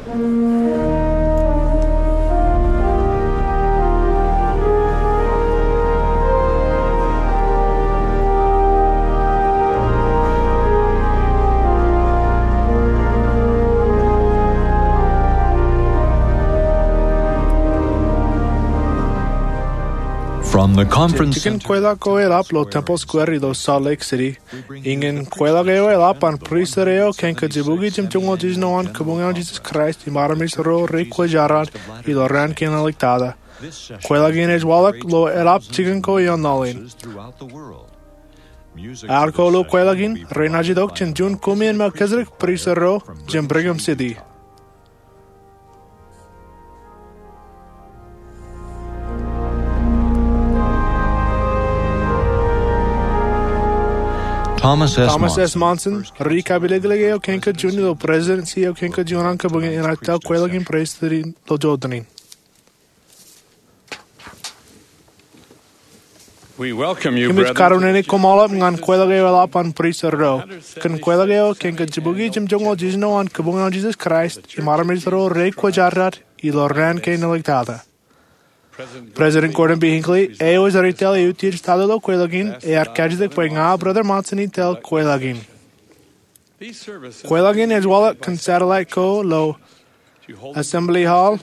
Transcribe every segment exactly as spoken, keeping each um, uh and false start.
From the conference center to the square, ilo Tempel Square ilo Salt Lake City, Iññān kweilọk eo eḷap an pristut eo kōn kajjibukwi jimjuonñoul jiljino an Kabuñ eo an Jisōs Kraist im armej ro rekwōjarjar ilo raan kein āliktata. Kweilọk in ej waḷọk ilo eḷap jikin ko ioon laḷ in. Ear ko ilo kweilọk in renaaj itok jān juon Kuṃwin Melchizedek pristut ro jān Brigham City. Thomas S. Monson, ri-kapilōklōk eo kōn kajuon ilo presidency eo kōn kajuon an kabuñ in, enaaj tōl kweilọk in pristut in ilo jotenin. Im ij kōrā in koṃṃool ñan kweilọk eo eḷap an pristut ro kōn kweilọk eo kōn kajjibukwi jimjuonñoul jiljino an Kabuñ eo an Jisōs Kraist im armej ro rekwōjarjar ilo raan kein āliktata. President Gordon B. Hinckley, eo ej ri-tōl eutiej tata ilo kweilọk in, ear kajjitōk bwe ña Brother Monson in tōl kweilọk in. Kweilọk in ej waḷọk kōn satellite ko ilo Assembly Hall,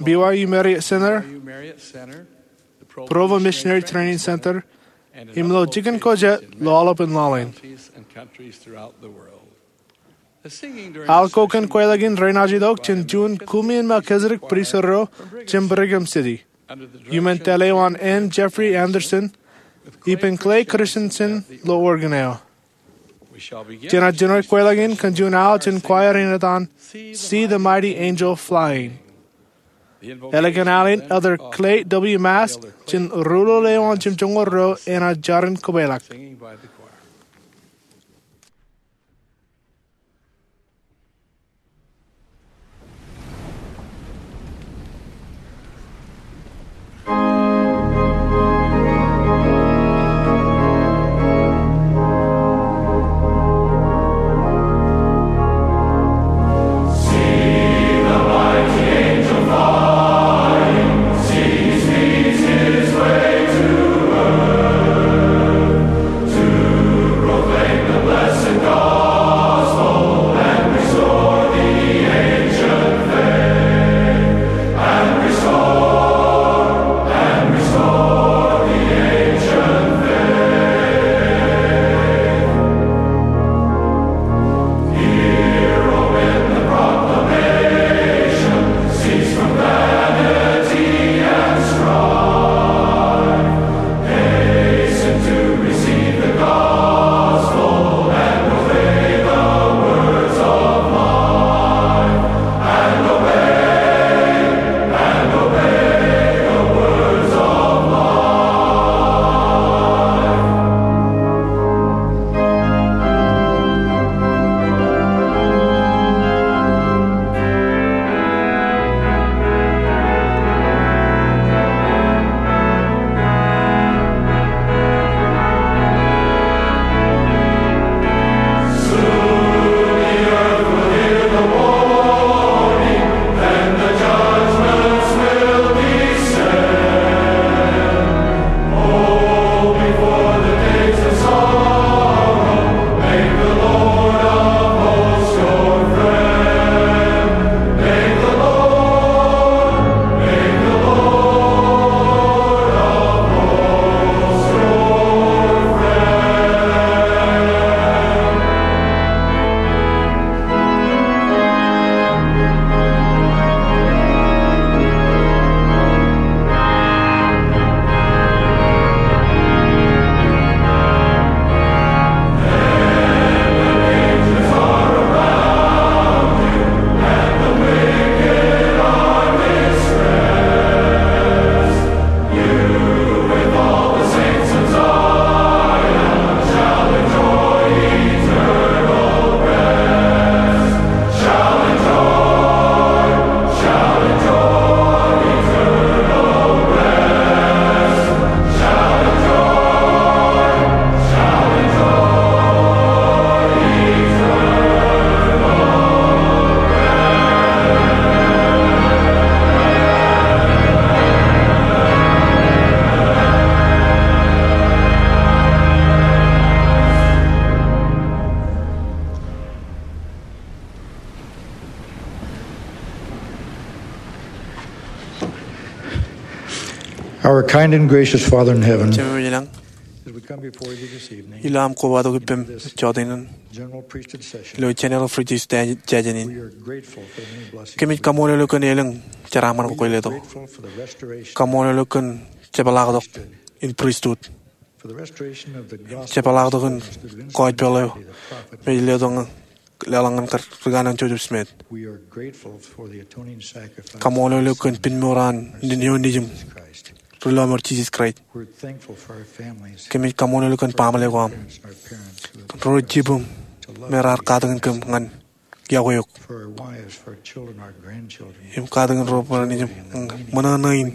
B Y U Marriott Center, Provo Missionary Training Center, im ilo jikin ko jet ilo aolepān laḷ in. Aḷ ko kōn kweilọk in renaaj itok jān juon Kuṃwin Melchizedek pristut ro jān Brigham City. Iuṃwin tōl eo an N. Jeffrey Andersen ippān Clay Christensen ilo organ eo. Jenaaj jino kweilọk in kōn juon aḷ jān choir in etan See the Mighty Angel Flying. Ālikin aḷ in, Elder Clay W. Mask jān ruḷuḷ eo an jimjuonñoul ro enaaj jar in kōpeḷḷọk. Our kind and gracious Father in heaven, Jemem ilañ, as we come before thee this evening, ilo aṃ kobatok ippem jọteen in, general priesthood session, ilo General Priesthood session in, we are grateful for the many blessings. Kōmij kaṃṃoolol eok kōn elōñ jeraaṃṃan ko kwōj letok. Grateful for the restoration, kaṃṃoolol eok kōn jepḷaaktok in pristut, for the restoration of the gospel, jepḷaaktok in gospel eo me ej letok ñan, leḷọk ñan ri kanaan Joseph Smith. We are grateful for the atoning sacrifice. Kaṃṃoolol eok kōn pinmour an Naan eo Nejūṃ, ri lọmọọr Jisōs Kraist. We're thankful for our families. Kōmij kaṃṃoolol eok kōn baaṃle ko aṃ, our parents, who have ro jibūṃ me raar katakin kōm ñan yokwe eok. For our wives, for our children, our grandchildren. Im katakin ro bwe ren ej ṃōṇōṇō in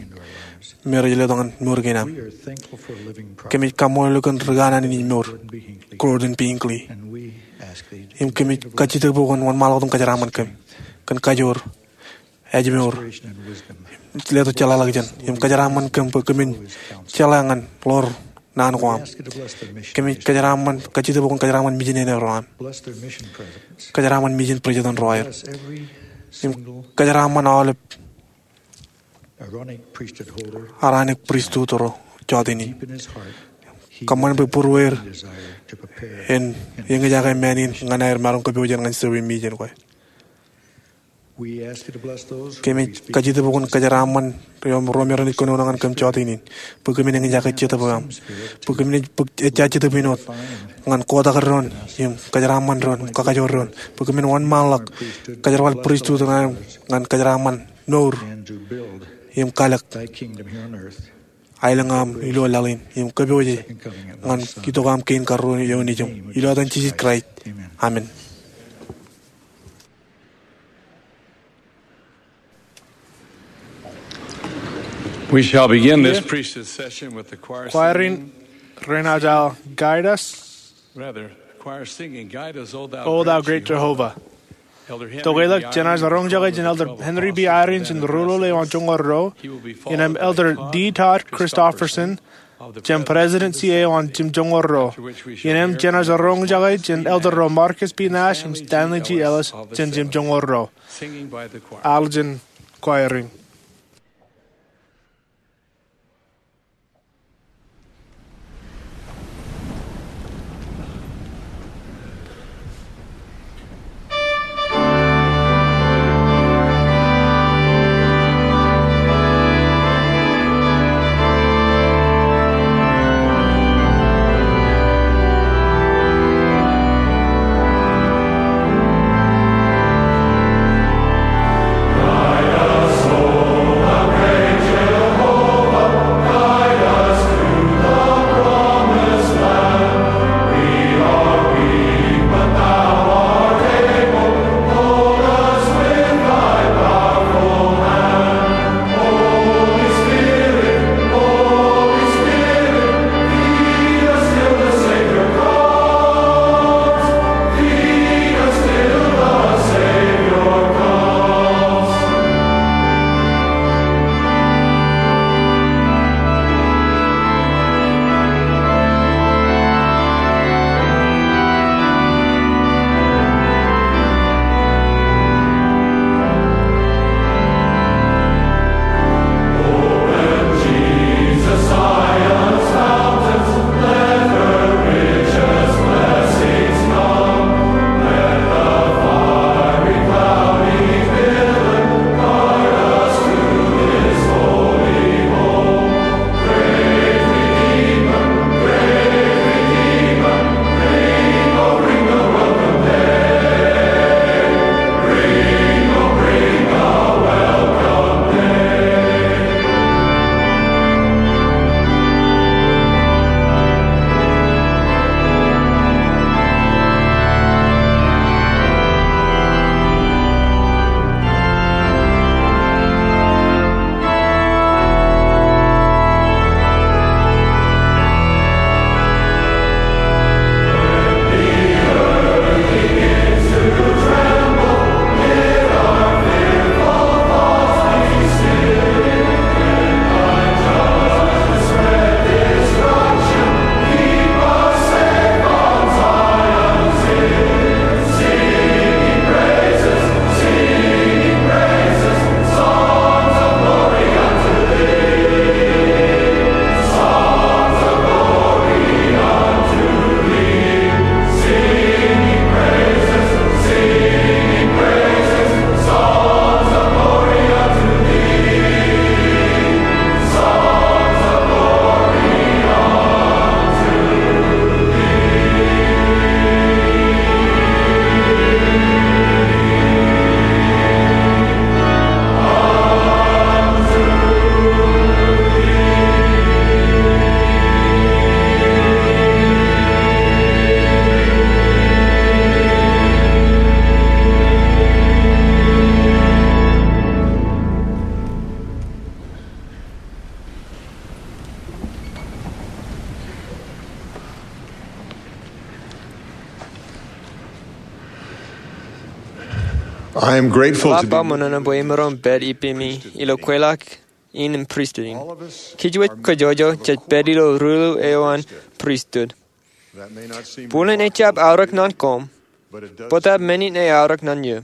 me rej letok ñan mour kein am. We are thankful for a living prophet. Kōmij kaṃṃoolol eok kōn ri kanaan in ej mour, Gordon B. Hinckley. Gordon B. Hinckley. And we ask thee to continue to bless. Im kōmij kajjitōk bwe kwōn wōnṃaanḷọk im kōjeraaṃṃan kōm kōn kajoor, ājmour, inspiration and wisdom. Letok jeḷāḷọkjeṇ im kōjeraaṃṃan kōm bwe kōmin jeḷā ñan ḷoor naan ko aṃ. Kōmij kōjeraaṃṃan, kajjitōk bwe kwōn kōjeraaṃṃan mijin eo ro aṃ. Kōjeraaṃṃan mijin president ro aer. Im kōjeraaṃṃan aolep Aaronic pristut ro jọteen in. Kōṃṃan bwe būrueir en eñjake men in ñan aer maroñ kōpooje ñan service mission ko. Kōmij kajjitōk bwe kwōn kōjeraaṃṃan ro me renaaj kōnono ñan kōm jọteen in, bwe kōmin eñjake jetōb eo aṃ, bwe kōmin ej, bwe ejja jetōb in wōt ñan kotak doon im kōjeraaṃṃan doon im kakajoor doon, bwe kōmin wōnṃaanḷọk kōjerbal pristut eo aṃ ñan kōjeraaṃṃan mour im kalōk aelōñ eo aṃ ilo laḷ in im kōpooje ñan itok eo aṃ kein karuo eo nejūṃ. Ilo etan Jisōs Kraist, amen. We shall begin this priesthood session with the choir singing. Kwōjeḷā, Guide Us, rather, the choir singing, Guide Us, O Thou, O Thou Great Jehovah. Tokālik, jenaaj roñjake jān Elder Henry B. Eyring jān ruo ruo eo an joñoul ruo, iien aṃ Elder D. Todd Christofferson jān presidency eo an jimjuonñoul ruo, iien aṃ jenaaj roñjake jān Elder ro Marcus B. Nash im Stanley G. Ellis jān jimjuonñoul ruo. Al jān kwōjeḷā. I am grateful to be ṃōṇōṇō bwe imaroñ pād ippemi ilo kweilọk in im pristut in. Kij wōj kōjọjọ jej pād ilo ruḷu eo an pristut. Bōlen ejjab aorōk ñan koṃ, bōtab menin ej aorōk ñan eō.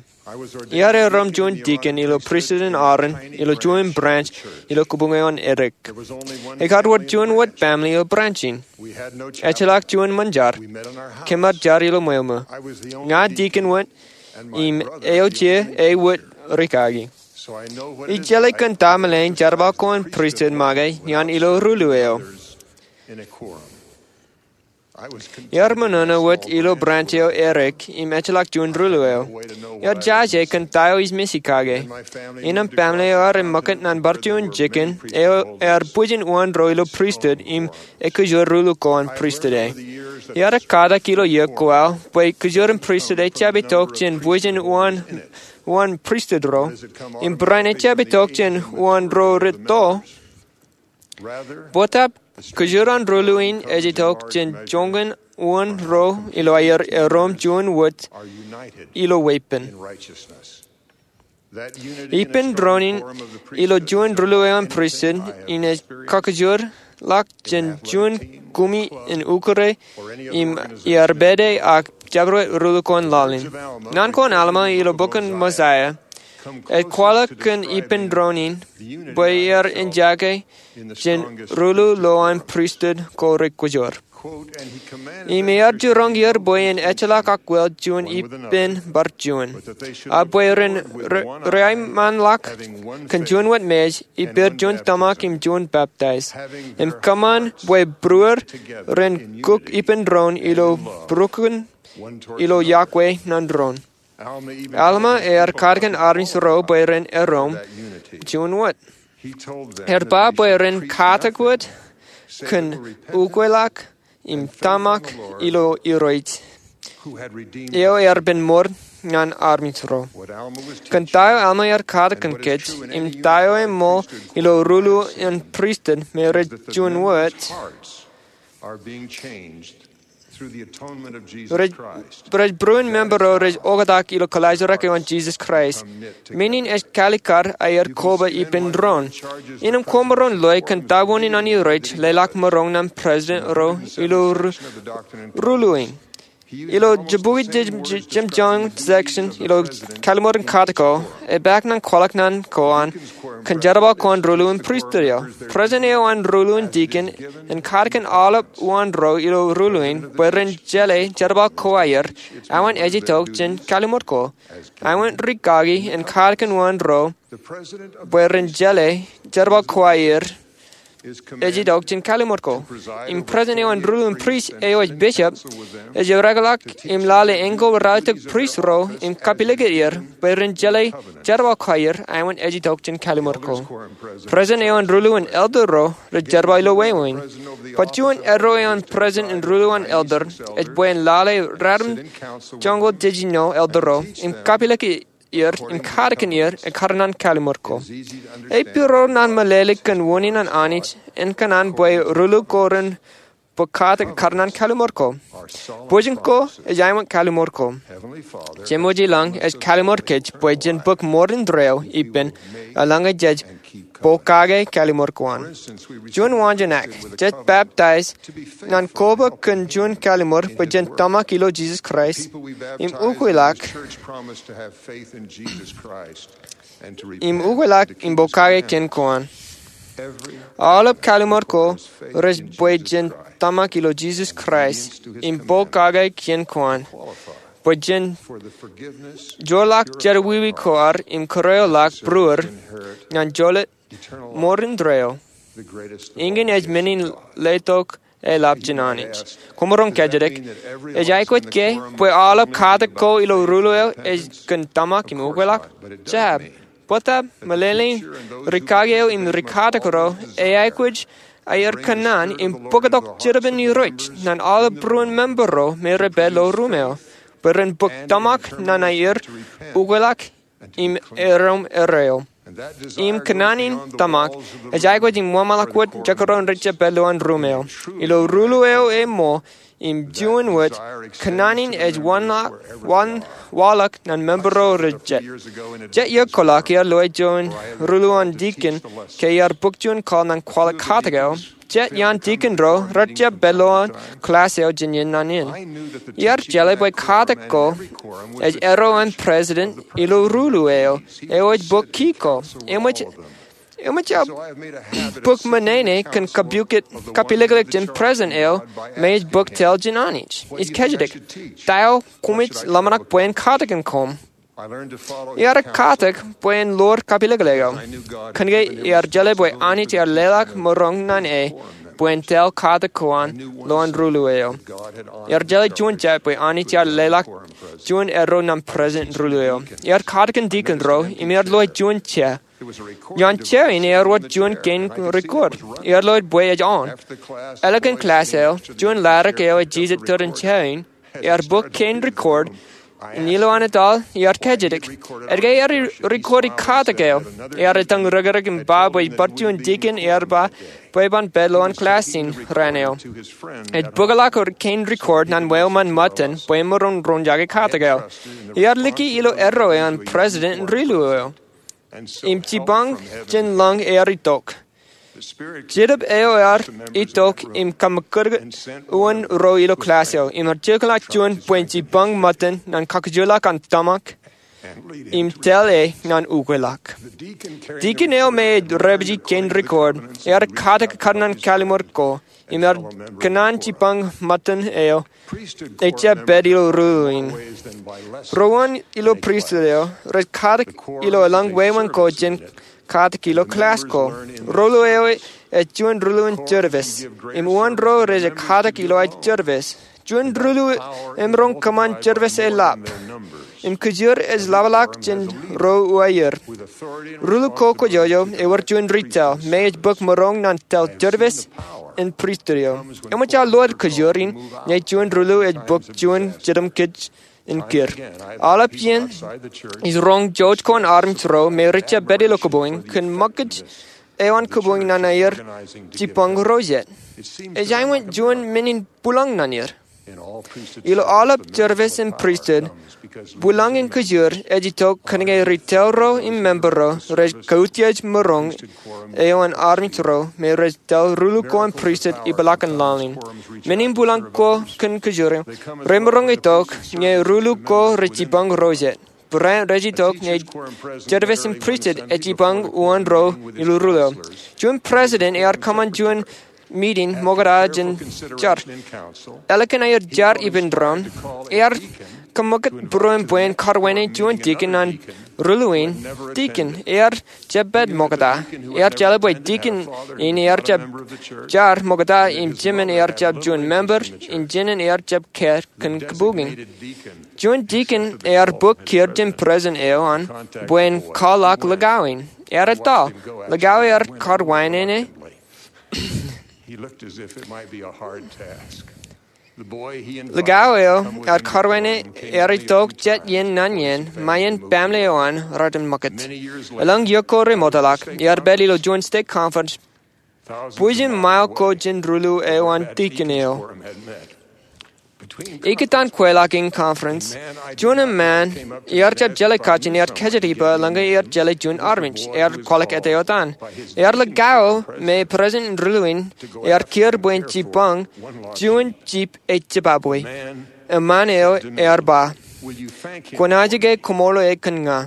Iar erom juon dikon ilo pristut in Aaron ilo juon branch ilo kōbōñ eo an Erik. Ekar wōr juon wōt baaṃle ilo branch in. Ejjeḷọk juon ṃōn jar. Keemar jar ilo ṃweo ṃō. Ña dikon wōt im eo je ewōt rikaki. Ij jeḷā kōn ta meḷeḷein jerbal ko an pristut make iaan ilo ruḷu eo. Iar ṃōṇōṇō wōt ilo branch eo Erik im ejjeḷọk juon ruḷu eo. Iar jaje kōn ta eo ij mej kake. Innem baaṃle eo ear eṃṃakūt ñan bar juon jikin eo ear bwijin uwaan ro ilo pristut im ekōjwōr ruḷu ko an pristut e. Iar ekkatak ilo iiō ko aō bwe kōjwōrin pristut ejjab itok jān bwijin uwaan pristut ro im barāinwōt ejjab itok jān uwaan ro rej to. Bōtab kōjwōr an ruḷu in ej itok jān joñan uwaan ro ilo aer erom juon wōt ilo weeppān. Ippān doon in ilo juon ruḷu eo an pristut in ej kakōjwōrḷọk jān juon kumi in ukure im iar pād e ak jabdewōt ruḷu ko an laḷ in. Naan ko an Alma ilo bok in Mosaia ej kwaḷọk kōn ippān doon in bwe iar eñjake jān ruḷu lo an pristut ko rej kōjwōr. Im ear jiroñ er bwe en ejjeḷọk akwōl juon ippān bar juon, ak bwe ren re- reaeṃṃanḷọk kōn juon wōt mej ippān juon tōmak im juon baptais. Im kōṃṃan bwe būruod ren kuk ippān doon ilo būrukin ilo iọkwe ñan doon. Alma ear katakin armej ro bwe ren erom juon wōt. Ear ba bwe ren katak wōt kōn ukweḷọk im tōmak ilo Irooj eo ear bōk mour ñan armej ro. Kōn ta eo Alma ear katakin kōj im ta eo eṃṃool ilo ruḷu an pristut me rej juon wōt, rej būruon member ro rej oktak ilo kwōlaajrak eo an Jisōs Kraist. Menin ej kaalikkar aer koba ippān doon. Innem koṃaroñ loe kōn ta unin an Irooj leḷọk maroñ ñan president ro ilo ruḷu in. Ilo jibukwi jemjoñan section ilo Kalliṃur in Katak ko, epaak ñan kwaḷọk ñan ko an kōn jerbal ko an ruḷu in pristut eo. President eo an ruḷu in dikon en katakin aolep uwaan ro ilo ruḷu in bwe ren jeḷā jerbal ko aer, āinwōt ej itok jān kalliṃur ko, āinwōt rikaki en katakin uwaan ro bwe ren jeḷā jerbal ko aer ej itok jān kalliṃur ko. Im president eo an ruḷu in prist eo ej bishop ej ereḷọk im lale eñko ralitōk prist ro im kapilōk er bwe ren jeḷā jerbal ko aer āinwōt ej itok jān kalliṃur ko. President eo an ruḷu in elder ro rej jerbal ilo wāween. Bōtab juon eddo eo an president in ruḷu an elder ej bwe en lale ratimjuonñoul jiljino elder ro im kapilōk er im katakin er ekkar ñan kalliṃur ko. Ej piroḷ ñan meḷeḷe kōn unin an Anij en kōṇaan bwe ruḷu ko ren bōk katak ekkar ñan kalliṃur ko. Bwijin ko ej āinwōt kalliṃur ko. Jemem ilañ ej kalliṃur kōj bwe jen bōk mour indeeo ippān eḷaññe jej bōk kake kalliṃur ko an. Juon waanjoñak, jej baptize ñan koba kōn juon kalliṃur bwe jen tōmak ilo Jisōs Kraist im ukweḷọk im ukweḷọk im bōk kake kien ko an. Aolep kalliṃur ko rej bwe jen tōmak ilo Jisōs Kraist im bōk kake kien ko an bwe jen joorḷọk jerọwiwi ko ad im kōrreoḷọk būruod ñan jolōt mour indeeo. Eñin ej men in letok eḷap jān Anij. Koṃaroñ kōjatdikdik, ej aikuj ke bwe aolep katak ko ilo ruḷu eo ej kōn tōmak im ukweḷọk? Jab. Bōtab meḷeḷein rikaki eo im rikatak ro ej aikuj aer kōṇaan im bōktok jitōbōn Irooj ñan aolep būruon member ro me rej pād ilo ruum eo bwe ren bōk tōmak ñan aer ukweḷọk im erom erreo. Im kōṇaan in tōmak ej aikuj in ṃōṃaḷọk wōt jekdọọn rej jab pād ilo an ruum eo. Ilo ruḷu eo eṃṃool im juon wōt, kōṇaan in ej waḷọk, waḷọk naan member ro rej jet. Jet iiō kōḷọk iar lowaan juon ruḷuḷ an tikin ke iar bōk juon call naan kwaḷọk katak eo. Jet iaan tikin ro rej jab pād lowaan class eo jān iien naan in. Iar jeḷā bwe katak ko ej erro an president ilo ruḷuḷ eo, eo ej bōk key ko. Eṃōj, eṃōj aō bōk ṃōṇōṇō kōn kapilōklōk jān president eo me ej bōk tōl jān Anij. Ij kajjitōk, ta eo koṃij ḷōmṇak bwe en katakin koṃ? Iar katak bwe en ḷoor kapilōklōk eo. Kōnke iar jeḷā bwe Anij ear leḷọk maroñ naan e bwe en tōl katak ko an lowaan ruḷuḷ eo. Iar jeḷā juon jet bwe Anij ear leḷọk juon erro naan president ruḷuḷ eo. Iar katakin tikin ro im iar lowaan juon chair. Iaan chair in ear wōt juon kein record. Ear lowaan bwe ej on. Ālikin class eo, juon ladik eo ej jijet tōre in chair in, ear bōk kein record, im ilo an etal ear kajjitōk, etke ear record e katak eo? Ear etaṃ rōkrōk im ba bwe ej bar juon tikin ear ba bwe eban pād lowaan class in raan eo. Ej bōkḷọk kein record naan wāween ṃōttan bwe emaroñ roñjake katak eo. Ear liki ilo erro eo an president in ruḷuḷ eo. Im jipañ jān lañ ear itok. Jetōb eo ear itok im kaṃōkaj uwaan ro ilo class eo, im ear jekḷọk juon bwe en jipañ ṃōttan naan kakkōjparok an tōmak im tōl e naan ukweḷọk. Tikin eo me ej repāji kein record ear katakin ekkar naan kallim̧ur ko im ear kōṇaan jipañ ṃōttan eo ejjab pād ilo ruḷuḷ in. Ro uwaan ilo pristut eo rej katak ilo elōñ wāween ko jān katak ilo class ko. Ruḷuḷ eo ej juon ruḷuḷ in service, im uwaan ro rej katak ilo aer service. Juon ruḷuḷ emaroñ kōṃṃan service eḷap, im kōjur ej ḷapḷọk jān ro uwaier. Ruḷuḷ ko kwōjojō ewōr juon ritōl me ej bōk maroñ naan tōl service in pristut eo. Eṃōj aō lowaan kōjur in ñe juon ruḷuḷ ej bōk juon jidim kōj in kūr. Aolep iien ij roñ jouj ko an armej ro me rej jab pād ilo kōpoñ kōn ṃōkaj eo an kōpoñ naan aer jipañ ro jet. Ej aikuj juon men in bwilōñ naan er. Ilo aolep service in pristut, bwilōñ in kōjur ej itok kōnke ritōl ro im member ro rej kautiej maroñ eo an armej ro me rej tōl ruḷuḷ ko an pristut ipḷaak in laḷ in. Men in bwilōñ ko kōn kōjur eo remaroñ itok ñe ruḷuḷ ko rej jipañ ro jet. Barāinwōt rej itok ñe service in pristut ej jipañ uwaan ro ilo ruḷuḷ eo. Juon president ear kōṃṃan juon meeting ṃokta jān jar. Ālikin aer jar ippān doon, ear kaṃṃoolol būruon bwe en karwaineik juon tikin an ruḷuḷ in. Tikin ear jab pād ṃokta. Ear jeḷā bwe tikin in ear jab jar ṃokta im jemān ear jab juon member, im jemān ear jab kāāl kōn kōpoñ in. Juon tikin ear bōk kūr jān president eo an bwe en kwaḷọk likao in. Ear etal, likao ear karwaineik e. Likao eo ear karwaineik e ear itok jet iien naan iien, ṃae iien baaṃle eo an raar ṃōkaj. Elōñ iiō ko remootḷọk, ear pād ilo juon stake conference bwijin mile ko jān ruḷuḷ eo an tikin eo. Ikōtaan kweilọk in conference, juon eṃṃaan ear jab jeḷā kajin ear kajjitōk ippān eḷaññe ear jeḷā juon armej. Ear kwaḷọk etaotan. Ear likao me president in ruḷuḷ in ear kūr bwe en jipañ juon jip ej jibabwe. Eṃṃaan eo ear ba, kwōnaaj ke koṃṃool e kōn ña?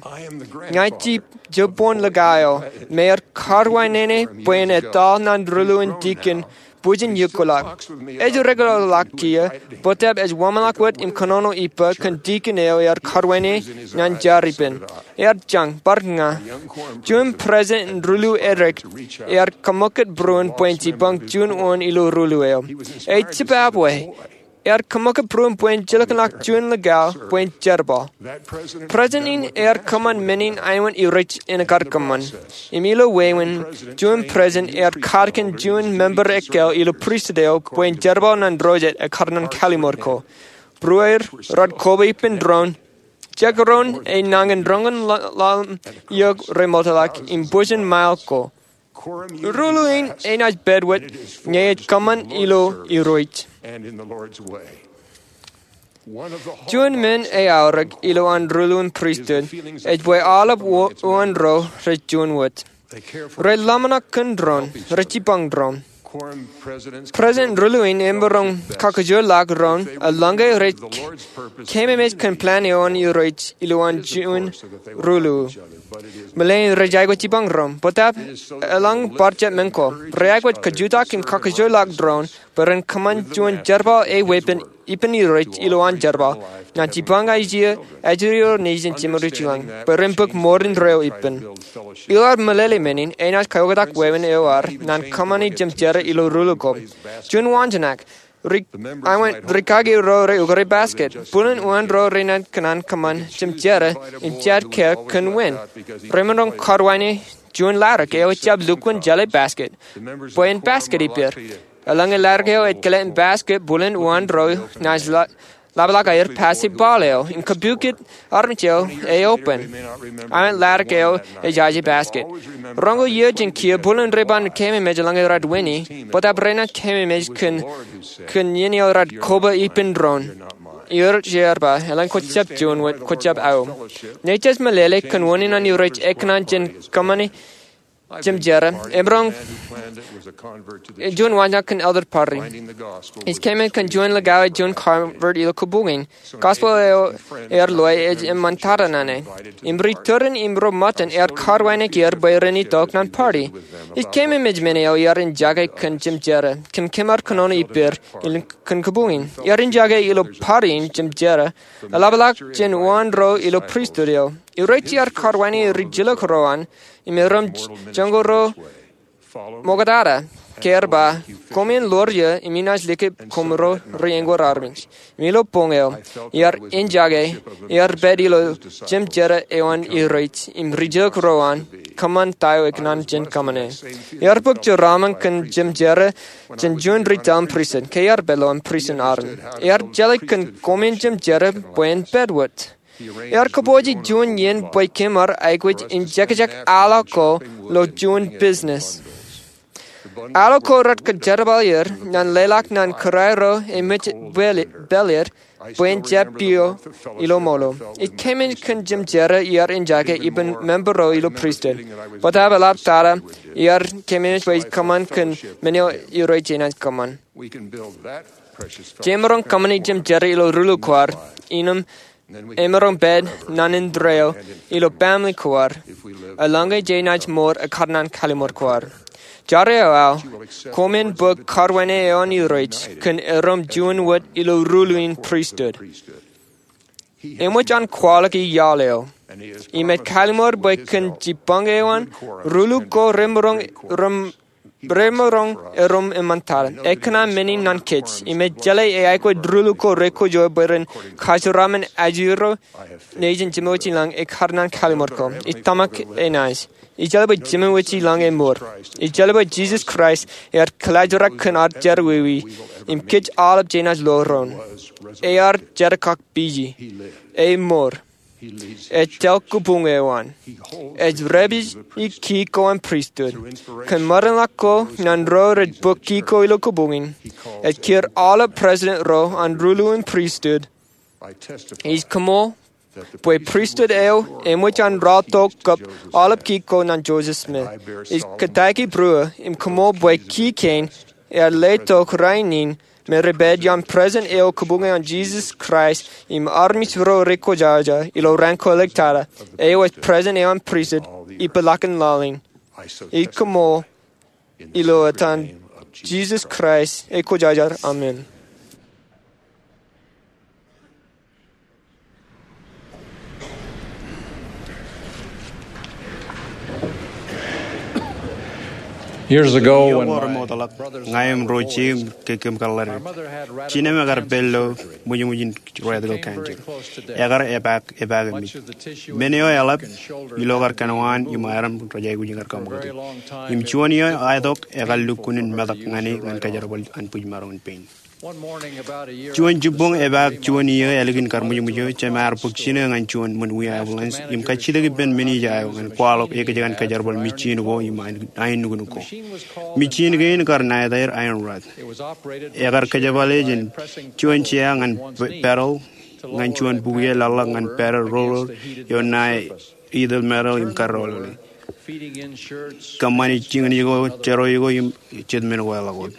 Ña ij jibboñ likao eo me ear karwaineik e bwe en etal naan ruḷuḷ in tikin bwijin iiō kōḷọk. Ej regular ḷọk kiiō, bōtab ej wōnṃaanḷọk wōt im kōnono ippa kōn tikin eo ear karwaineik e naan jar ippān. Ear jañ, bar ña. Juon president in ruḷuḷ edik ear kaṃṃoolol būruon bwe en jipañ juon wōn ilo ruḷuḷ eo. Ej jibabwe. Ear kaṃṃoolol būruon bwe en jilkinḷọk juon likao bwe en jerbal. President in ear kōṃṃan men in aikuj rej itok kōṃṃan. Im ilo wāween, juon president ear katakin juon member ekkā ilo pristut eo bwe en jerbal naan ro jet ekkar naan kallim̧ur ko. Būrueir raar koba ippān doon, jekdọọn e nañin roñin ḷaḷ im iiō remootḷọk im bwijin mile ko. Ruo in enaaj pād wōt ñe ej kōṃṃan ilo Irooj. Juon men eaorōk ilo an ruo in pristut ej bwe aolep uwaan ro rej juon wōt. Rej ḷōmṇak kōn doon, rej jipañ doon. President Ruo in emaroñ kakkōjparok doon eḷaññe rej keememej kōn plan eo an Irooj ilo an juon ruo. Meḷeḷein rej aikuj jipañ doon, bōtab eḷaññe bar jab men ko, rej aikuj kajutak im kakkōjparok doon bwe ren kōṃṃan juon jerbal eo ippān, ippān Irooj ilo an jerbal ñan jipañ ajri, ajri ro nejin jemwōj ilañ bwe ren bōk mour indeeo ippān. Ilo ad meḷeḷe men in, enaaj kaoktak wāween eo ad ñan kōṃṃani jemjerā ilo ruo ko. Juon waanjoñak, ri, awan rikaki ro rej ukōte basket. Bōlen uwaan ro renaaj kōṇaan kōṃṃan jemjerā im jab kāāl kōn wāween. Remaroñ kōrwaine juon ḷadik eo ejjab lukkuun jeḷā basket bwe en basket ippāer. Eḷaññe ḷadik eo ej kile im basket, bōlen uwaan ro naaj ḷa, ḷapḷọk aer pase ball eo im kapukot armej eo eopen. Awan ḷadik eo ejaje basket. Roñoul iiō jān kiiō bōlen rej ban keememej eḷaññe rej wini, bōtab renaaj keememej kōn, kōn iien eo rej koba ippān doon. Irooj ear ba, eḷaññe kwōjjab juon wōt, kwōjjab aō. Ñe jej meḷeḷe kōn unin an Irooj ekōṇaan jān kōṃṃani jemjerā, emaroñ, juon waanjoñak kōn Elder Parry. Ij keememej kōn juon likao, juon convert ilo kōbuñin. Gospel eo ear loi ej eṃṃan tata ñan e. Im ri turin im ro ṃōttan ear kōrwaineki er bwe ren itok ñan party. Ij keememej men eo iar enjake kōn jemjerā, kōm, kōm ar kōnono ippāer kōn kōbuñin. Iar enjake ilo party in jemjerā. Eḷapḷọk jān uwaan ro ilo pristut eo. Irooj ear kōrwaineki ri jilkinḷọk ro an, im erom joñan ro ṃoktata, ke ear ba, koṃwin ḷoor ie, im inaaj likūt koṃro ri-eñoul armej. Im ilo boñ eo, iar enjake, iar pād ilo jemjerā eo an Irooj, im ri jilkinḷọk ro an, kōṃṃan ta eo ekōṇaan jān kōṃṃane. Iar bōk jeraaṃṃan kōn jemjerā jān juon ri taḷ in pristut, ke iar pād ilo an pristut aṃ. Iar jeḷā kōn koṃwin jemjerā bwe en pād wōt. Iar kōpooje juon iien bwe kōm ar aikuj in jekjek aḷo ko ilo juon business. Aḷo ko rej kōjerbal er ñan leḷọk ñan kūrairo eo ṃōj pāl er bwe en jab piiō ilo ṃool eo. Ij keememej kōn jemjerā iar enjake ippān member ro ilo pristut. Bōtab eḷaptata iar keememej bwe ij kōṃṃan kōn men eo Irooj enaaj kōṃṃan. Jemaroñ kōṃṃani jemjerā ilo ruo ko ad, innām emaroñ pād ñan indeeo ilo baaṃle ko ad. Eḷaññe jenaaj mour ekkar ñan kalliṃur ko ad. Jar eo aō, koṃwin bōk kōrwaine eo an Irooj kōn erom juon wōt ilo ruo in pristut. Eṃōj an kwaḷọk iaḷ eo. Im ej kalliṃur bwe kōn jipañ eo an, ruo ko remaroñ, rem, remaroñ erom eṃṃantata. Ekōṇaan men in ñan kōj, im ej jeḷā eaikuj ruo ko rekwōjarjar bwe ren kajeraaṃṃan ajri ro nejin jemwōj ilañ ekkar ñan kalliṃur ko. Ij tōmak enaaj. Ij jeḷā bwe jemwōj ilañ emour. Ij jeḷā bwe Jisōs Kraist ear kōḷaajrak kōn ad jerọwiwi, im kōj aolep jenaaj ḷoor doon. Ear jerkakpeje. Emour. Ej tōl kōbuñ eo an. Ej repeje kiiō ko an pristut. Kōn meramḷọk ko ñan ro rej bōk kiiō ko ilo kōbuñin. Ej kiiō aolep president ro an ruo in pristut. Ij koṃṃool bwe pristut eo eṃōj an ralitōk kab aolep kiiō ko ñan Joseph Smith. Ij kōtaiki būruō im koṃṃool bwe kiiō kein ear letok rainin me rej pād iaan President eo kōbuñe an Jisōs Kraist im armej ro rekwōjarjar ilo raan ko ḷọk tata, eo ej President eo an pristut ippaḷọkin laḷ in. Ij koṃṃool ilo etan Jisōs Kraist, ekwōjarjar, amen. Years ago, when ṃool ro ṃoktaḷọk, ña im ro jeiū im kōm kōḷḷā ri, jinōm ekar pād ilo ṃwijṃwij in rectal cancer. Ekar epaak, epaak emej. Men eo eḷap ilo kar kōnwaan im aram rej aikuj in kar kaṃṃoolol. Im juon iiō eo etok ekar lukkuun in metak ñan e ñan kōjerbal an bwijmaroñ in pein. Juon jibboñ epaak juon iiō ālikin karmwijmwij eo, Jema ear bōk jino ñan juon ṃōn wiia ambulance im kajjitōk ippān men eo ej io ñan kwaḷọk ekōjkan kōjerbal mijin ko im ain nuknuk ko. Mijin kein kar ṇa etaer iron rod. Ekar kōjepale jān juon jea ñan pedal ñan juon bukwi eo eḷḷọk ñan pedal roller eo ṇa etaer metal im karreoḷeḷe. Kōṃṃane jikin eo, jerawiwi ko im jet men ko eḷḷọk wōt.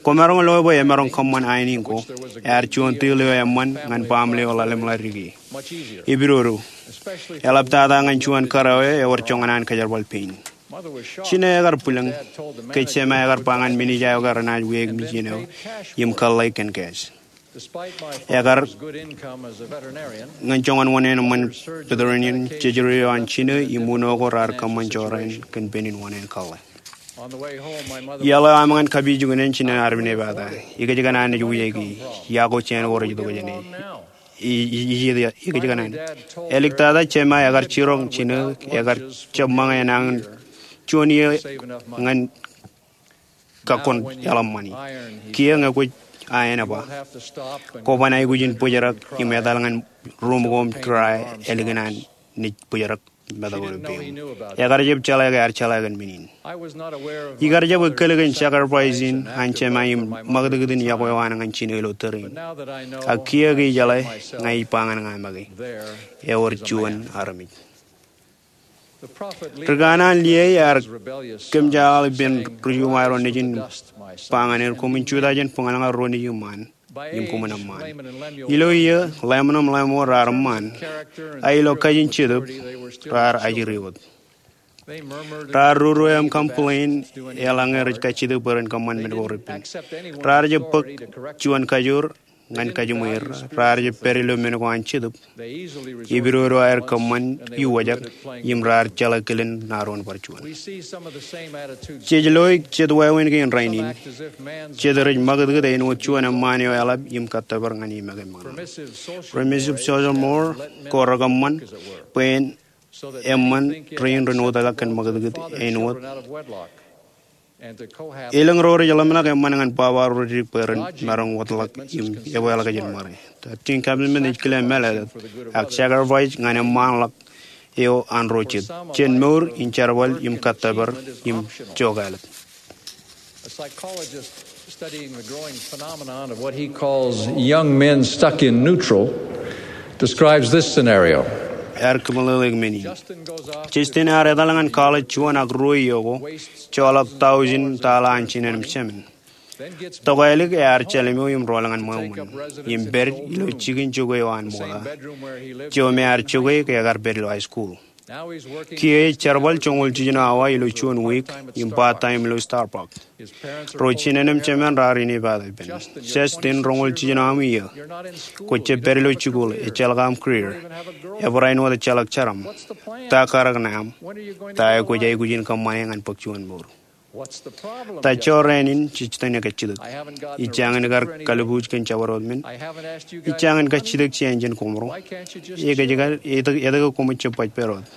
Kwōmaroñ lo bwe emaroñ kōṃṃan ain in ko. Ear juon teel eo eṃṃan ñan baaṃle eo ḷalem ḷadik e. Epidodo. Eḷap tata ñan juon kōrā eo ewōr joñan an kōjerbal pein. Jino ekar bwilōñ ke Jema ekar ba ñan men eo ej io ke renaaj wiaik mijin eo im kōḷḷāik kōn cash. Ekar ñan joñan wōṇāān eṃṃan veterinarian, jejure eo an jino im uno ko raar kōṃṃan jorrāān kōn penin wōṇāān kōḷḷā. Iaḷ eo aṃ ñan kapijuknen, jino ear pād ipata. Ekōjkan an ej wiaiki. Yokwe jān ko rej itok jāne. Ij, ij, ij, ekōjkan an. Āliktata Jema ekar jiroñ jino, ekar jab ṃōñā enañin juon iiō ñan kakkon eḷap ṃani. Kiiō ñe kwōj aenō ba, kwōban aikuj in bōjrak im etal ñan ruuṃ ko im try ālikin an naaj bōjrak metak eo ilo peiṃ. Ekar jab jeḷā ke ear jeḷā kōn men in. Ikar jab ekkōl kōn sacrifice in an Jema im ṃakūtkūt in yokwe eo an ñan jino ilo tōre in. Ak kiiō ke ijeḷā, ña ij ba ñan ña make, ewōr juon armej. Ri kanaan Liai ear kōmjaaḷ ippān ri juṃae ro nejin, ba ñan er, koṃwin jutak jān bōñalñal ro nejin ṃaan im koṃwin eṃṃaan. Ilo iiō, Lemuel im Lemuel raar eṃṃaan. A ilo kajin Jetōb, raar ajri wōt. Raar ruru im complain, eḷaññe rej kajjitōk bwe ren kōṃṃan men ko repen. Raar jab bōk juon kajoor ñan kajiṃwe er, raar jab pād ilo men ko an Jetōb. Epidodo aer kōṃṃan iwōjak im raar jeḷā kilen ṇa doon bar juon. Jej lo jet wāween kein rainin. Jet rej ṃakūtkūt āinwōt juon eṃṃaan eo eḷap im kōttōpar ñan e make ṃaan. Permissive social more ko rekōṃṃan bwe en eṃṃan rein ren wōtlọk kōn ṃakūtkūt āinwōt. Elōñ ro rej ḷōmṇak eṃṃan ñan baba ro rej dik bwe ren maroñ wōtlọk im ebweḷọk jān ṃare. Thirteen commandment ej kile mālōtlōt, ak sacrifice ñan eṃṃanḷọk eo an ro jet, jān mour in jerbal im kōttōpar im jokālōt. A psychologist studying the growing phenomenon of what he calls young men stuck in neutral describes this scenario. Ear kōmeḷeḷeik men in. Justin ear etal ñan college juon ak ruo iiō ko, joḷọk thousand dollar an jinen im jemān. Tokālik ear jeḷimo im rool ñan ṃweo ṃōn, im pād ilo jikin jokwe eo an ṃokta, jo me ear jokwe ke ekar pād ilo high school. Kiiō ej jerbal joñoul jiljino awa ilo juon wiik im part-time ilo Starbucks. Ro jinen im jemān raar inepata ippān. Justin, roñoul jiljino aṃ iiō. Kwō jab pād ilo jikuuḷ, ejjeḷọk aṃ career. Ebarāinwōt ejjeḷọk jeraṃ. Ta karōk ṇe aṃ? Ta eo kwōj aikuj in kōṃṃane ñan bōk juon mour? Ta jorrāān in jej tōn e kajjitōk? Ij jañin kar kalbuuj kōn jabdewōt men. Ij jañin kajjitōk jān koṃro. Ekōjkan, etke, etke koṃij jab baj pād wōt?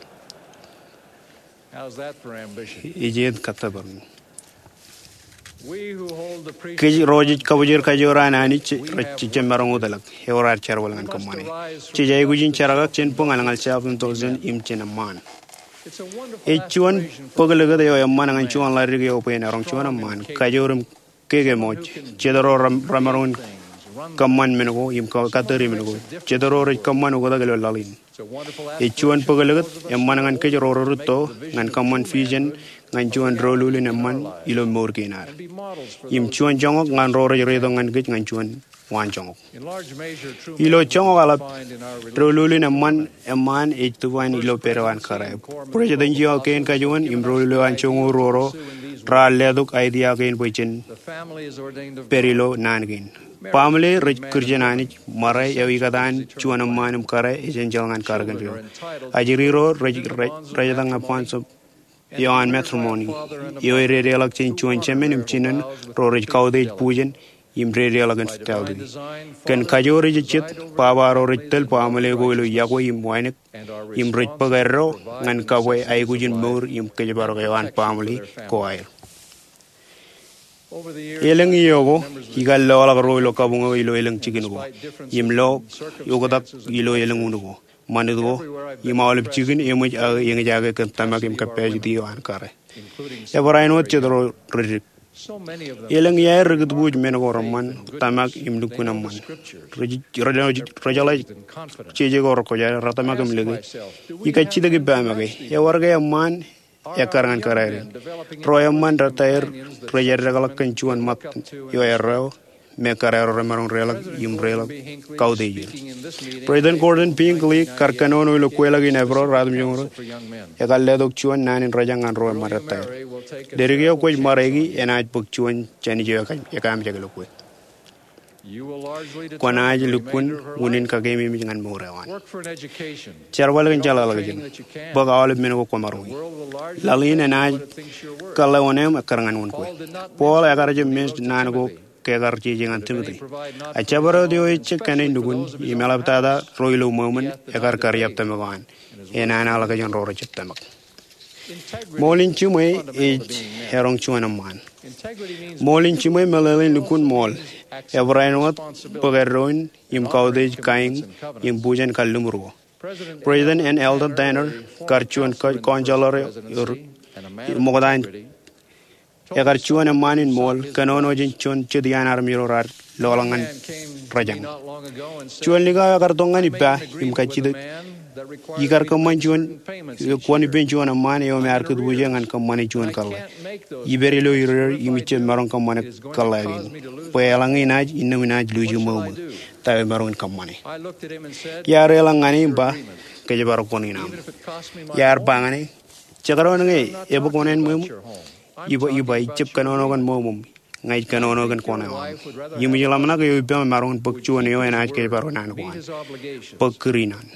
Ej et kōttōpar in. Kōj ro jej kabōjrak kajoor an Anij, rej jab maroñ wōtlọk, ewōr ad jerbal ñan kōṃṃane. Jej aikuj in jerkak jān bōñalñal, self-indulgence, im jān eṃṃaan. Ej juon bōk likūt eo eṃṃan ñan juon ḷadik eo bwe en eroñ juon eṃṃaan, kajoor im kōkemwōj. Jet ro remaroñ in kōṃṃan men ko im kattōri men ko. Jet ro rej kōṃṃan oktak ilo laḷ in. Ej juon bōk likūt eṃṃan ñan kōj ro rūtto ñan kōṃṃan vision ñan juon doulul in eṃṃan ilo mour kein ad. Im juon joñak ñan ro rej reitok ñan kōj ñan juon waanjoñak. Ilo joñak eḷap, doulul in eṃṃaan, eṃṃaan ej define ilo pād eo an kōrā. Bwij eo an juon kein kajuon im doulul eo an joñoul ruo ro raar letok idea kein bwe jen pād ilo naan kein. Baaṃle rej Kūrjin Anij, ṃare eo ikōtaan juon eṃṃaan im kōrā ej enjeḷ ñan karōk in ro. Ajri ro rej, rej, rej etōñ ñan bwaan eo an matrimony, eo ededeḷọk jān juon jemān im jinen ro rej kautiej bujen im dedeḷọk infidelity. Kōn kajoor ejejjet, baba ro rej tōl baaṃle ko ilo yokwe im wānōk, im rej bōk eddo ñan kabwe aikuj in mour im kōjparok eo an baaṃle ko aer. Elōñ iiō ko, ikar lọḷọk ro ilo kabuñ eo ilo elōñ jikin ko im lo oktak ilo elōñ un ko, ṃanit ko, im aolep jikin eṃōj aō eñjake kōn tōmak im kōppāj iiō an kōrā. Ebarāinwōt jet ro rej dik. Elōñ iaer rekūtbuuj men ko reṃṃan, tōmak im lukkuun eṃṃan. Rej, rej, rej jeḷā jeje ko rekwōjarjar, retōmak im lōke, ikar jitōk ippa make. Ewōr ke eṃṃaan ekkar ñan kōrā in. Ro eṃṃan retaer rej eddekḷọk kōn juon ṃōt eo erreo me kōrā ro remaroñ deḷọñ im deḷọñ kautiej er. President Gordon B. Hinckley kar kōnono ilo kweilọk in Eprōḷ ruatimjuonñoul ruo, ekar letok juon naan in rōjañ ñan ro eṃṃan retaer. Ledik eo kwōj ṃareiki enaaj bōk juon jān ijo ekaamjake ilo kwe. Kwōnaaj lukkuun unin kakeememej ñan mour eo an. Jerbal kōn jeḷāḷọkjeṇ. Bōk aolep men ko kwōmaroñ. Laḷ in enaaj kōḷḷā wōṇāān ekkar ñan wōn kwe. Paul ekar jab men naan ko ke ekar jeje ñan Timote. A jabdewōt eo ejjab kōṇaan nukun im eḷaptata ro ilo ṃweo ṃōn ekar kariab tōmak eo an. Enana ḷọk jān ro rejjab tōmak. Ṃool in jiṃwe ej eroñ juon eṃṃaan. Ṃool in jiṃwe meḷeḷein lukkuun ṃool, ebarāinwōt bōk eddoin im kautiej, kain, im bujen kalliṃur ko. President N. Eldon Tanner kar juon ko-, counselor eo ri-, ṃokta in, ekar juon eṃṃaan in ṃool, kōnono jān juon jet iaan armej ro raar lọḷọk ñan rōjañ. Juon likao ekar tok ñan ippa im kajjitōk, ikar kōṃṃan juon, kwōn ippān juon eṃṃaan eo me ear kūtbuuj ñan kōṃṃane juon kōḷḷā. Ipād ilo ireer im ijjab maroñ kōṃṃane kōḷḷā kein. Bwe eḷaññe inaaj, innām inaaj luuji ṃweo ṃōn ta eo imaroñ in kōṃṃane. Iar eḷọk ñane im ba, kōjparok wōṇāān aṃ. Iar ba ñane, jekdọọn ñe ebōk wōṇāān ṃweo ṃōn, iba, iba, ijjab kōnono kōn ṃweo ṃōm, ña ij kōnono kōn kōṇaan eo aṃ. Im ij ḷōmṇak eo ippaṃ emaroñ in bōk juon eo enaaj kōjparok naan ko an. Bōk kūr in an.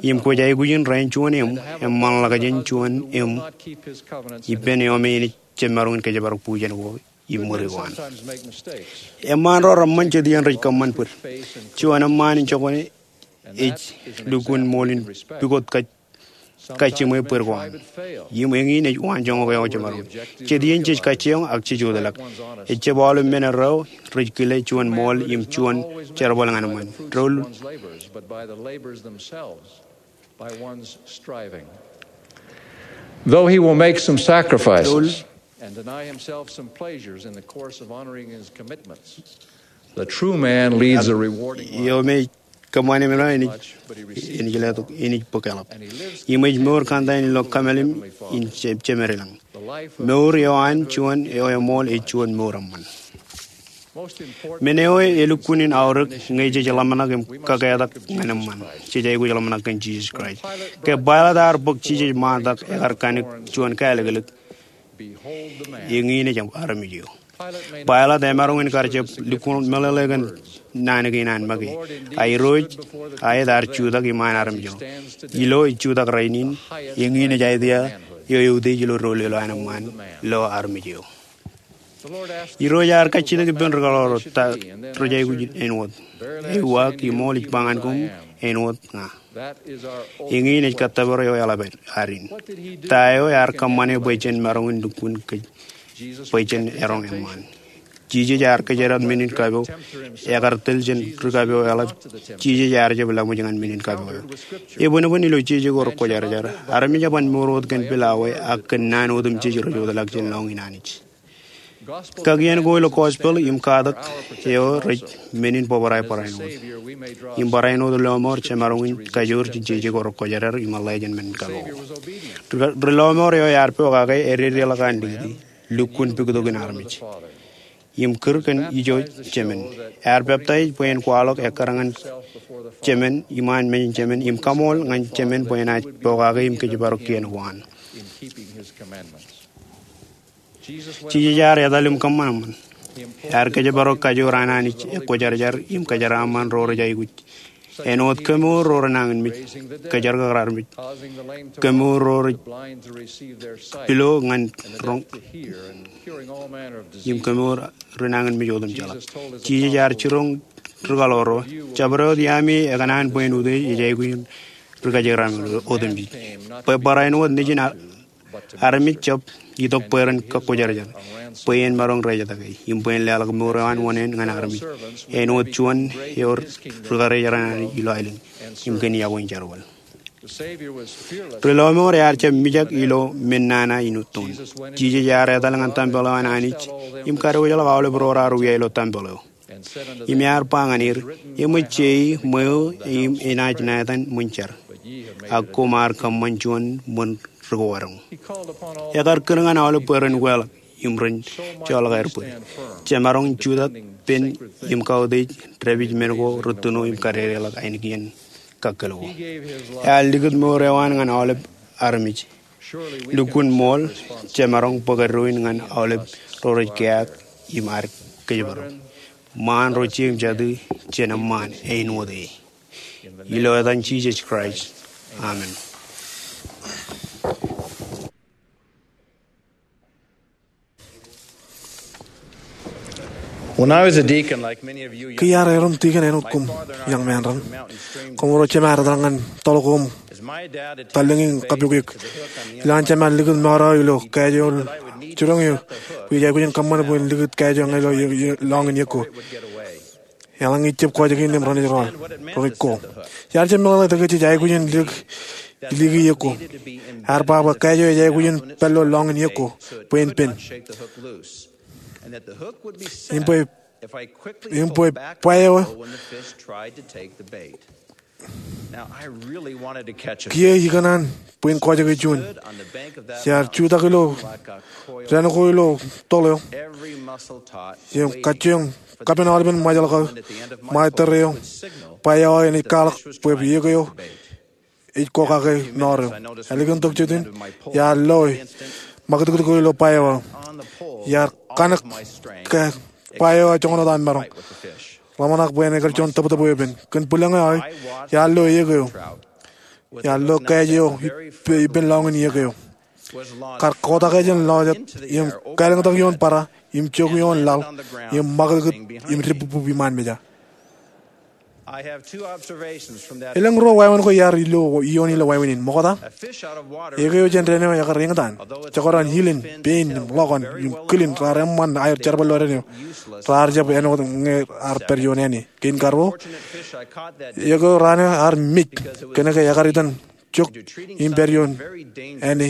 Im kwōj aikuj in rainin juon im, eṃṃanḷọk jān juon im, ippān eo me enaaj jab maroñ in kōjparok bujen ko im ṃuri ko an. Eṃṃaan ro reṃṃan jet iien rej kōṃṃan bōd. Juon eṃṃaan in jokwane ej lukkuun ṃool in pukot kaj-, kajjiṃwe bōd ko an. Im eñin ej waanjoñak eo jemaroñ. Jet iien jej kajjioñ ak jej wōtlọk. Ejjab aolep men erreo rej kile juon ṃool im juon jerbal ñan eṃṃaan. Doul. By one's striving. Though he will make some sacrifices and deny himself some pleasures in the course of honoring his commitments, the true man leads a rewarding life. Eo me kōṃṃane men eo enaaj, enaaj letok, enaaj bōk eḷap. Im ej mour kōn ta in ilo kōmālim in je-, jemād ilañ. Mour eo an juon eo eṃool ej juon mour eṃṃan. Men eo elukkuun in aorōk ñe jej ḷōmṇak im kaketak ñan eṃṃan, jej aikuj ḷōmṇak kōn Jisōs Kraist. Ke Pailat ear bōk Jisōs ṃaantak ekar kanik juon kālōklōk, eñin ej armej eo. Pailat emaroñ in kar jab lukkuun meḷeḷe kōn naan kein an make. A Irooj, a et ear jutak iṃaan armej eo. Ilo ej jutak rainin, eñin ej aet ia eo eutiej ilo doulul eo an eṃṃaan lo armej eo. Irooj ear kajjitōk ippān ri kaḷoor ro ta rej aikuj āinwōt. Ewi ak imool ij ba ñan koṃ, āinwōt ña. Eñin ej kōttōpar eo eḷap ad in. Ta eo ear kōṃṃane bwe jen maroñ in lukkuun kōj, bwe jen eroñ eṃṃaan. Jisōs ear kōjdat men in kapo, ekar tōl jān ri kapo eḷap. Jisōs ear jab laṃōj ñan men in kapo eo. Ebōnbōn ilo jeje ko rekwōjarjar, armej eban mour wōt kōn pilawā ak kōn naan otemjej rej wōtlọk jān lọñiin Anij. Kakiiō ko ilo gospel im katak eo rej men in bōbrae barāinwōt. Im barāinwōt lọmọọr jemaroñ in kajoor jān jeje ko rekwōjarjar im ḷe jān men in kapo. Ri, ri lọmọọr eo ear pokake ededeḷọk an likūti, lukkuun puktokin armej. Im kūr kōn ijo Jemān. Ear peptaij bwe en kwaḷọk ekkar ñan Jemān, iṃaan mejān Jemān, im kaṃool ñan Jemān bwe enaaj pokake im kōjparok kien ko an. Jisōs ear etal im kōṃṃan eṃṃan. Ear kōjparok kajoor an Anij ekwōjarjar im kōjeraaṃṃan ro rej aikuj. Āinwōt kemour ro renañinmej, kōjerkakrak armej. Kemour ro rej pilo ñan roñ. Im kemour renañinmej otemjeḷọk. Jisōs ear jiroñ ri kaḷoor ro, jabdewōt iaami ekōṇaan bwe en utiej ej aikuj in ri kōjeraaṃṃan otemjej. Bwe barāinwōt nejin a Armej jab itok bwe ren kōkkwōjarjar, bwe en maroñ rejjitōk e, im bwe en leḷọk mour eo an wōṇāān ñan armej, āinwōt juon eo ri karijeran Anij ilo aelōñ, im kōn iọkwe in jerbal. Ri lọmọọr ear jab mijak ilo men nana in uton. Jisōs ear etal ñan tempel eo an Anij im kadiwōjḷọk aolep ro raar wia ilo tempel eo. Im ear ba ñan er, eṃōj jei ṃweo im enaaj naan ṃōn jar, ak koṃ ar kōṃṃan juon ṃōn ri ko etaṃ. Ekar kūr ñan aolep bwe ren weḷọk im ren joḷọk aer bōd. Jemaroñ jutak pen im kautiej dāpij men ko rūttuno im kadedeḷọk ainikien kakkōl ko. Ear likūt mour eo an ñan aolep armej. Lukkuun ṃool, jemaroñ bōk eddoin ñan aolep ro rej keaak im ad kōjparok. Ṃaan ro jeiū im jatū, jen eṃṃaan āinwōt e. Ilo etan Jisōs Kraist, amen. When I was a deacon, like many of you young, Ke iar erom tikōn āinwōt koṃ, young men raṇ, koṃ ro jemād etal ñan toḷ ko im as my dad attended tallōñ in the bay kapukik. To the hook on the Ilo an jemād likūt mour eo ilo kajo jiroñ eo, bwe ij aikuj in kōṃṃan bwe en likūt kajo ñe ilo, ilo, ilo lọñin iiō ko. Eḷaññe ij jab kọjaki in im renaaj rọọl, renaaj ko. Iar jab meḷeḷe ke jej aikuj in likiki iiō ko. Ear ba bwe kajo ej aikuj in pād ilo lọñin iiō ko bwe en pen. Im bwe, im bwe bwa eo kiiō ikōṇaan bwe en kọjaki juon. Iar jutak ilo dān ko ilo toḷ eo. Im kajjioñ kapen aolepen ṃajeḷ ko, ṃae tōre eo, bwa eo enaaj kwaḷọk bwe iiō ko ej ko kake nọọr eo. Ālikin tok jejjet in, iar loe ṃakūtkūt ko ilo bwa eo aō. Iar kanōk ke bwa eo aō joñan wōt an maroñ. Ḷōmṇak bwe en ekar juon tōptōp eopen. Kōn bwilōñ eo aō, iar lo iiō ko. Iar lo kajo eo ippān, ippān lọñin iiō ko. Kar kotak jān lọjet, im kālōñtak ioon bōrā, im jok ioon laḷ, im ṃakūtkūt, im dibukbuk iṃaan meja. Elōñ ruo wāween ko iar ilo, ioon ilo wāween in. Ṃokta, iiō ko jān dān eo ekar eñtaan. Jekdọọn ilin, pein, im ḷọkon, im kilin raar eṃṃan aer jerbal ilo dān eo. Raar jab āinwōt ñe ear pād ioon āne. Kein karuo, iiō ko raan eo ear mej, kōnke ekar itan jok im pād ioon āne.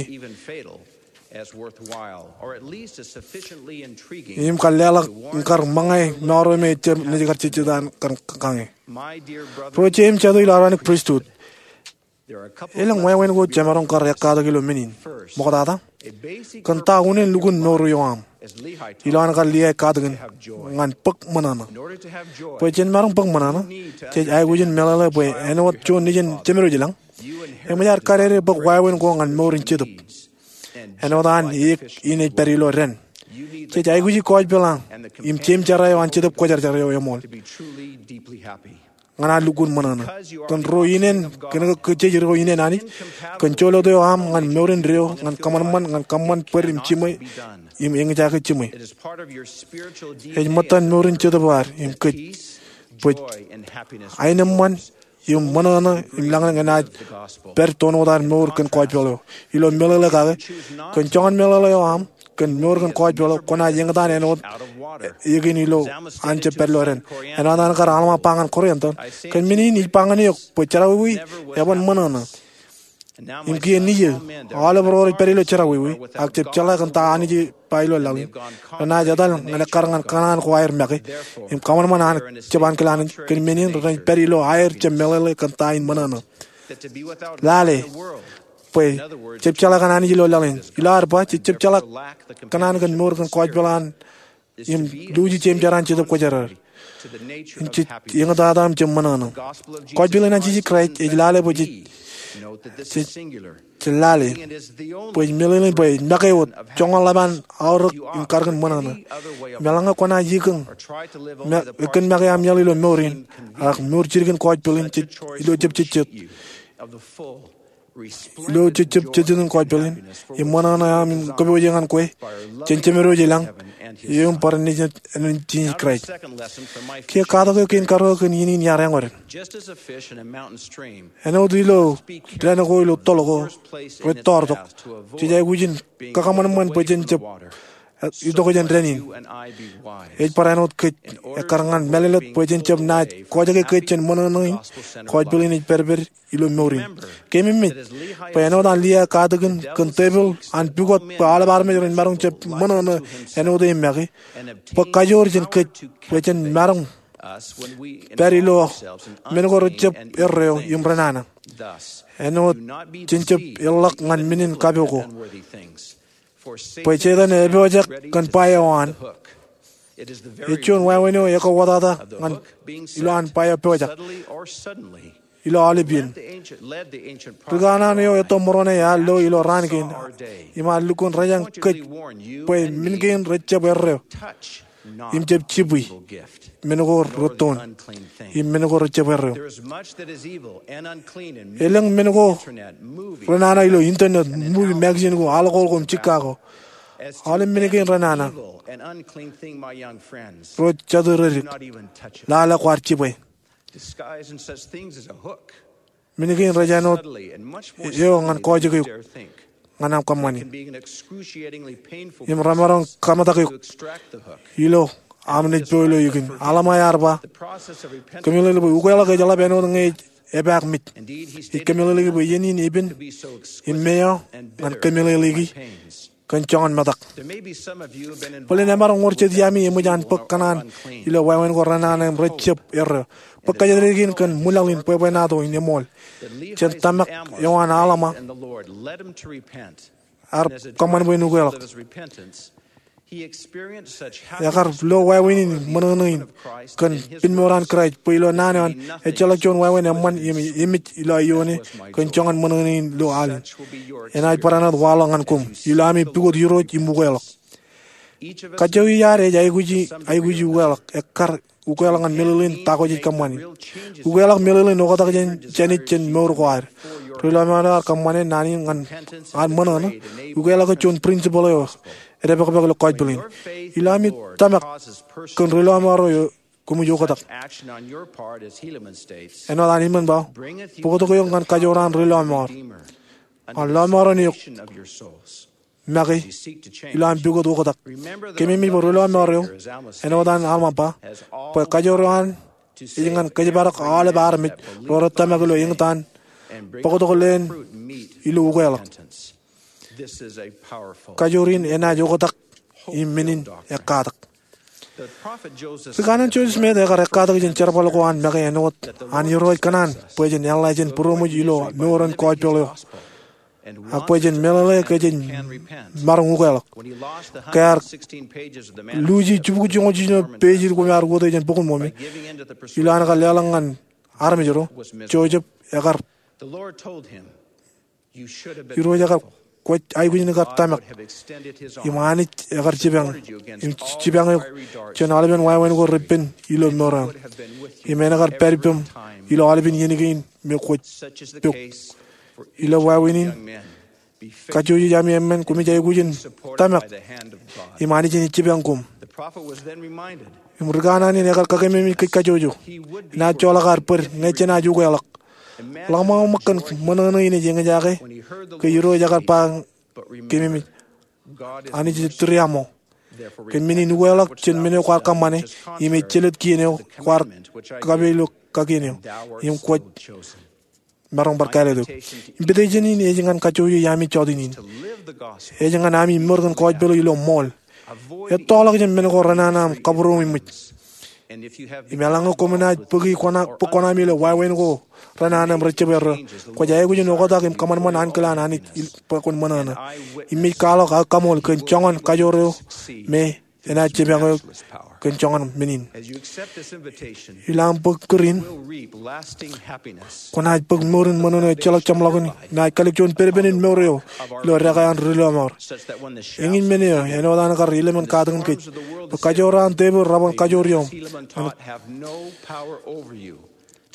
Im kar leḷọk im kar ṃōñā mour eo me ejjab naaj kar jejjet an kar kañe. Ro jeiū im jatū ilo Aaronic Pristut, elōñ wāween ko jemaroñ kar ekkatak ilo men in. Ṃoktata, kōn ta unin lukkuun mour eo aṃ. Ilo an kar Liai katakin ñan bōk ṃōṇōṇō. Bwe jen maroñ bōk ṃōṇōṇō, jej aikuj in meḷeḷe bwe āinwōt juon nejin jemed ilañ, eṃōj ad kadede bōk wāween ko ñan mour in jetōb. Āinwōt an eō in ej pād ilo dān, jej aikuji kọjpeḷ aṃ im jeimjera eo an Jetōb Kwōjarjar eo eṃool ñan ad lukkuun ṃōṇōṇō. Kōn ro inen, kōn ke kōj ro inen Anij, kōn jolōt eo aṃ ñan mour indeeo, ñan kōṃanṃan, ñan kōṃṃan bōd im jiṃwe, im eñjake jiṃwe. Ej ṃōttan mour in jetōb eo ad im kōj, bwe aenōṃṃan im ṃōṇōṇō im lañlōñ enaaj pād toon wōt ad mour kōn kọjpeḷ eo. Ilo meḷeḷe kake, kōn joñan meḷeḷe eo aṃ kōn mour kōn kọjpeḷ eo, kwōnaaj eñtaan āinwōt eō kein ilo an jab pād ilo dān. Āinwōt an kar Alma ba ñan Korianto, kōn men in ij ba ñan eok bwe jerọwiwi eban ṃōṇōṇō. Im kiiō nejū, aolep ro rej pād ilo jerọwiwi, ak jab jeḷā kōn ta Anij ej ba ilo laḷ in, renaaj etal ñan ekkar ñan kōṇaan ko aer make, im kōṃanṃan an jab ankilaan, kōn men in renaaj pād ilo aer jab meḷeḷe kōn ta in ṃōṇōṇō. Lale, bwe jab jeḷā kōn Anij ilo laḷ in. Ilo ad ba, jej jab jeḷā kōn an kōn mour kōn kọjpeḷ an im luuji jeimjera an Jetōb Kwōjarjar. Im jej eñtata im jab ṃōṇōṇō. Kọjpeḷ in an Jisōs Kraist ej lale bwe jej, jej, jej lale bwe ej meḷeḷein bwe ej make wōt joñan ḷap an aorōk im kadkōn ṃōṇōṇō. Im eḷaññe kwōnaaj ikōñ, me, kōn make aṃ iaḷ ilo mour in, ak mour jidik in kọjpeḷ in jej ilo jab jejjet. ilo jejjab jejjetin kōjpeḷ in, im ṃōṇōṇō eo aṃ im kōpooje ñan kwe jān Jemedwōj i lañ, im bar Anij, Anij Jisōs Kraist. Kiiō katak eo kein karuo kōn iien in iar āñoden. Āinwōt ilo dān ko ilo toḷ ko rej tọọrtok, jej aikuj in kakōṃanṃan bwe jen jab itok jān dān in. Ej bar āinwōt kōj ekkar ñan mālōtlōt bwe jen jab naaj kojake kōj jān ṃōṇōṇō in kōjpeḷ in ej pedped ilo mour in. Keememej bwe āinwōt an Lihay katakin kōn tepil an pukot bwe aolep armej ren maroñ jab ṃōṇōṇō āinwōt e make, bwe kajoor jān kōj bwe jen maroñ pād ilo men ko rejjab erreo im renana. Āinwōt jen jab eḷḷọk ñan men in kapo ko, bwe Setan epojak kōn ba eo an. Ej juon wāween eo ekauwōtata ñan ilo an ba eo pojak ilo aolep iien. Rikanaan eo etto ṃōrōṇe ear lo ilo raan kein, im ear lukkuun rejañ kōj bwe men kein rejjab erreo im jab jibwi men ko rettoon im men ko rejjab erreo. Elōñ men ko renana ilo internet, movie, magazine ko, alcohol ko, im jikka ko. Aolep men kein renana ro jatū redik, lale kwaar jibwe. Men kein rej āinwōt eo ñan kōjake eok ñan aṃ kōṃṃani, im remaroñ kametak eok ilo aṃ naaj po ilo ikin. Alma ear ba, kōmeḷeḷeiki bwe ukeḷọk ejeḷap āinwōt ñe ej epaak mej. Ij kōmeḷeḷeiki bwe iien in epen im meo ñan kōmeḷeḷeiki kōn joñan metak. Bōlen emaroñ wōr jet iaami eṃōj an bōk kōṇaan ilo wāween ko renana im rejjab erreo. Bōk kōjatdikdik in kōn ṃwilaḷ in bwebwenato in eṃool jān tōmak eo an Alma ear kōṃṃan bwe en ukeḷọk. Ekar lo wāween in ṃōṇōṇō in kōn pinmour an Kraist, bwe ilo naan eo an ejjeḷọk juon wāween eṃṃan im emej ilo aio ṇe kōn joñan ṃōṇōṇō in ilo al in. Enaaj bar āinwōt waḷọk ñan koṃ ilo ami pukot irooj im ukeḷọk. Kajjojo iaad ej aikuji, aikuji ukeḷọk, ekkar ukeḷọk ñan meḷeḷein ta ko jej kōṃṃani. Ukeḷọk meḷeḷein oktak jān, jān ej jān mour ko ad. Ri lọmọọr eo ear kōṃṃane naan in ñan ad ṃōṇōṇō. Ukeḷọk ej juon principle eo edepakpak ilo kōjpeḷ in. Ilo ami tōmak kōn ri lọmọọr eo, koṃij oktak. Āinwōt an Helaman ba, bōktok eok ñan kajoor an ri lọmọọr, an lọmọọren eok make ilo an pukot oktak. Kōmemej bwe ri lọmọọr eo, āinwōt an Alma ba, bwe kajoor eo an ej ñan kōjparok aolep armej ro rej tōmak ilo eñtaan bōktok leen ilo ukeḷọk. Kajoor in enaaj oktak im men in ekkatak. Ri kanaan Joseph Smith ekar ekkatak jān jerbal ko an make āinwōt an Irooj kōṇaan bwe jen eḷḷā jān būroṃōj ilo mour in kōjpeḷ eo, ak bwe jen meḷeḷe ke jen maroñ ukeḷọk. Ke ear luuji jibukwi joñoul jiljino page ko me ear uwōte jān bok in ṃōmi, ilo an kar leḷọk ñan armej ro, Joseph ekar Irooj ekar, kwōj aikuj in kar tōmak. Im Anij ekar jipañ, im jipañ eok jān aolepen wāween ko repen ilo mour eo aṃ. Im en kar pād ippaṃ ilo aolepen iien kein me kwōj pok. Ilo wāween in, kajjojo iaami emān, koṃij aikuj in tōmak. Im Anij enaaj jipañ koṃ. Im ri kanaan in ekar kakememej kōj kajjojo. Enaaj joḷọk ad bōd ñe jenaaj ukeḷọk. Ḷōmṇak ṃōk kōn ṃōṇōṇō in ej eñjake ke Irooj ekar ba, kōmemej, Anij ej tūriaṃo. Kōn men in ukeḷọk jān men eo kwaar kōṃṃane, im ej jelōt kien eo kwaar kape ilo kakien eo, im kwōj maroñ bar kāālōt eok. Invitation in ej ñan kajjojo iaami jọteen in. Ej ñan ami mour kōn kōjpeḷ eo ilo ṃool. Ettoḷọk jān men ko renana im kabūroṃōj. Im eḷaññe koṃ naaj bōki kōṇa, bōk kōṇaami ilo wāween ko renana im rejjab erreo, kwōj aikuj in oktak im kōṃanṃan ankilaan Anij bwe kwōn ṃōṇōṇō. Im ij kwaḷọk aō kaṃool kōn joñan kajoor eo me enaaj jipañ eok kōn joñan men in. Ilo aṃ bōk kūr in, kwōnaaj bōk mour in ṃōṇōṇō ejjeḷọk jeṃḷọkin, naaj kalōk juon pedpen in mour eo ilo dekā an ri lọmọọr. Eñin men eo, āinwōt an kar Helaman katakin kōj, bwe kajoor an tepil raban kajoor iọṃ.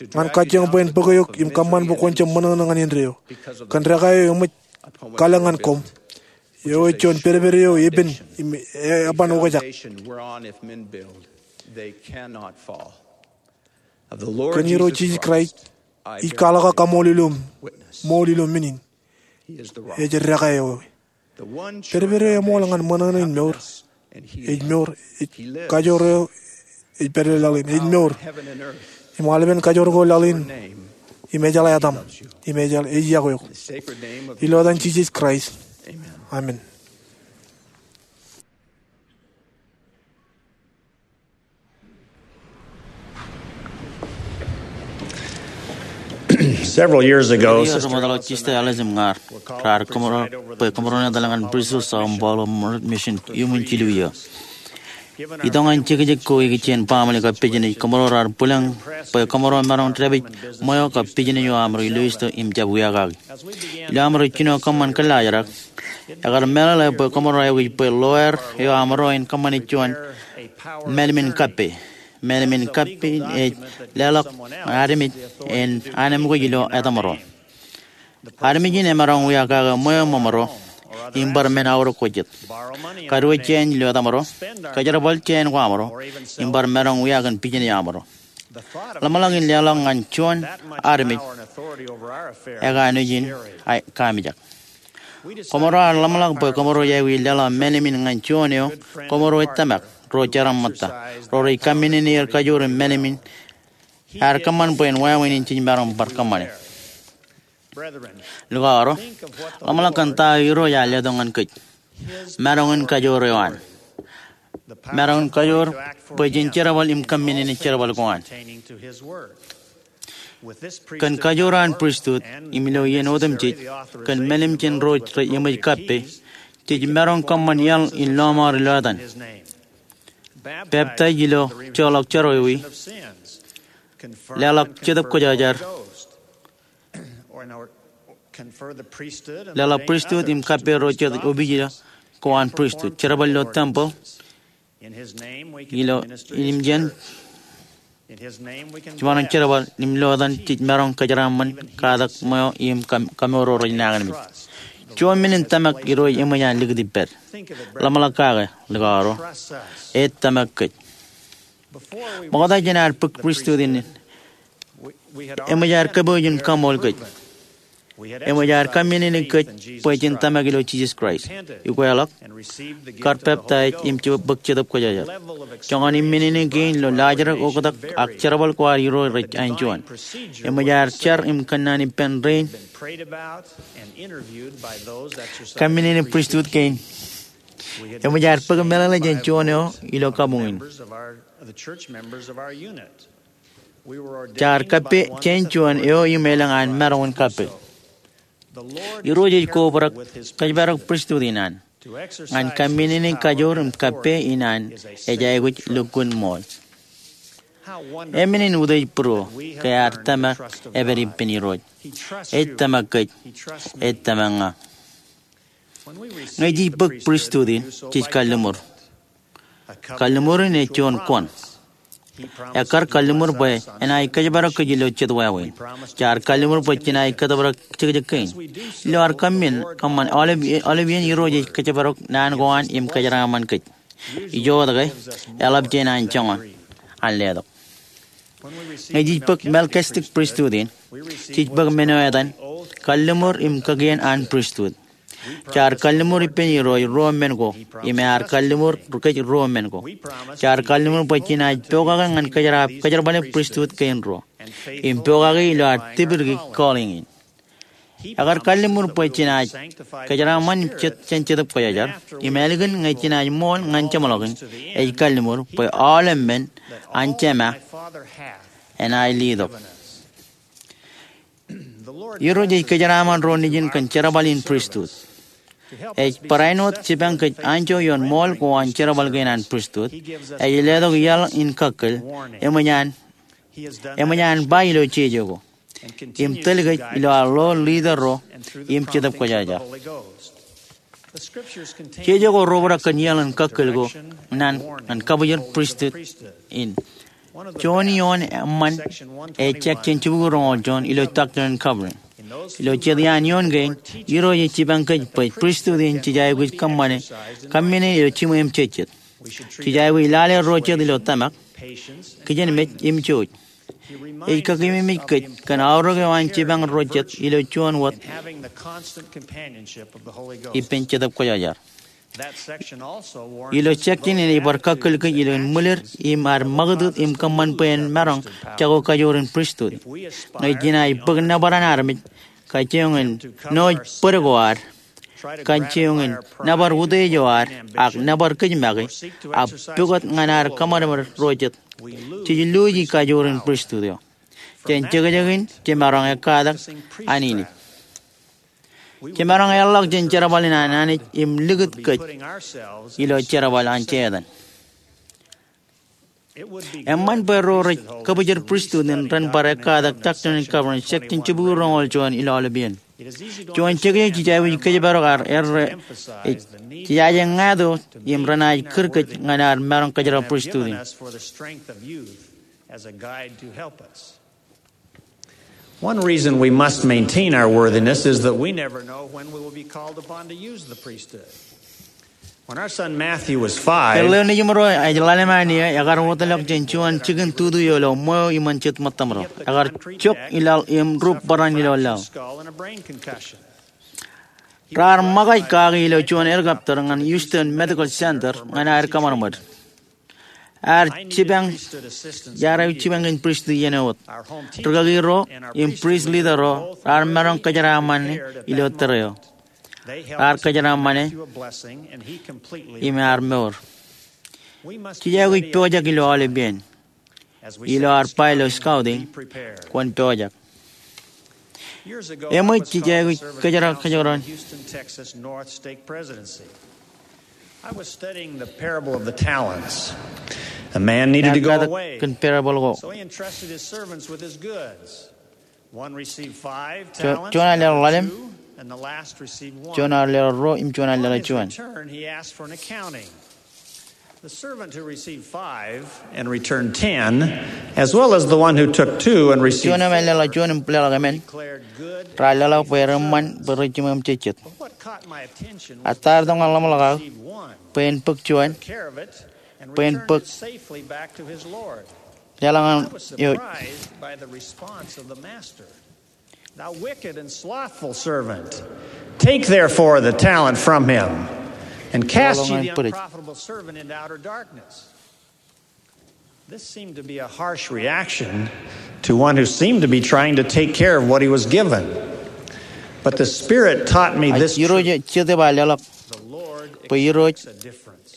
ñan kajjioñ bwe en bōk eok im kōṃṃan bwe kwōn jab ṃōṇōṇō ñan indeeo. Kōn dekā eo eṃōj kalōk ñan koṃ, eo ej juon pedped eo epen im eban okjak. Kōn Irooj Jisōs Kraist ij kwaḷọk aō kaṃool ilo, ṃool ilo men in. Ej dekā eo. Pedped eo eṃool ñan ṃōṇōṇō in mour. Ej mour. Ej kajoor eo ej pād ilo laḷ in. Ej mour. Im aolepen kajoor ko laḷ in im ejeḷā etaṃ. Im ejeḷā, ej iọkwe eok. Ilo etan Jisōs Kraist. Amen. Several years ago, Ri Sister Rimadaḷo Jista Alice im ñaar raar kōṃro bwe kōṃro in etal ñan Pristut Sao Paulo Mission iuṃwin jilu iiō. Itok ñan jekjek ko ikijjien baaṃle kappejin ej kōṃro raar bwilōñ bwe kōṃro maroñ dāpij ṃweo kab pijin eo aṃro ilo isto im jab wiakaki. Ilo aṃro jino kōṃṃan kōllaajrak, ekar meḷeḷe bwe kōṃro aikuj bwe lawyer eo aṃro en kōṃṃane juon mālim in kappe. Mālim in kappe in ej leḷọk ñan armej en anemkwōj ilo etaṃro. Armej in emaroñ wia kake ṃweo ṃōṃro im bar men aorōk ko jet, kadiwōj jāān ilo etaṃro, kōjerbal jāān ko aṃro, im bar maroñ wia kōn pijin eo aṃro. Ḷōmṇak in leḷọk ñan juon armej ekanooj in kaamijak. Kōṃro ar ḷōmṇak bwe kōṃro aikuj leḷọk mālim in ñan juon eo kōṃro ej tōmak, ro jeraaṃṃan eo rej kōmminene er kajoor im mālim in ear kōṃṃan bwe en wāween in jej maroñ bar kōṃṃane. Likao ro, ḷōmṇak kōn ta eo Irooj ear letok ñan kōj. Maroñ in kajoor eo an. Maroñ in kajoor bwe jen jerbal im kōmminene jerbal ko an. Kōn kajoor an pristut, im ilo iien otemjej, kōn mālim jān ro rej eṃōj kappe, jej maroñ kōṃṃan iaḷ in lọmọọr ilo etan. Peptaij ilo joḷọk jerọwiwi, leḷọk Jetōb Kwōjarjar, leḷọk pristut im kappe ro jet opijin ko an pristut, jerbal ilo tempel, ilo, im jān, jiṃaroñ jerbal, im ilo etan jej maroñ kōjeraaṃṃan, katak ṃweo im kōm-, kōmour ro rej nañinmej. Juon men in tōmak Irooj eṃōj an likūt ippād. Ḷōmṇak kake, likao ro. Ej tōmak kōj. Ṃokta jān ad bōk pristut in, eṃōj ad kōpooj im kaṃool kōj. Eṃōj ad kōmminene kōj bwe jen tōmak ilo Jisōs Kraist, ikweḷọk, kar peptaij im bōk Jetōb Kwōjarjar. Joñan im men in kein ilo laajrak, oktak, ak jerbal ko ad Irooj rej anjuon. Eṃōj ad jar im kōnnaan ippān rein kōmminene pristut kein. Eṃōj ad bōk meḷeḷe jān juon eo ilo kabuñ in. Jaar kappe jān juon eo im elōñ an maroñ in kappe. Irooj ej kobrak kōjparok pristut in an ñan kōmminene kajoor im kappe in an ej aikuj lukkuun ṃool. Eṃṃan in utiej būruō ke ear tōmak epād ippān Irooj. Ej tōmak kōj. Ej tōmak ña. Ñe jej bōk pristut in, jej kalliṃur. Kalliṃur in ej juon kuṇ. Ekkar kalliṃur bwe enaaj kōjparok kōj ilo jet wāween. Jaar kalliṃur bwe jenaaj kōtōprak jekjek kein. Ilo ad kōmmin kōṃṃan aolep, aolep iien Irooj ej kōjparok naan ko an im kōjeraaṃṃan kōj. Ijo wōt ke, eḷap jān an joñan an letok. Ñe jej bōk Melchizedek pristut in, jej bōk men eo etan kalliṃur im kakien an pristut. Jaar kalliṃur ippān Irooj ruo men ko, im ear kalliṃur kōj ruo men ko. Jaar kalliṃur bwe jenaaj pokake ñan kōjerab, kōjerbale pristut kein ruo, im pokake ilo ad tipdiki calling in. Ekar kalliṃur bwe jenaaj kōjeraaṃṃan jān Jetōb Kwōjarjar, im ālikin ñe jenaaj ṃool ñan jeṃḷọkin, ej kalliṃur bwe aolep men an Jema enaaj letok. Irooj ej kōjeraaṃṃan ro nejin kōn jerbal in pristut. Ej barāinwōt jipañ kōj anjọ ioon ṃool ko an jerbal kein an pristut, ej letok iaḷ in kakkōl, eṃōj an, eṃōj an ba ilo jeje ko, im tōl kōj ilo ad lo leader ro im Jetōb Kwōjarjar. Jeje ko reobrak kōn iaḷ in kakkōl ko ñan, ñan kabwijin pristut in. Juon ioon eṃṃan ej section jibukwi roñoul juon ilo Doctrine and Covenants. Ilo jet iaan ioon kein, Irooj ej jipañ kōj bwe priesthood in jej aikuj kōṃṃane, kōmmenin ilo jiṃwe im jejjet. Jej aikuj lale ro jet ilo tōmak, kijenmej im jouj. Ej kakememej kōj kōn aorōk eo an jipañ ro jet ilo juon wōt ippān Jetōb Kwōjarjar. Ilo section in ej bar kakkōl kōj ilo ṃwilir im ad ṃakūtkūt im kōṃṃan bwe en maroñ jako kajoor in priesthood. Ñe jenaaj bōk nōbar an armej, kajjioñ in nooj bōd ko ad, kajjioñ in nōbar utiej eo ad, ak nōbar kōj make, ak pukot ñan ad kōṃadṃōd ro jet, jej luuji kajoor in priesthood eo. Jān jekjek in, jemaroñ ekkatak Anij. Jemaroñ eḷḷọk jān jerbal in an Anij im likūt kōj ilo jerbal an Setan. Eṃṃan bwe ro rej kōbwijin priesthood in ren bar ekkatak Doctrine and Covenants section jibukwi roñoul juon ilo aolepān. Juon jekjek jej aikuj kōjparok ad erreo, jej aje ñāāt eo im renaaj kūr kōj ñan ad maroñ kōjro priesthood in. One reason we must maintain our worthiness is that we never know when we will be called upon to use the priesthood. When our son Matthew was five, Erreo nejiṃro ej ḷalem an eo ekar wōtlọk jān juon jikin tutu eo ilo ṃweo iṃōn jet ṃōttōmro. Ekar jok ilaḷ im rup bōran ilo laḷ. Raar ṃōkaj kaki ilo juon helicopter ñan Houston Medical Center ñan aer kōṃadṃōd. Ear jipañ, ear jipañ kōn priest iien eo wōt. Rikaki ro im priest leader ro raar maroñ kōjeraaṃṃan ilo tōre eo. Raar kōjeraaṃṃan e im ear mour. Jej aikuj pojak ilo aolepān. Ilo ad ba ilo scouting, kwōn pojak. Eṃōj jej aikuj kōjeraaṃṃan. I was studying the parable of the talents. A man needed to go away. Kōn parable ko. So he entrusted his servants with his goods. One received five talents, juon ear leḷọk ḷalem, two, and the last received one. Juon ear leḷọk ruo, im juon ear leḷọk juon. On his return, he asked for an accounting. The servant who received five and returned ten, as well as the one who took two and received four, declared good and excellent. Juon eo ej leḷọk juon im leḷọk emān, raar leḷọk bwe reṃṃan bwe rej jiṃwe im jejjet. But what caught my attention was the servant who received one. Ear tōmak ñan ḷōmṇak aō bwe en bōk juon, bwe en bōk, leḷọk ñan eo. I was surprised by the response of the master. Thou wicked and slothful servant, take therefore the talent from him, and cast ye the unprofitable servant into outer darkness. This seemed to be a harsh reaction to one who seemed to be trying to take care of what he was given. But the Spirit taught me this truth. Ej Irooj eo Jetōb ear leḷọk bwe Irooj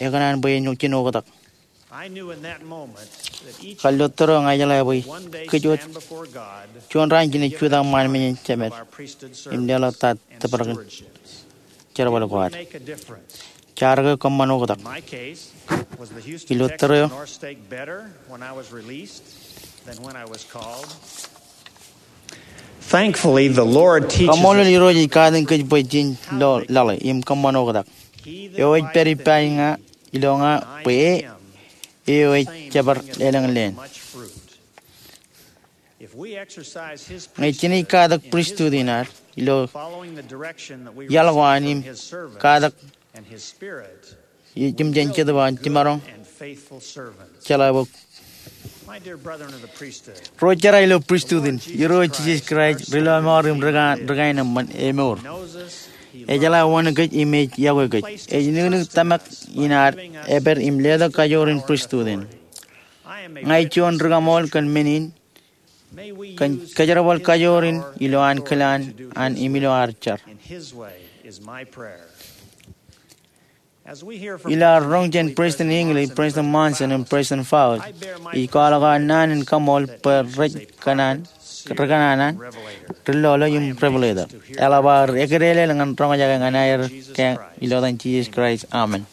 ekōṇaan bwe en jino oktak. Kar lo tōre eo ña ijeḷā bwe kōj wōt juon raan jenaaj jutak ṃaan men in jemed im leḷọk ta tōprak in jerbal ko ad. Jaar ke kōṃṃan oktak ilo tōre eo? Thankfully, the Lord teaches us. Kaṃṃoolol Irooj ej katakin kōj bwe jen lo laḷe im kōṃṃan oktak. Eo ej pād ippa ña ilo ña bwe e eo ej jepar elōñlōñ. Ñe jenaaj katak priesthood in ad ilo iaḷ ko an im katak jemjeṃ Jetōb eo an, jemaroñ jeḷā bwe ro jera ilo priesthood in Irooj Jisōs Kraist, ri-lọmọọr im ri-kain eṃṃan, emour. Ejeḷā wōn kōj im ej yokwe kōj. Ej nuknuk tōmak in ad epād im letok kajoor in priesthood in. Ña ij juon ri-kaṃool kōn men in, kōn kōjerbal kajoor in ilo an kilaan an im ilo ad jar. Ilo ad roñ jān President Hinckley, President Monson, im President Fauds, ij kwaḷọk aō naan in kaṃool bwe rej kōṇaan, ri-kōṇaan an, ri-lolo im revelator. Eḷap aō eklejlel ñan roñjake ñan aer ke ilo etan Jisōs Kraist, amen.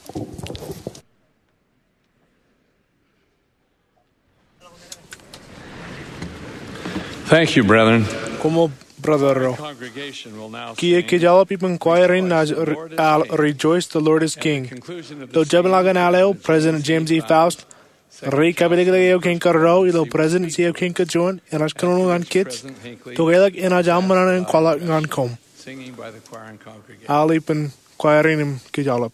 Thank you, brethren. Koṃṃool, brother ro. Kiiō kōj eḷap ippān choir in naaj, uh, Rejoice, the Lord is King. Ilo jemḷọkin al eo, President James E. Faust Ri kapeleklek eo kein karuo ilo Presidensi eo kein kajuon enaaj kōnono ñan kōj, tokelọk enaaj aṃ ṃōṇōṇō in kwaḷọk ñan koṃ. Aolep in kwaer in im kōj aolep.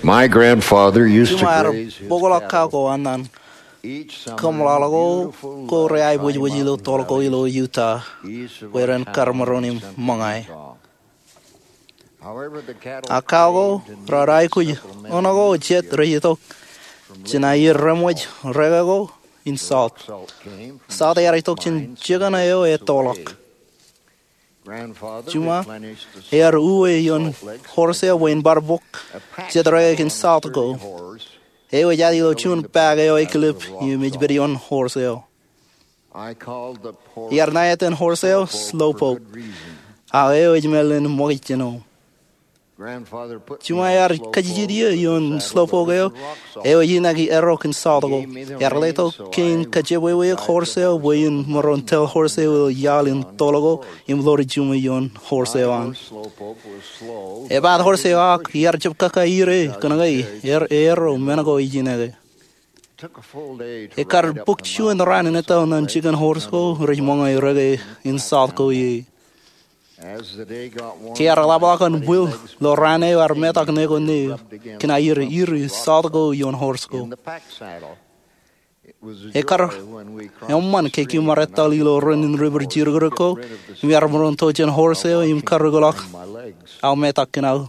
My grandfather used to Juṃae ear graze his bōkḷọk cattle. Kau ko an an. Each summer, kōṃḷaḷ ko beautiful ko rej aebōjbōj ilo toḷ ko ilo Utah, where ren kar maroñ im ṃōñā. However, the cattle, a kau ko raar aikuj ṇo ko jet rej itok jān aier reṃōj reke ko in salt. Salt ear itok jān jikin eo etoḷọk. Juṃae ear uwe ioon horse eo bwe in bar bōk jet reke kōn salt ko. Eo ej aet ilo juon paak eo ekilep im ej pād ioon horse eo. Iar ṇa etan horse eo Slowpoke, ak eo ej mālōtlōt ṃōkaj jān eo. Juṃae ear kajjitōk ie ioon Slowpoke eo, eo ej inaki erro kōn salt ko. Ear letok kein kajebwebweik horse eo bwe in maroñ tōl horse eo ilo iaḷ in toḷ ko im ḷoor juṃae ioon horse eo an. Epaat horse eo ak iar jab kaka ire kōnke ear erro men ko ijin eke. Ekar bōk juon raan in etto ñan jikin horse ko rej ṃōñā reke in salt ko ie. Ke ear ḷapḷọk an bwil ilo raan eo ear metak neko neō kōn aier iri salt ko ioon horse ko. Ekar eṃṃan ke kiiō ṃarettaḷ ilo ren in river jirōkrōk ko im iar maroñ to jān horse eo im karūkḷọk aō metak kōn aō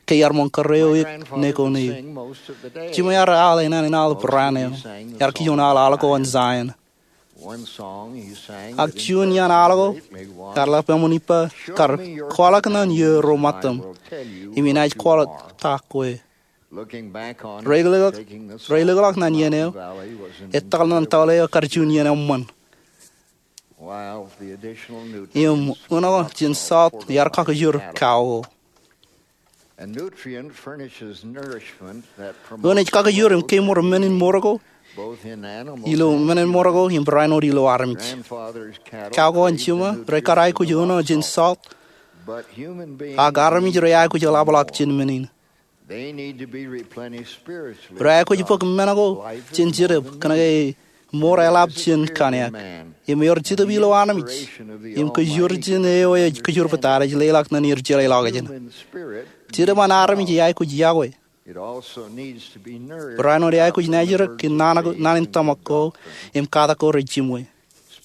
ke iar ṃōñ kōrā eok neko neō. Juṃae ear al enana in aolep raan eo. Ear kioñ al al ko an Zion. Ak juon iaan al ko ear lap eṃṃan ippa, kar kwaḷọk ñan iiō ro ṃōttam im inaaj kwaḷọk ta kwe. Reilōkḷọk ñan iien eo, etal ñan taḷ eo kar juon iien eṃṃan. Im unin jān salt ear kakijur kau ko. Eoon ej kakijoor im kemour men in mour ko ilo men in mour ko im barāinwōt ilo armej. Kau ko an jiṃa rej kar aikuj eoon eo jān salt, ak armej rej aikuj eḷapḷọk jān men in. Rej aikuj bōk men ko jān Jetōb kōnke mour eḷap jān kōn eō. Im ewōr Jetōb ilo armej im kōjwōr jān eo ej kōjwōr bōtab ej leḷọk ñan er jeḷāḷọkjeṇ. Jetōb an armej ej aikuj yokwe. Barāinwōt ej aikuj naajrōk kōn naan in tōmak ko im katak ko rej jiṃwe.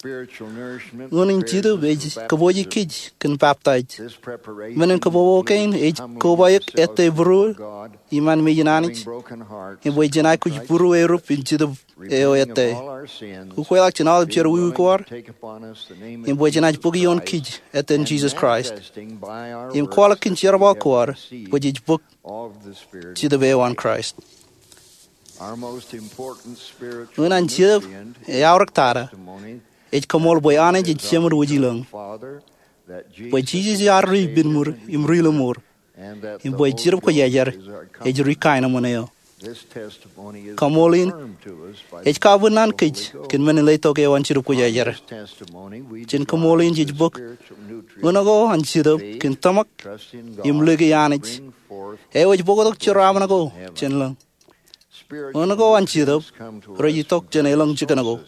Eoon in Jetōb ej kōpooje kōj kōn baptaij. Men in kōpopo kein ej kobaik ettā būruō iṃaan mejān Anij im bwe jen aikuj būruō erup in Jetōb eo ettā. Ukweḷọk jān aolep jerọwiwi ko ad im bwe jenaaj bōk ioon kōj ettā in Jisōs Kraist im kwaḷọk kōn jerbal ko ad bwe jej bōk Jetōb eo an Kraist. Eoon an Jetōb eo eaorōk tata ej kōṃṃool bwe Anij ej Jemed wōj ilōñ, bwe Jisōs ear ri ippān ṃur im ri lōṃur, im bwe Jetōb Kwōjarjar ej ri kaenōṃṃan eo. Kōṃṃool in ej kabuñ ñan kōj kōn men in letok eo an Jetōb Kwōjarjar. Jān kōṃṃool in jej bōk eoon ko an Jetōb kōn tōmak im likūt Anij eo ej bōktok jeraaṃṃan ko jān lōñ. Eoon ko an Jetōb rej itok jān elōñ jikin ko.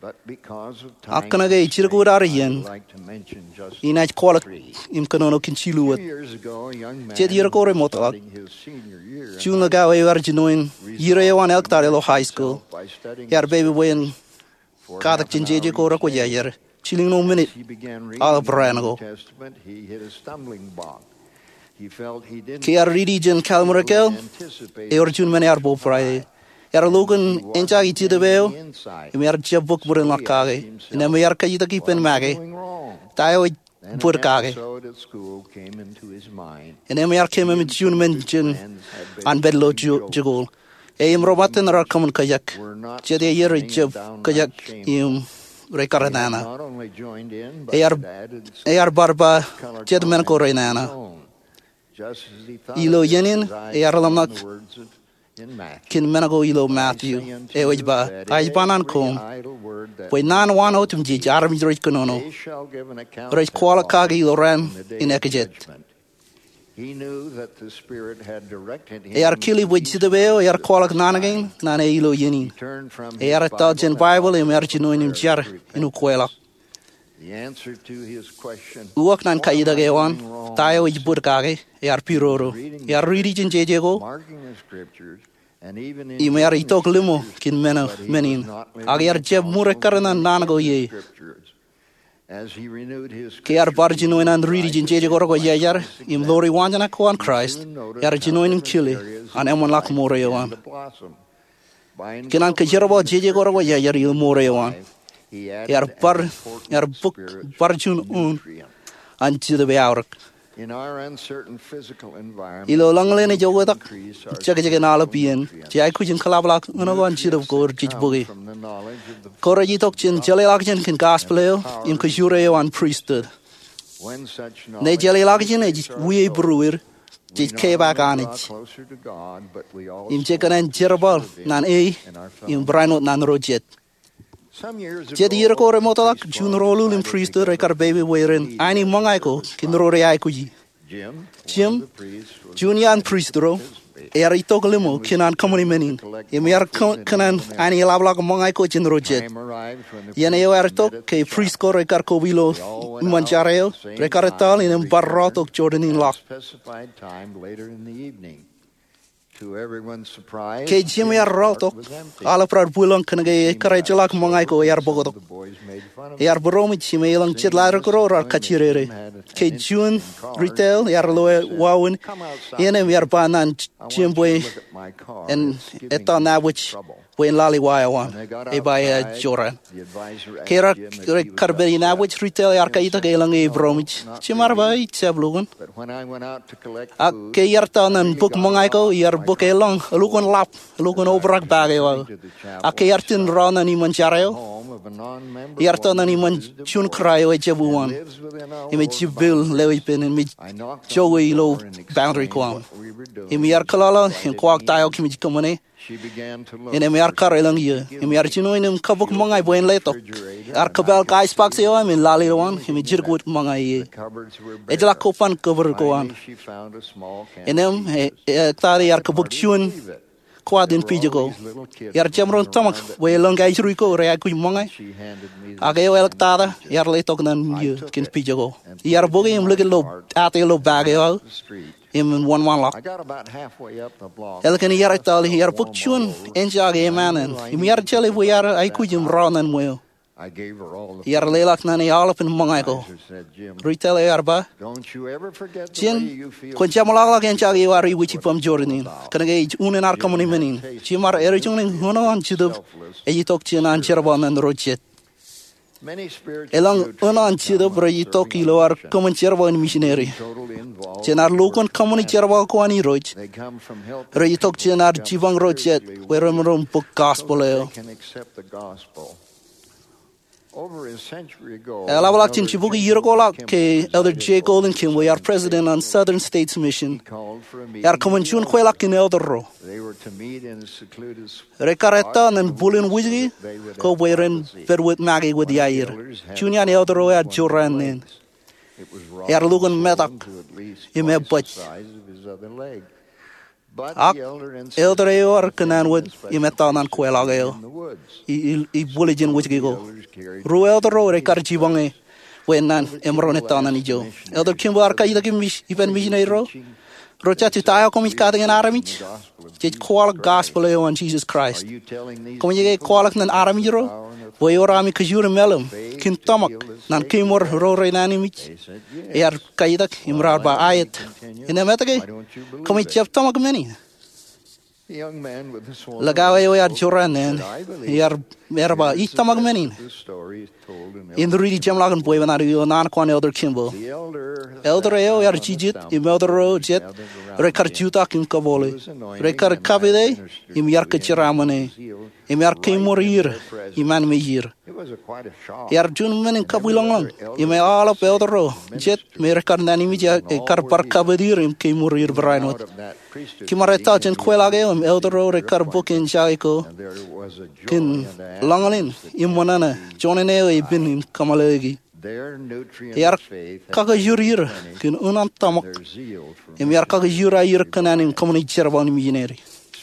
Ak kōnke jidikūt ad iien, inaaj kwaḷọk im kōnono kōn jilu wōt. Jet iier ko remootḷọk, juon likao eo ear jinoin iiō eo an āliktata ilo high school, ear pepe bwe en katak jān jeje ko rekwōjarjar jilkinḷọk minit aolep raan ko. Ke ear riiti jān Kallim̧ur Ikāāl, ewōr juon men ear bōbrae. Ear lo kōn enjake Jetōb eo im ear jab bōk bōd in ḷọk kake. Innām ear kajjitōk ippān make, ta eo ej bōd kake? Innām ear keememej juon men jān an pād ilo jikuuḷ. E im ro ṃōttan rear kōṃṃan kōjak. Jet iier rej jab kōjak im rej kar nana. Ear bar ba jet men ko rej nana. Ilo iien in ear ḷōmṇak kōn men ko ilo Matthew eo ej ba, ij ba ñan koṃ bwe naan wānō otemjej armej rej kōnono, rej kwaḷọk kake ilo raan in ekajet. Ear kile bwe Jetōb eo ear kwaḷọk naan kein ñan e ilo iien in. Ear etal jān Baibōḷ im ear jinoin im jar in ukweḷọk. Uwaak ñan kajjitōk eo an, ta eo ej bōd kake, ear pidodo. Ear riiti jān jeje ko im ear itok limo kōn men in, ak ear jab ṃur ekkar ñan naan ko ie. Ke ear bar jinoin an riiti jān jeje ko rekwōjarjar im ḷoori waanjoñak ko an Kraist, ear jinoin im kile an eṃṃanḷọk mour eo an. Kōn an kōjerbal jeje ko rekwōjarjar ilo mour eo an, ear bōk bar juon eoon an Jetōb eaorōk. Ilo lañlōñ ej oktak, jekjekin aolep iien, jej aikuj in kōḷapḷọk eoon ko an Jetōb ko rej bōke. Ko rej itok jān jeḷāḷọkjeṇ kōn gospel eo im kōjwōro eo an pristut. Ñe jeḷāḷọkjeṇ ej wiaibūruer, jej kepaak Anij im jej kōṇaan jerbal ñan e im barāinwōt ñan ro jet. Jet iier ko remootḷọk, juon ro ullūl im pristut rej kar pepe bwe ren aini ṃōñā ko kōn ro rej aikuji. Jim, juon iaan prist ro, ear itok limo kōn an kōṃṃani men in im ear kōṇaan aini eḷapḷọk ṃōñā ko jān ro jet. Iien eo ear itok, ke prist ko rej kar koba ilo iṃōn jar eo, rej kar etal innām bar rọọltok Jordan in ḷọk. Ke Jim ear rọọltok, aolep raar bwilōñ kōnke ekar ejjeḷọk ṃōñā ko ear bōktok. Ear būroṃōj im elōñ jet laajrak ro raar kajjirere. Ke juon retail ear lo wāween ien im ear ba ñan Jim bwe en etal nabōj bwe en lale wa eo an. E ba e joran. Ke raar kar pād inabōj, retail ear kajjitōk elōñ e būroṃōj. Jim ear ba, ij jab lukkuun. Ak ke iar etal ñan bōk ṃōñā ko, iar bōk elōñ elukkuun ḷap, elukkuun obrak paak eo aō. Ak ke iar jen rọọl ñan iṃōn jar eo, iar tōl ñan iṃōn juon kōrā eo ejab uwaan im ej jibwil lewōj ippān im ej jokwe ilo boundary ko aṃ. Im iar kōḷọḷọ im kwaḷọk ta eo kōmij kōṃṃane. Im ear kar elōñ iiō. Im iar jinoin im kabōk ṃōñā bwe en letok. Ear kōpeḷḷọk ice box eo aṃ im lale ilowaan im ej jidik wōt ṃōñā ie. Ejjeḷọk koban kōbōd ko an. Innām e, ektata ear kōbōk juon kwaat in pija ko. Iar jemaroñ tōmak bwe elōñ kaijuri ko rej aikuj ṃōñā. Ak eo āliktata ear letok ñan iiō kōn pija ko. Iar bōke im likūt ilo, āt eo ilo paak eo aō. Im wōnṃaanḷọk. Ālikin iar etal, iar bōk juon enjake eṃṃan in. Im iar jeḷā bwe iar aikuj im rọọl ñan ṃweo. Iar leḷọk ñan e aolepān ṃōñā ko. Ri tōl eo ear ba, Jim, kwōn jeṃḷọkḷọk enjake eo ad iwōj ippaṃ jorrāān in. Kōnke ej unin ad kōṃṃani men in. Jim, ad eddōkḷọk ñan eoon an Jetōb ej itok jān an jerbal ñan ro jet. Elōñ eoon an Jetōb rej itok ilo ad kōṃṃan jerbal in misineri. Jān ad lukkuun kōṃṃani jerbal ko an Irooj, rej itok jān ad jipañ ro jet bwe remaroñ bōk gospel eo. Eḷapḷọk jān jibukwi iiō ko ḷọk ke Elder J. Golden Kimball, ear president an Southern States Mission, ear kōṃṃan juon kweilọk kōn elder ro. Rej kar ettā ñan bwilin wūjke ko bwe ren pād wōt make wōt iaer. Juon iaan elder ro ear jorrāān nen. Ear lukkuun metak im ebōj. Ak elder eo ear kōṇaan wōt im ettā ñan kweilọk eo. I, i, i bwilōñ jān wūjke ko. Ruo elder ro rej kar jipañ e bwe en naan emaroñ ettā ñan ijo. Elder Kimball ear kajitak im mis-, ippān misineri ro. Ro jatju ta eo koṃij katakin armej? Jej kwaḷọk gospel eo an Jisōs Kraist. Koṃij ke kwaḷọk ñan armej ro bwe ewōr ami kōjur im ālim kōn tōmak ñan kemour ro rej naan imij? Ear kajitak im raar ba aet. Innām etke koṃij jab tōmak men in? Likao eo ear jorrāān nen, ear, ear ba, ij tōmak men in. Im riiti jeṃḷọkin bwebwenato ilo naan ko an Elder Kimball. Elder eo ear jijet im elder ro jet rej kar jutak im kōpoole. Rej kar kapit e im iar kōjeraṃōn e. Im ear kemour er im anmijer. Ear juon men in kabwilōñlōñ im eḷap elder ro jet me rej kar naan imij, ekar bar kapit er im kemour er barāinwōt. Kōm ar ettā jān kweilọk eo im elder ro rej kar bōk enjake ko kōn lōñlōñ im ṃōṇōṇō, juon eo epen im kōmālōtlōti. Ear kakajoor er kōn eoon an tōmak im ear kakajoor aier kōṇaan in kōṃṃani jerbal in misineri.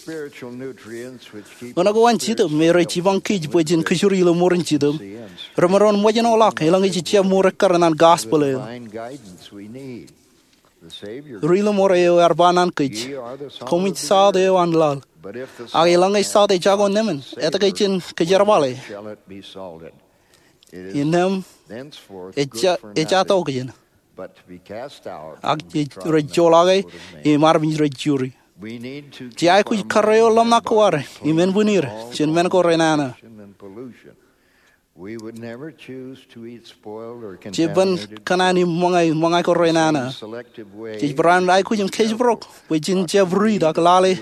Eoon ko an Jetōb me rej jipañ kōj bwe jen kōjuri ilo ṃoor in Jetōb, remaroñ ṃōjṇọ ḷọk elōñ ej jab ṃour ekkar ñan gospel eo. Ri Ḷōṃoor eo ear ba ñan kōj, koṃij salt eo an laḷ. Ak elōñ ej salt ej jako nemān, etke jen kōjerbale? Innām ej ja, ej jatokjān, ak rej joḷọk e im armej rej juri. Jej aikuj karreo ḷōmṇak ko ad im ānbwinir jān men ko renana. Jej ban kōṇaan im ṃōñā, ṃōñā ko renana. Jej barāinwōt aikuj im kōjparok bwe jen jab riit ak lale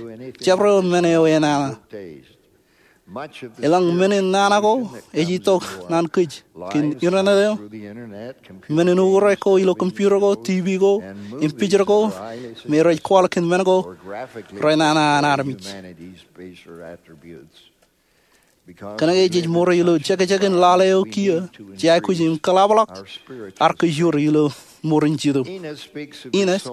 jabdewōt men eo enana. Elōñ men in nana ko ej itok ñan kōj kōn internet eo, men in uñūr ko ilo computer ko, TV ko, im picture ko me rej kwaḷọk kōn men ko renana an armej. Kōnke jej ṃour ilo jekjekin lale eo kiiō, jej aikuj im kōḷapḷọk ad kōjuri ilo ṃoor in Jetōb. Enos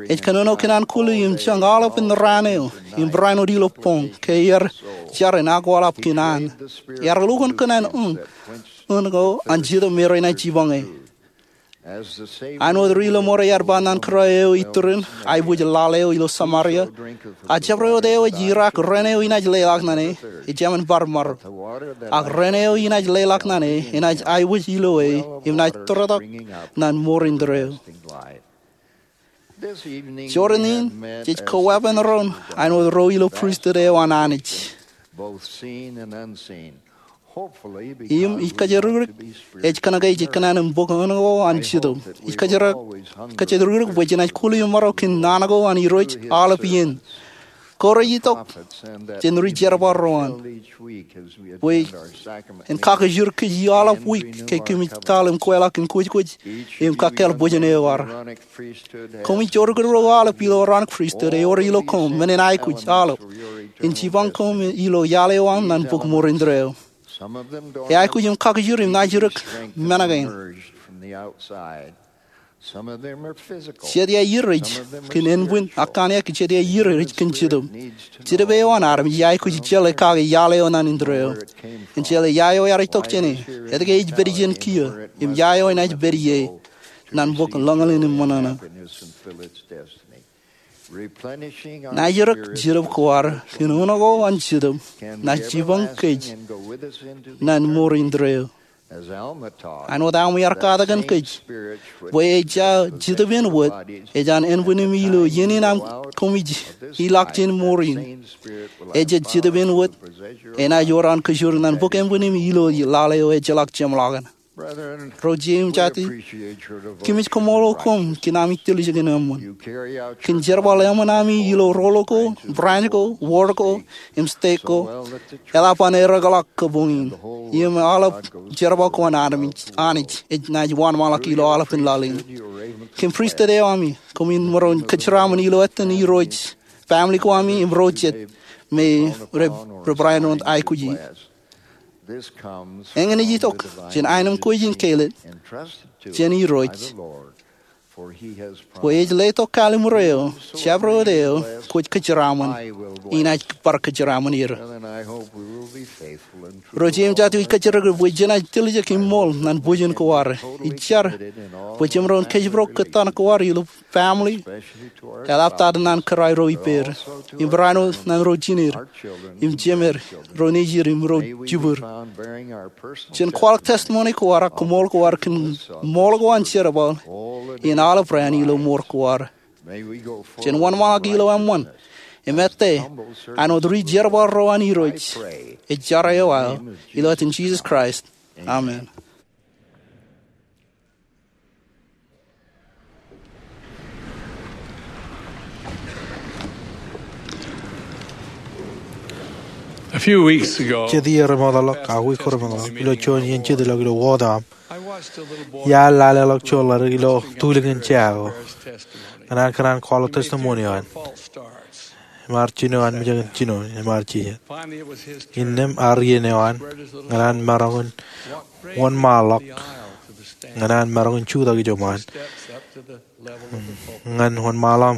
ej kōnono kōn an kuli im jañ aolepān raan eo im barāinwōt ilo boñ ke ear jar in akwaḷap kōn an. Ear lukkuun kōn an eoon, eoon ko an Jetōb me renaaj jipañ e. Āinwōt Ri Ḷōṃoor ear ba ñan kōrā eo iturin aiboojoj lale eo ilo Samaria, a jabdewōt eo ej Irak ren eo inaaj leḷọk ñan e, ejāmin bar maro. Ak ren eo inaaj leḷọk ñan e enaaj aiboojoj ilo e im naaj tōretok ñan ṃoor indeeo. Jorrāān in, jej koweepen doon āinwōt ro ilo pristut eo an Anij. Im ij kōjatdikdik ej kōnke jej kōṇaan im bōk eoon ko an Jetōb. Ij kōjatdikdik bwe jenaaj kuli im maro kōn naan ko an Irooj aolep iien. Ko rej itok jān ri-jerbal ro an bwe en kakijur kōj aolep wiik ke kōmij taḷ im kweḷọk in kwōjkwōj im kakkāāl bōjjān eo ad. Koṃij jorkakdọọr aolep ilo Aaronic Priesthood ewōr ilo koṃ men in aikuj aolep in jipañ koṃ ilo iaḷ eo aṃ ñan bok moorin indeeo. Eaikuj im kakijur im naaj jidik men kein. Jet iaer ej kōn ānbwin ak kōn jet iaer ej kōn jetōb. Jetōb eo an armej eaikuj jeḷā kake iaḷ eo ñan indeeo. Ejjeḷā ia eo ear itok jāne, etke ej pād ijin kiiō, im ia eo enaaj pād ie ñan bok lōñḷin im ṃōṇōṇō. Naaj jidik jetōb ko ad kōn uno ko an jetōb naaj jipañ kōj ñan moorin indeeo. Āinwōt Alma ear katakin kōj bwe ejja jetōb in wōt, ej an ānbwin im ilo iien in aṃ koṃij ilọk jān mour in, ejja jetōb in wōt enaaj wōr an kōjur ñan bok ānbwin im ilo laḷ eo ejjeḷọk jeṃḷọkin. Ro ijin im jatid, kōmij koṃṃool koṃ kōn ami tiljek in eṃṃan. Kōn jerbal eṃṃan ami ilo roll ko, branch ko, ward ko, im stek ko, eḷap an eddekḷọk kabuñ in. Im aolep jerbal ko an Anij, Anij, enaaj wōnṃaanḷọk ilo aolepān laḷ in. Kōn pristut eo ami, koṃwin maroñ kōjeraaṃṃan ilo etan Irooj, family ko ami, im ro jet me rej, rej barāinwōt aikuji. Eñin ej itok jān aenōṃ ko ijin kāālōt jān Irooj bwe ej letok kallimur eo, jabdewōt eo kwōj kōjeraaṃṃan, inaaj bar kōjeraaṃṃan er. Ro ijin im jatid, ij kōjparok bwe jenaaj tiljek im ṃool ñan bōjjān ko ad. Ij jar bwe jemaroñ kōjparok kōttan ko ad ilo family, eḷaptata ñan kōrā ro ippāer, im barāinwōt ñan ro jineer, im jemed, ro nejid im ro jibwid. Jen kwaḷọk testimony ko ad ak koṃṃool ko ad kōn ṃool ko an jerbal in aolep raan ilo mour ko ad. Jen wōnṃaanḷọk ilo eṃṃan im ettā āinwōt ri-jerbal ro an Irooj. Ij jar eo aō ilo etan Jisōs Kraist. Amen. A few weeks ago, jet iiō remootḷọk ak wiik ko remootḷọk, ilo juon iien jitḷọk ilo ward eo aṃ, iar laleḷọk juon ledik ilo tulikin jea ko ñan an kōṇaan kwaḷọk testimony eo an. Im ear jino an mejān jino im ear jijet. Innām ear iien eo an ñan an maroñ in wōnṃaanḷọk, ñan an maroñ in jutak ijo ṃaan, ñan wōnṃaanḷọk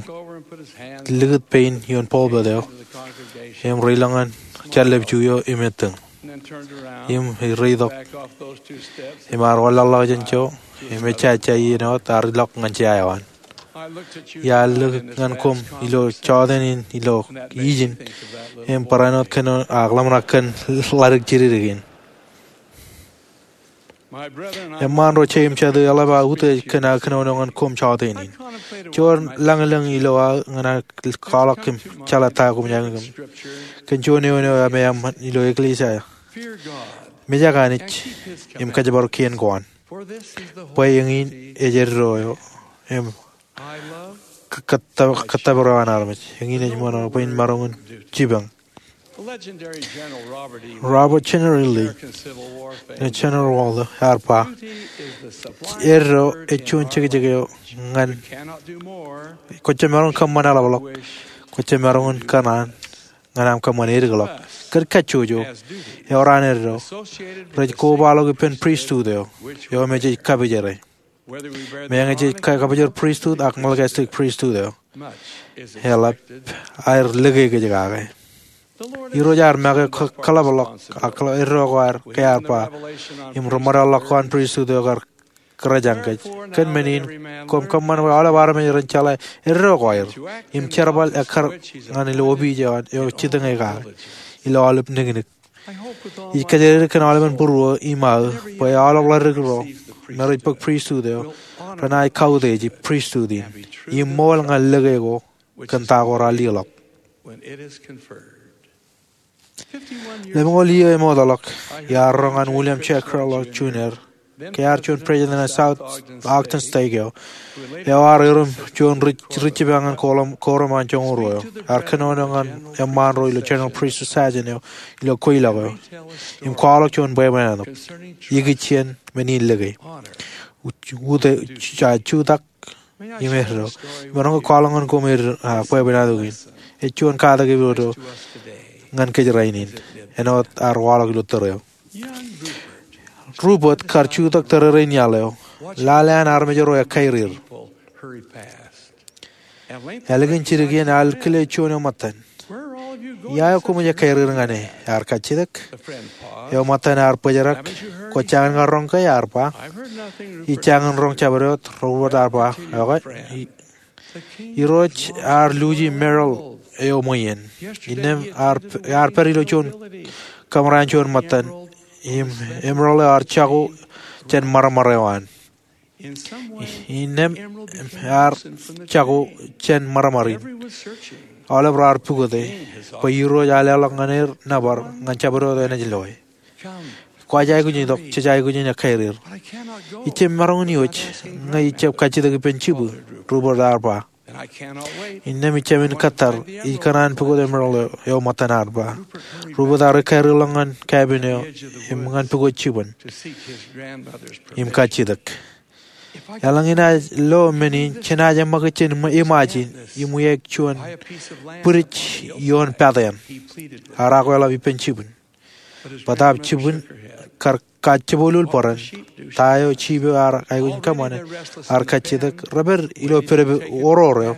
im likūt pein ioon pulpit eo im reilọk ñan jallep ju eo im ettōñ. Im reitok im ear wanlaḷḷọk jān ijo im ejja ejja iien eo wōt ear ilọk ñan jea eo an. Iar likūt ñan koṃ ilo jọteen in ilo ijin im barāinwōt kōn ak ḷōmṇak kōn ledik jidikdik in. Eṃṃaan ro je im jatū, eḷap aō utiej kōn aō kōnono ñan koṃ jọteen in. Juon lañlōñ ilo aō ñan aō kwaḷọk im jeḷā ta koṃij aikuj kōn juon eoon eo emaeṃṃan ilo eklejia eo. Mejak Anij im kōjparok kien ko an. Bwe eñin ej eddo eo im kōttōpar eo an armej. Eñin ej ṃōṇōṇō bwe in maroñ in jipañ. Robert General Lee ṇe General Waldo ear ba, eddo ej juon jekjek eo ñan, kwōj jab maroñ in kōṃṃan eḷapḷọk, kwōj jab maroñ in kōṇaan ñan aṃ kōṃṃan edikḷọk. Kōn kajjojo, ewōr an eddo rej kobaḷọk ippān pristut eo, eo me jej kabōjere. Meñe jej ka-, kabōjor pristut ak Melchizedek pristut eo, eḷap aer lōke kōj kake. Irooj ear make kōḷapḷọk ak eddo ko aer ke ear ba, im ri-ṃōdeḷḷọk ko an pristut eo kar kōrā jān kōj. Kōn men in, koṃ kōṃṃan bwe aolep armej ren jeḷā eddo ko aer im jerbal ekkar ñan ilo opiij eo an eo jitōñe kake ilo aolep niknik. Ij kōjatdikdik kōn aolepen būruō im aō bwe aolep ledik ro me rej bōk pristut eo renaaj kautiej pristut in im ṃool ñan lōke ko kōn ta ko raar leḷọk. Lemñoul iiō emootḷọk, iar roñ an William J. Keller Junior ke ear juon president eo an South Ogden Stake eo, eo ear erom juon ri-, ri-jibba ñan korom, korom an joñoul ruo eo. Ear kōnono ñan eṃṃaan ro ilo General Priesthood Sajin eo ilo kweilọk eo im kwaḷọk juon bwebwenato ikijjien men in lōke, ut-, uteak, jutak im eddo. Imaroñ ke kwaḷọk ñan koṃ ed, ah, bwebwenato kein. Ej juon katak eoon ñan kōj rainin āinwōt ear waḷọk ilo tōre eo. Rupert kar jutak tōre rein iaḷ eo. Lale an armej ro ekkairir. Ālikin jidik iien ear kile juon eo ṃōttan. Ia eo koṃij ekkairir ñan e? Ear kajjitōk. Eo ṃōttan ear bōjrak. Kwō jañin ña roñ ke? Ear ba. Ij jañin roñ jabdewōt, Rupert ear ba. Okay. Irooj ear luuji Merrill eo ṃweien. Innām ear, ear pād ilo juon kōṃro an juon ṃōttan. Im Emerald eo ear jako jān ṃarṃar eo an. Innām ear jako jān ṃarṃar in. Aolep raar pukote bwe Irooj ear leḷọk ñan er nōbar ñan jabdewōt enaaj loe. Kwōj aikuj in itok, jej aikuj in ekkairir. Ij jab maroñ in iwōj ñe ij jab kajjitōk ippān jibwi, Rupert ear ba. Innām ij jāmin kōttar, ij kōṇaan pukot Emerald eo, eo ṃōttan, ear ba. Rupert ear ekkairirḷọk ñan cabin eo im ñan pukot jibwin im kajjitōk. Eḷaññe inaaj lo men in, jenaaj eṃṃakūt jān im-, iṃaaj in im wiaik juon bwidej ioon pātein. Ear akweḷap ippān jibwin. Bōtaab jibwin kar kajjebwilwil bōran, ta eo jiip eo ear aikuj in kōṃṃane, ear kajjitōk, repād ilo pedped oror eo.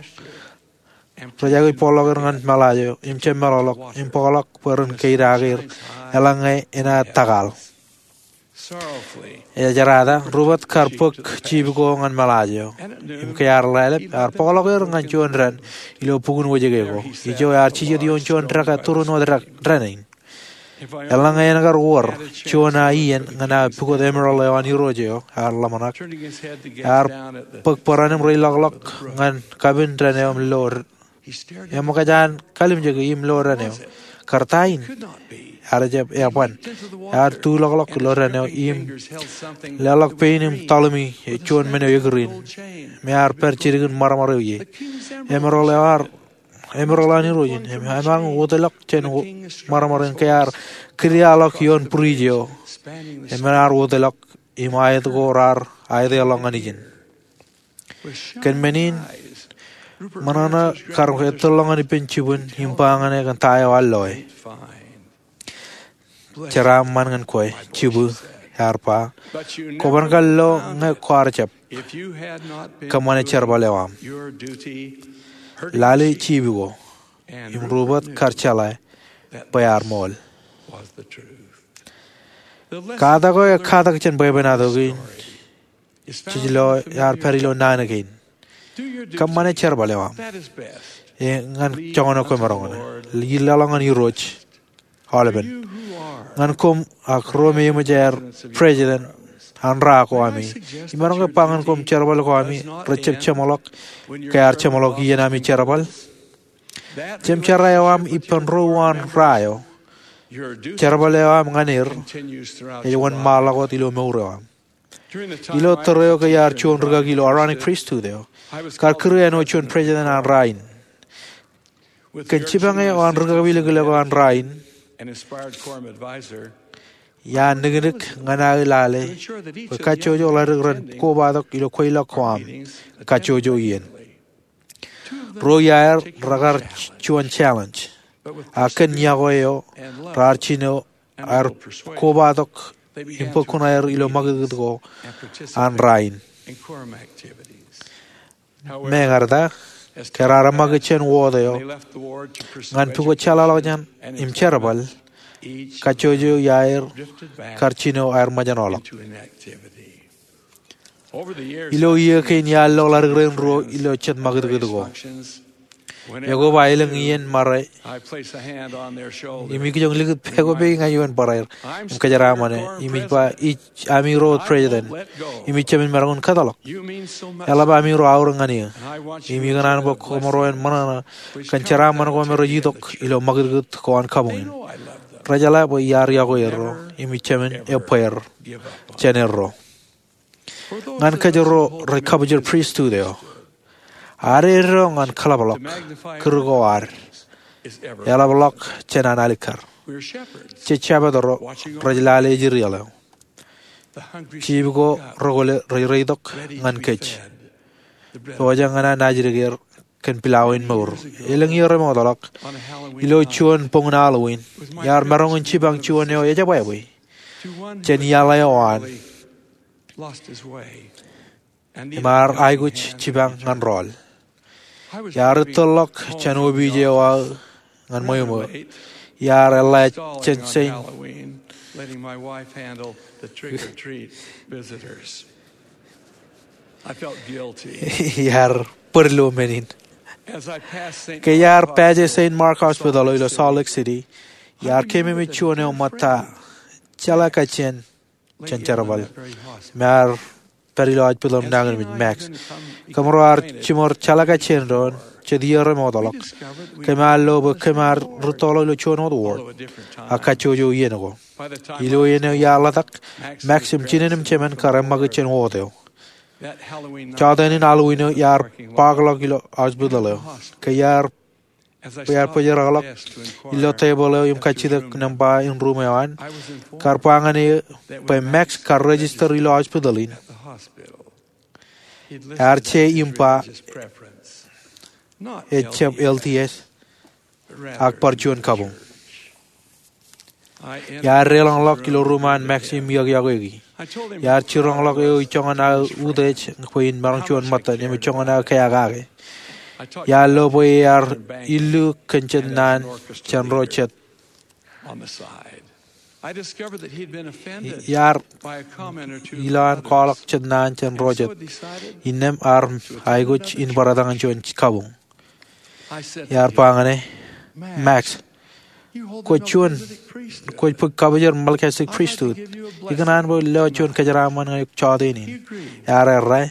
Rej aikuj bōkḷọk er ñan meḷaaj eo im jab meḷọkḷọk im bōkḷọk bwe ren keidake er eḷaññe enaaj tōkal. Ejerata, Rupert kar bōk jiip ko ñan meḷaaj eo. Im ke ear lale, ear bōkḷọk er ñan juon dān ilo bukun wōjke ko. Ijo ear jijet ioon juon dekā tūrin wōt dān in. Eḷaññe en kar wōr juon aō iien ñan aō pukot Emerald eo an Irooj eo, ear ḷōmṇak. Ear bōk bōran im reilọkḷọk ñan cabin dān eo im lo, eṃōkaj an kalimjeke im lo dān eo. Kar ta in? Ear jab eban. Ear tulọkḷọk ilo dān eo im leḷọk pein im tōḷimi juon men eo ekūrin me ear pād jidik in ṃarṃar eo ie. Emerald eo ear Emerald an Irooj in, im emaroñ wōtlọk jān ṃarṃar in ke ear kidiaḷọk ioon bwidej eo. Im ear wōtlọk im aet ko raar aetḷọk ñan ijin. Kōn men in, ṃōṇōṇō kar ettōrḷọk ñan ippān jibwin im ba ñan e kōn ta eo ear loe. Jeraaṃṃan ñan kwe, jibwi, ear ba. Kwōban kar lo ñe kwaar jab kōṃṃane jerbal eo aṃ. Lale jiip ko, im Rupert kar jeḷā bwe ear ṃool. Katak eo ej katak jān bwebwenato kein jej lo ear pād ilo naan kein. Kōṃṃane jerbal eo aṃ. E ñan joñan eo kwōmaroñ in. Leḷọk ñan Irooj aolepen. Ñan koṃ ak ro me eṃōj aer president an ra ko ami, imaroñ ke ba ñan koṃ jerbal ko ami rej jab jeṃḷọk ke ear jeṃḷọk iien ami jerbal? Jemjerā eo aṃ ippān ro uwaan ra eo, jerbal eo aṃ ñan er ej wōnṃaanḷọk wōt ilo mour eo aṃ. Ilo tōre eo ke iar juon rikaki ilo Aaronic Pristut eo, kar kūr āinwōt juon president an ra in. Kōn jipañ eo an rikaki eo kilōk eo an ra in, iar niknik ñan aō lale bwe kajjojo ḷadik ren kobatok ilo kweilọk ko aṃ kajjojo iien. Ruo iaer rekar juon challenge, ak kōn iọkwe eo raar jino aer kobatok im bōk kuṇaer ilo ṃakūtkūt ko an ra in. Meñe eṇ ta, ke raar eṃṃakūt jān wōt eo ñan pukot jeḷāḷọkjeṇ im jerbal, kajjojo iaer kar jino aer ṃōjṇọḷọk. Ilo iiō kein iar lo ḷadik rein ruo ilo jet ṃakūtkūt ko. Ekob aelōñ iien ṃare im ikijjien likūt pād ko peiṃ ñan ioon barāer im kōjeraaṃṃan e im ij ba, ij ami ro president im ij jab maroñ in kōtḷọk. Eḷap ami ro aorōk ñan eō im ikōṇaan bwe koṃro en ṃōṇōṇō kōn jeraaṃṃan ko me rej itok ilo ṃakūtkūt ko an kabuñ in. Rejeḷā bwe iar iọkwe erro im ij jab ebbeer jān erro. Ñan kōjro rej kabwilōñ pristut eo, ad eddo ñan kōḷapḷọk kūr ko ad eḷapḷọk jān an alikkar. Jej jabdewōt ro rej lale ejirieḷ eo. Jeep ko rekwōle rej reitok ñan kōj. Pojak ñan an ajdik er kōn pilaween mour. Elōñ iiō remootḷọk, ilo juon boñōn Halloween, iar maroñ in jipañ juon eo ejabwābwe jān iaḷ eo an im ar aikuj jipañ ñan rọọl. Iar ittōrḷọk jān opij eo aō ñan ṃweo ṃō. Iar eḷḷā jān Saint Halloween, letting my wife handle the trick or treat visitors. I felt guilty. Iar bōd ilo men in. Ke iar paje Saint Mark Hospital eo ilo Salt Lake City, iar keememej juon eo ṃōtta jeḷā kajjien jān jerbal im ar pād ilo hospital im nañinmej Max. Kōmro ar jiṃor jeḷā kajjien doon jet iiō remootḷọk. Kōm ar lo bwe kōm ar rūttoḷọk ilo juon wōt ward ak kajjojo iien ko. Ilo iien eo iar ḷotak, Max im jinen im jemān kar eṃṃakūt jān ward eo. Jọteen in Halloween eo iar bōkḷọk ilo hospital eo. Ke iar bwe iar bōjrakḷọk ilo tebōḷ eo im kajjitōk nōṃba in ruum eo an, kar ba ñan eō bwe Max kar register ilo hospital in. Ear je im ba ejjab L D S, ak bar juon kabuñ. Iar deḷọñḷọk ilo ruum an Max im iọkiọkweiki. Iar jiroñḷọk eō ijoñan aō utiej bwe in maroñ juon ṃōttan im ijoñan aō keakake. Iar lo bwe ear illu kōn jet naan jān ro jet. Iar ilowaan kwaḷọk jet naan jān ro jet. Innām ear aikuj in barāinwōt juon kabuñ. Iar ba ñan e, Max, kwōj juon, kwōj bōk kabwijer Melchizedek Priesthood. Ikōṇaan bwe lewōj juon kōjeraaṃṃan ñan eok jọteen in. Ear errā,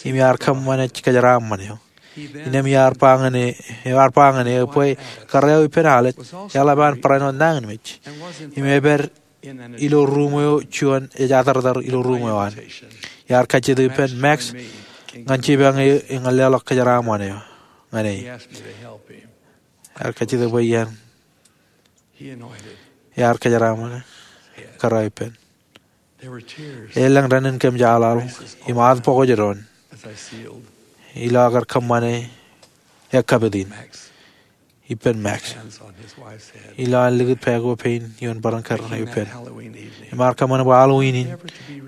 im iar kōṃṃane kōjeraaṃṃan eo. Innām iar ba ñan e, iar ba ñan eō bwe kōrā eo ippān Alex eḷap an barāinwōt nañinmej. Im epād ilo ruum eo juon ej atartar ilo ruum eo an. Iar kajjitōk ippān Max ñan jipañ eō ñan leḷọk kōjeraaṃṃan eo ñan e. Iar kajjitōk bwe ian iar kōjeraaṃṃan kōrā eo ippān. Elōñ dān in kōmjaaḷaḷ im ad pokoj doon ilo aō kar kōṃṃane ekkapit in ippān Max. Ilowaan likūt pā ko pein ioon bōran kōrā eo ippān. Im ar kōṃṃane bwe Halloween in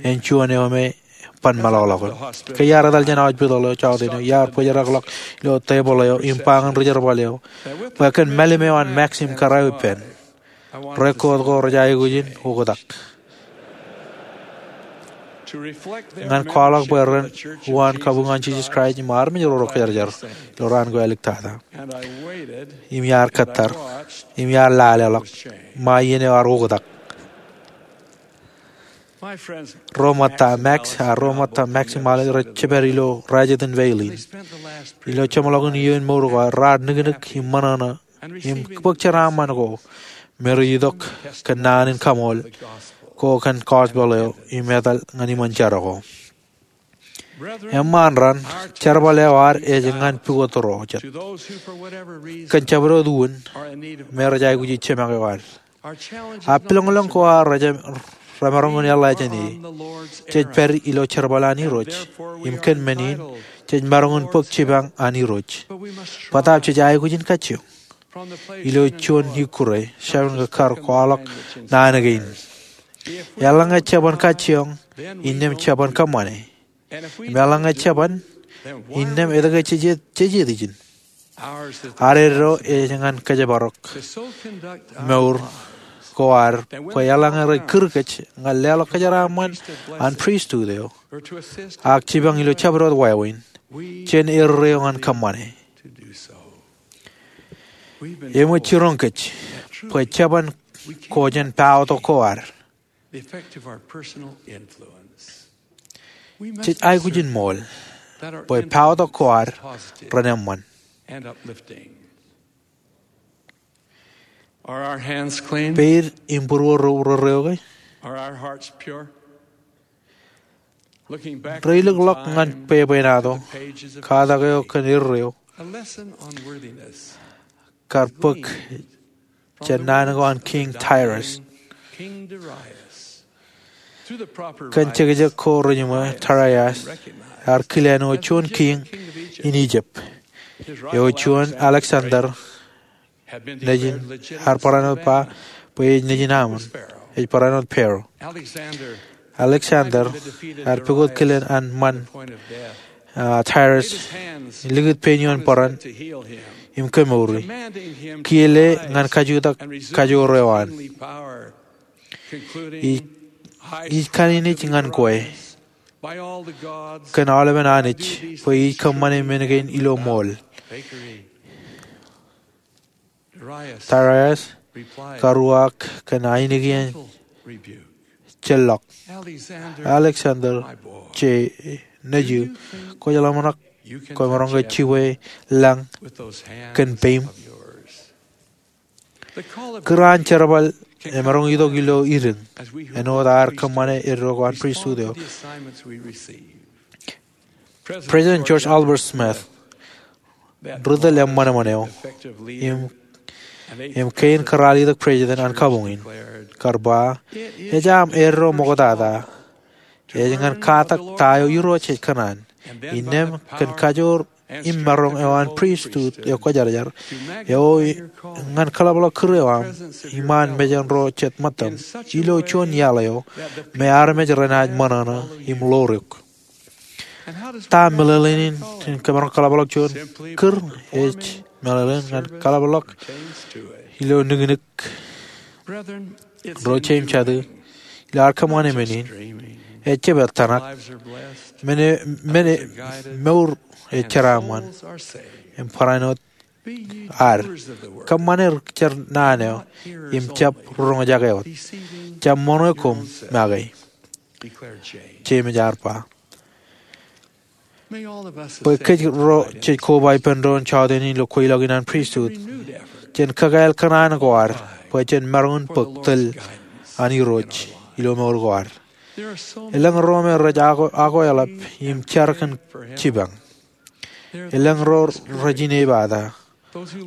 en juon eo me ban meḷọkḷọk. Ke iar etal jān hospital eo jọteen eo, iar bōjrakḷọk ilo tebōḷ eo im ba ñan ri-jerbal eo bwe kōn mālim eo an Max im kōrā eo ippān, record ko rej aikuj in oktak ñan kwaḷọk bwe ren uwaan kabuñ an Jisōs Kraist im armej ro rej kōjarjar ilo raan ko āliktata. Im iar kōttar, im iar laleḷọk ṃae iien eo ear oktak. Ro ṃōtta Max, a ro ṃōtta Max im Alex rej jepād ilo rajetan veilin. Ilo jeṃḷọkin iiō in mour ko, raar niknik im ṃōṇōṇō im bōk jeraaṃṃan ko me rej itok kōn naan in kaṃool ko kōn gospel eo im etal ñan iṃōn jar ko. Eṃṃaan raṇ, jerbal eo ad ej ñan pukot ro jet. Kōn jabdewōt uwin me rej aikuji jemak eo ad. Ak pilōñlōñ ko ad remaroñ in eḷḷā jān e. Jej pād ilo jerbal an Irooj, im kōn men in, jej maroñ in bōk jipañ an Irooj. Bōtaab jej aikuj in kajjioñ. Ilo juon ikkure, jabōn kar kwaḷọk naan kein. Eḷaññe jeban kajjioñ, innām jeban kōṃṃane. Im eḷaññe jeban, innām etke jej, jej jet ijin? Ad eddo ej ñan kōjparok mour ko ad bwe eḷaññe rej kūr kōj ñan leḷọk kōjeraaṃṃan an pristut eo, ak jipañ ilo jabdewōt wāween, jen erreo ñan kōṃṃane. Eṃōj jiroñ kōj bwe jeban ko jān paotok ko ad. Jej aikuj in ṃool bwe paotok ko ad ren eṃṃan. Peid im būruō ro rerreo ke? Reilukḷọk ñan bwebwenato, katak eo kōn erreo, kar bōk jān naan ko an Kiiñ Darius. Kōn jekjek ko rejiṃwe, Darius ear kile āinwōt juon kiiñ in Ijip. Eo juon Alexander nejin, ear barāinwōt ba bwe ej nejin aṃ, ej barāinwōt Pharaoh. Alexander ear pukot kilen an ṃan Darius, likūt pein ioon bōran im kemouri, kiiō le ñan kajutak kajoor eo an. Ij kaninij ñan kwe kōn aolepen Anij bwe ij kōṃṃane men kein ilo ṃool. Darius kar uwaak kōn ainikien jellọk, Alexander je, nejū, kwōj ḷōmṇak kwōmaroñ ke jibwe lañ kōn peim? Kūr an jerbal emaroñ itok ilo idiñ āinwōt aer kōṃṃane eddo ko an pristut eo. President George Albert Smith ri tōl eṃṃanṃan eo im kein kōrā letok president an kabuñ in, kar ba, ej aṃ eddo ṃoktata. Ej ñan katak ta eo Irooj ej kōṇaan, innām kōn kajoor im maroñ eo an pristut eo kwōjarjar eo, ñan kaḷapḷọk kūr eo aṃ iṃaan mejān ro jet ṃōttaṃ ilo juon iaḷ eo me armej renaaj ṃōṇōṇō im ḷoor eok. Ta meḷeḷein in kōmaroñ kaḷapḷọk juon kūr? Ej meḷeḷein ñan kaḷapḷọk ilo nuknuk ro jeiū im jatū ilo ad kōṃṃane men in. Ejjab ettanak. Men, men, mour ej jeraaṃṃan im barāinwōt ad. Kōṃṃane jar naan eo im jab roñjake wōt. Jab ṃōṇō koṃ make, Jemes ear ba. Bwe kōj ro jej koba ippān doon jọteen in ilo kweilọk in an pristut, jen kakāāl kōṇaan ko ad bwe jen maroñ in bōk tōl an Irooj ilo mour ko ad. Elōñ ro me rej akweḷap im jar kōn jipañ. Elōñ ro rej inepata.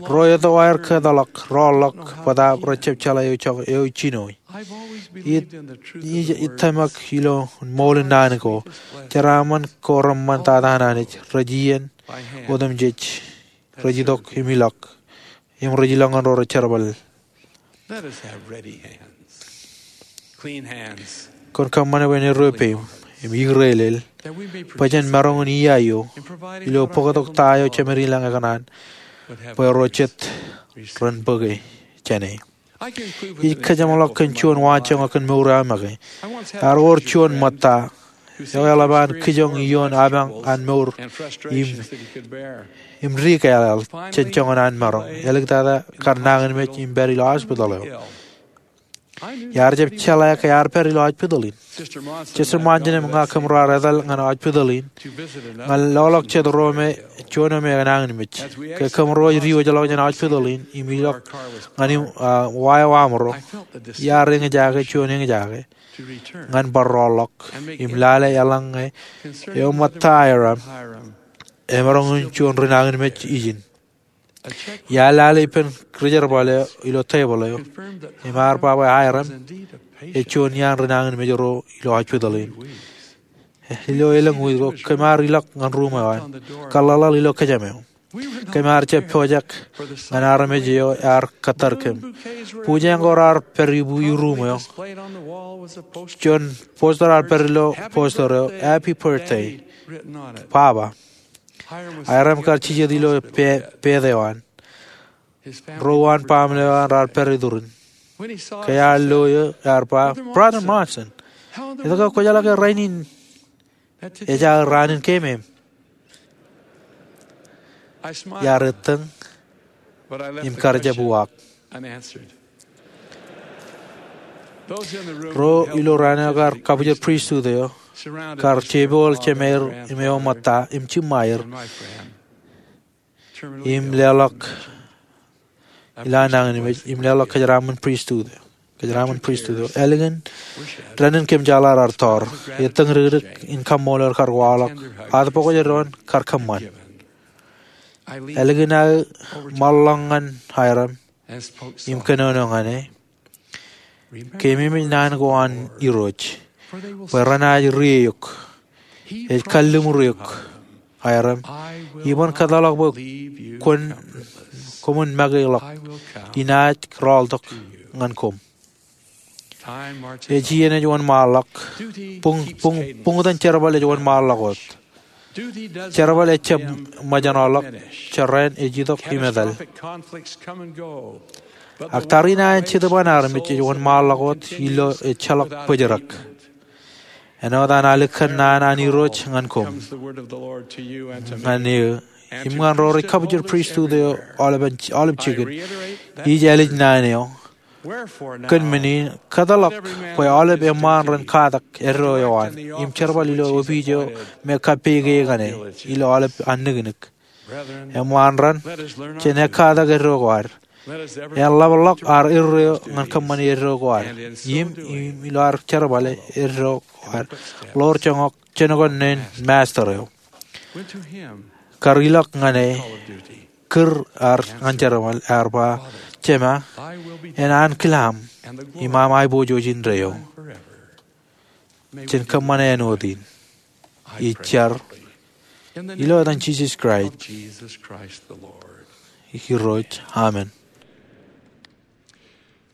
Ro etto aer kōtḷọk, rọọlḷọk, bōtaab rej jab jeḷā eo jinoe. Ij, ij tōmak ilo ṃool in naan ko. Jeraaṃṃan ko reṃṃan tata an Anij rej iien otemjej, rej itok im ilọk, im rej ilọk ñan ro rej jerbal. Kwōn kōṃṃane bwe en eddo peim im ikūrelel bwe jen maroñ in iiaio ilo bōktok ta eo Jemān i lañ ekōṇaan bwe ro jet ren bōke jāne. Ij kōjeṃḷọk kōn juon waanjoñak kōn mour eo aō make. Ear wōr juon ṃōtta eo eḷap an kijoñ ioon apañ an mour im, im dikeḷāḷ jān joñan an maroñ. Āliktata kar nañinmej im pād ilo hospital eo. Iar jab jeḷā ke ear pād ilo hospital in. Sister Monson im ña kōm raar etal ñan hospital in ñan loḷọk jet ro me, juon eo me enañinmej. Ke kōm ro ej diwōjḷọk jān hospital in im ilọk ñan im, ah, wa eo aṃro, iar eñjake juon eñjake ñan bar rọọlḷọk im lale eḷaññe eo ṃōtta Hyrum emaroñ in juon rinañinmej ijin. Iar lale ippān rijerbal eo ilo tebōḷ eo im ear ba bwe Hyrum ej juon iaan rinañinmej ro ilo hospital in. Ilo elōñ wiik ko kōm ar ilọk ñan ruum eo an, kōḷḷaḷḷaḷ ilo kōjām eo. Kōm ar jab pojak ñan armej eo ear kōttar kōm. Bujeñ ko raar pād ippān ruum eo. Juon poster ear pād ilo poster eo, Happy Birthday, Papa. Hyrum kar jijet ilo pe-, pād eo an. Ro uwaan baaṃle eo an raar pād iturin. Ke ear lo eō, ear ba, Brother Monson, etke kwōjeḷā ke rainin ej aō raan in keemem? Iar ettōñ im kar jab uwaak. Ro ilo raan eo kar kabwijer pristut eo kar jepooḷ jemeir im eo ṃōtta im jiṃṃaer im leḷọk ilo nañinmej im leḷọk kōjeraaṃṃan pristut eo. kōjeraaṃṃan pristut eo. Ālikin dān in kōmjeḷā raar tọọr, ettōñ dikdik in kaṃṃoolol kar waḷọk, aetbok eo doon kar kōṃṃan. Ālikin aō ṃaḷḷọk ñan aerōṃ im kōnono ñan e, keememej naan ko an Irooj, bwe renaaj ri eok, ej kalliṃur eok aerōṃ, iban kōtḷọk bwe koṃwin make ḷọk, inaaj rọọltok ñan koṃ. Ej iien ej wōnṃaanḷọk. Buñ, buñ, buñtōn jerbal ej wōnṃaanḷọk wōt. Jerbal ejjab ṃōjṇọḷọk, jerrāān ej itok im etal. Ak tariṇae in jetōb an armej ej wōnṃaanḷọk wōt ilo ejjeḷọk bōjrak. Āinwōt an alikkar kōnnaan an Irooj ñan koṃ, ñan eō, im ñan ro rej kabujar pristut eo aolepen, aolep jikin, ij ālij naan eo. Kōn men in, kōtḷọk bwe aolep eṃṃaan ren katak eddo eo an, im jerbal ilo opiij eo me kappeke ñan e, ilo aolep an niknik. Eṃṃaan ran, jen ekkatak eddo ko ad. En ḷapḷọk ad eddo eo ñan kōṃṃani eddo ko ad. Im, im ilo ad jerbale eddo ko ad, ḷoor joñak, jenokon neen Master eo. Kar ilọk ñan e, kūr ad ñan jerbal, ear ba, Jema, en ankilaṃ, im aṃ aiboojoj indeeo. Jen kōṃṃane āinwōt in. Ij jar ilo etan Jisōs Kraist, Irooj, amen.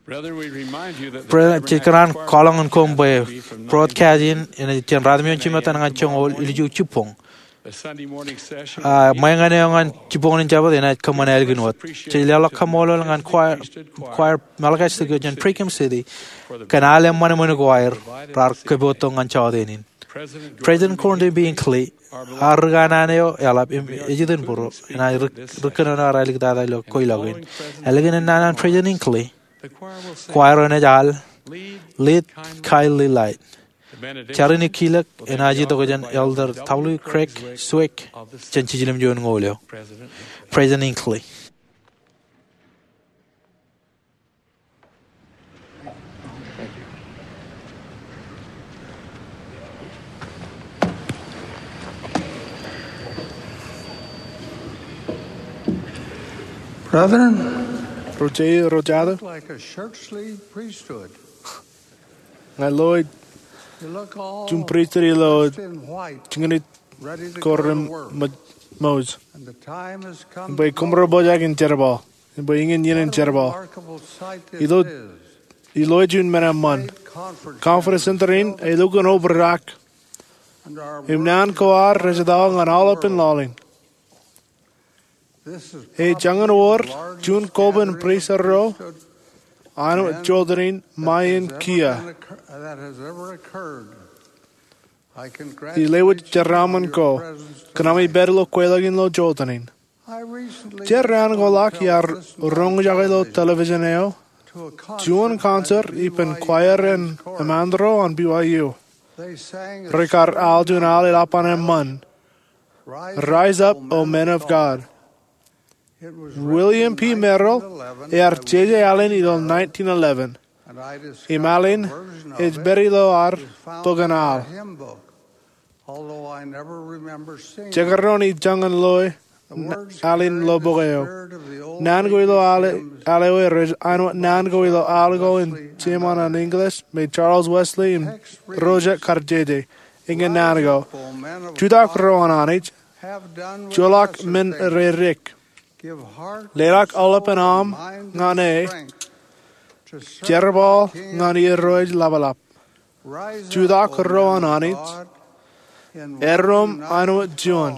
Brethren, jej kōṇaan kwaḷọk ñan koṃ bwe broadcast in, enaaj jān ratimjuon jimettan ñan joñoul ilju jibboñ. A, ṃōñā eo ñan jibboñin Jabōt enaaj kōṃṃan ālikin wōt. Jej leḷọk kaṃṃoolol ñan choir, choir Malachi six eo jān Brigham City, kōn al eṃṃan eṃṃan ko aer raar kōpoottok ñan jọteen in. President Gordon B. Hinckley, ear ri kanaan eo eḷap im ej itok būruō, enaaj ri, ri kōnono ear aliktata ilo kweilọk in. Ālikin naan an President Hinckley, choir eo enaaj al Lead, Kindly Light. Jar in ikkilōk enaaj itok jān Elder W. Craig Swick, jān Jiljilimjuon Ñoul eo. President Hinckley. Brethren, ro jeiū, ro jatū, like a shirt sleeve priesthood. Ña lo ij juon pristut ilo jikin ko remooj. Im bwe koṃ ro pojak in jerbal. Im bwe iien in jerbal. Ilo, ilo ej juon men eṃṃan. Conference Center in elukkuun obrak. Im naan ko ad rej etto ñan aolepān laḷ in. Ej jañin wōr juon koban pristut ro āinwōt jota in ṃae in kiiō. Ij lewōj jeraaṃṃan ko kōn ami pād ilo kweilọk in ilo jota in. Jeraaṃṃan ko ḷọk iar roñjake ilo television eo juon concert ippān choir in eṃṃan ro an B Y U. Rekar al juon al eḷap an eṃṃan, Rise Up, O Men of God. William P. Merrill ear jeje al in ilo nineteen eleven. Im al in ej pād ilo ad bok in al. Jekdọọn ij jañin loe al in ilo bok eo. Naan ko ilo al, al eo rej āinwōt naan ko ilo al ko in Jemān an English me Charles Wesley im ro jet kar jeje. Eñin naan ko. Jutak ro an Anij, joḷọk men reddik. Leḷọk aolepān aṃ ñan e. Jerbal ñan Irooj ḷapḷap. Jutak ro an Anij, eddoṃ āinwōt juon.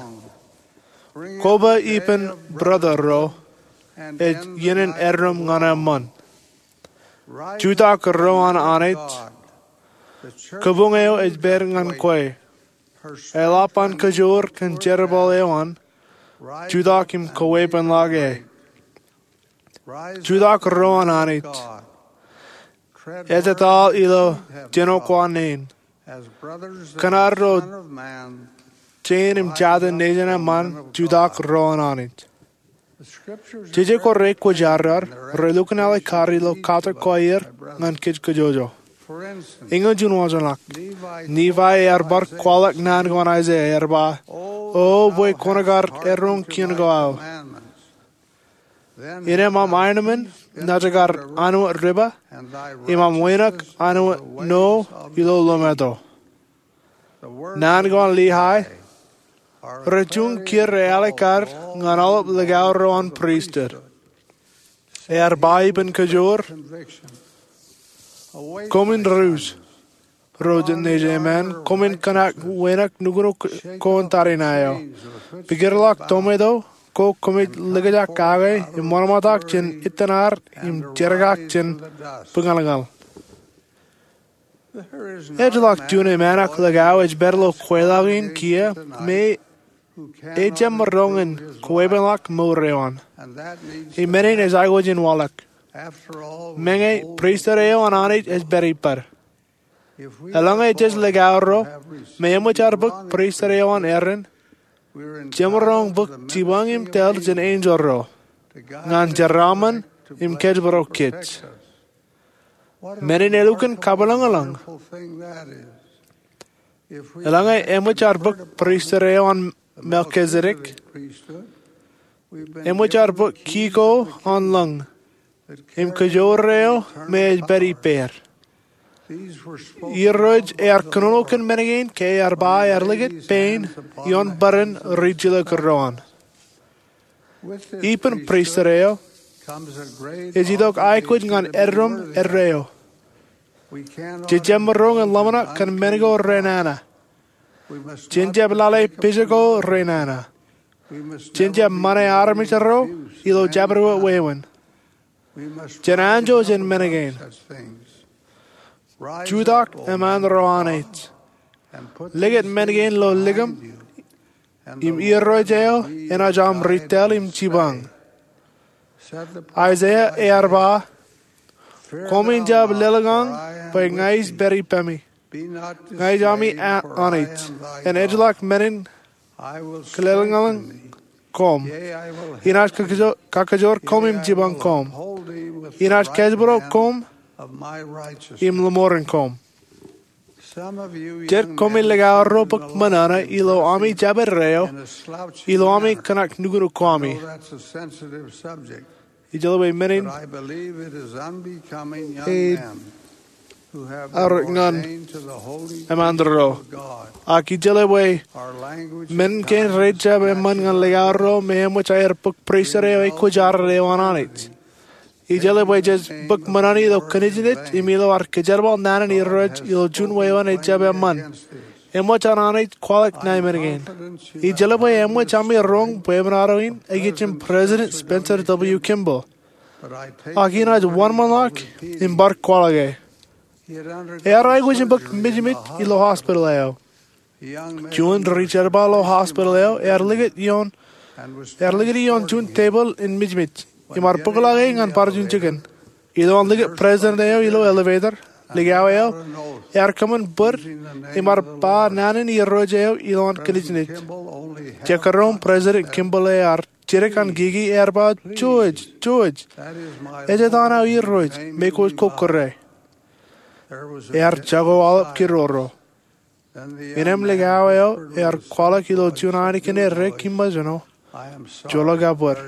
Koba ippān brother ro, ej iien in eddoṃ ñan eṃṃan. Jutak ro an Anij, kabuñ eo ej pād ñan kwe. Eḷap an kajoor kōn jerbal eo an, jutak im kaweepen ḷọk e. Jutak ro an Anij. Ej etal ilo jino ko an neen. Kōn ad ro jein im jatū nejin eṃṃan, jutak ro an Anij. Jeje ko rekwōjarjar, relukkuun āliktata ilo katak ko aer, ñan kōjkōjōjō. Eñin juon wōnṃaanḷọk, Nifai ear bar kwaḷọk naan ko an Aiseia, ear ba, O bwe kwōn kar eroñ kien ko aō, innām aenōṃṃan naaj kar anwōj riba, im aṃ wānōk anwōj no ilo lometo. Naan ko an Lihae rej juon kiiō rej alikkar ñan aolep likao ro an pristut. Ear ba ippān kajoor, Koṃwin rūj, ro jen nejiṃṃan, koṃwin kōṇaan wānōk nuknuk ko in tariṇae eo. Pikiḷọk tometo ko koṃij likjak kake im ṃōṇōṇōtak jān itan ad im jerkak jān bōñalñal. Ejjeḷọk juon eṃṃan likao ej pād ilo kweilọk in kiiō me ejjab maroñ in kwepeḷọk mour eo an. Im men in ej aikuj in waḷọk. Meñe pristut eo an Anij ej pād ippād. Eḷaññe jej likao ro me eṃōj ad bōk pristut eo an Aaron, jemaroñ bōk jipañ im tōl jān enjeḷ ro ñan jeraaṃṃan im kōjparok kōj. Men in elukkuun kabwilōñlōñ. Eḷaññe eṃōj ad bōk pristut eo an Melkisedek, eṃōj ad bōk ki ko an lōñ im kajoor eo me ej pād ippāer. Irooj ear kōnono kōn men kein ke ear ba ear likūt pein ioon bōran ri jilkinro an. Ippān pristut eo ej itok aikuj ñan eddoṃ eddo eo. Jej jab maroñ in ḷōmṇak kōn men ko renana. Jen jab lale pejako renana. Jen jab ṃane armej ro ilo jabdewōt wāween. Jen anjọ jān men kein. Jutak eṃṃan ro Anij. Likūt men kein ilo likiṃ, im Irooj eo enaaj aṃ ri tōl im jipañ. Aiseia ear ba, Koṃwin jab lelōñḷọk bwe ña ij pād ippemi. Ña ij ami Anij, en ejjeḷọk men in kilelōñḷọk koṃ. Inaaj kakajoor koṃ im jipañ koṃ. Inaaj kōjparok koṃ im lọmọọren koṃ. Jet koṃ likao ro bōk ṃōṇōṇō ilo ami jabdewōt eo, ilo ami kōṇaan nuknuk ko ami. Ijeḷā bwe men in ej arōk ñan eṃṃan ro. Ak ijeḷā bwe men kein rej jab eṃṃan ñan likao ro me eṃōj aer bōk pristut eo ej kwōjarjar eo an Anij. Ijeḷā bwe jej bōk ṃōṇōṇō ilo kōnejnej im ilo ad kōjerbal naan in Irooj ilo juon wāween ej jab eṃṃan. Eṃōj an Anij kwaḷọk naan men kein. Ijeḷā bwe eṃōj ami roñ bwebwenato in ikijjeen President Spencer W. Kimball. Ak inaaj wōnṃaanḷọk im bar kwaḷọke. Ear aikuj in bōk mijmij ilo hospital eo. Juon ri jerbal ilo hospital eo ear likūt ioon, ear likūt ioon juon tepil in mijmij im ear bōkḷọke ñan barjun jikin. Ilo an likūt president eo ilo elevator, likao eo ear kōṃṃan bōd im ear ba naan in Irooj eo ilo an kōnejnej. Jekdọọn President Kimball ear jidik an kiki, ear ba, George, George, ejjeḷọk aō Irooj me kwōj kokkure. Ear jako aolep kidoro. Innām likao eo ear kwaḷọk ilo juon ainikien eddek im ṃōjṇo, Joḷọk aō bōd.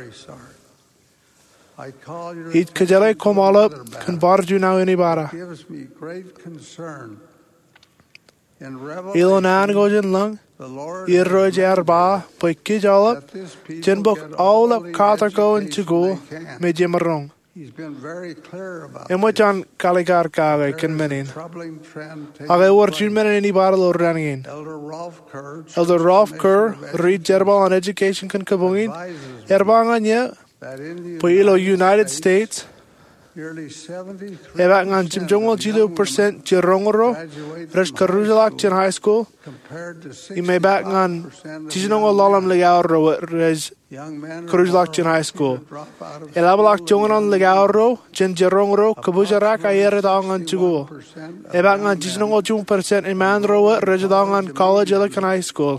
Ij kōjeḷā koṃ aolep kōn barjun aō inibara. Ilo naan ko jān lōñ, Irooj ear ba bwe kōj aolep jen bōk aolep katak ko in jikuuḷ me jemaroñ. Eṃōj an kaalikkar kake kōn men in. Ak ewōr juon men in inibara ilo raan kein. Elder Rolf Kerr, ri jerbal an education kōn kōpoñ in, ear ba ñan eō bwe ilo United States, epaak ñan jimjuonñoul jilu percent jiroñ ro rej karuj ḷọk jān high school, im epaak ñan jiljinoñoul ḷalem likao ro rej karuj ḷọk jān high school. Eḷapḷọk joñan an likao ro jān jiroñ ro kōpoojarak aer etto ñan jikuuḷ. Epaak ñan jiljinoñoul juon percent iṃaan ro rej etto ñan college eḷap kōn high school.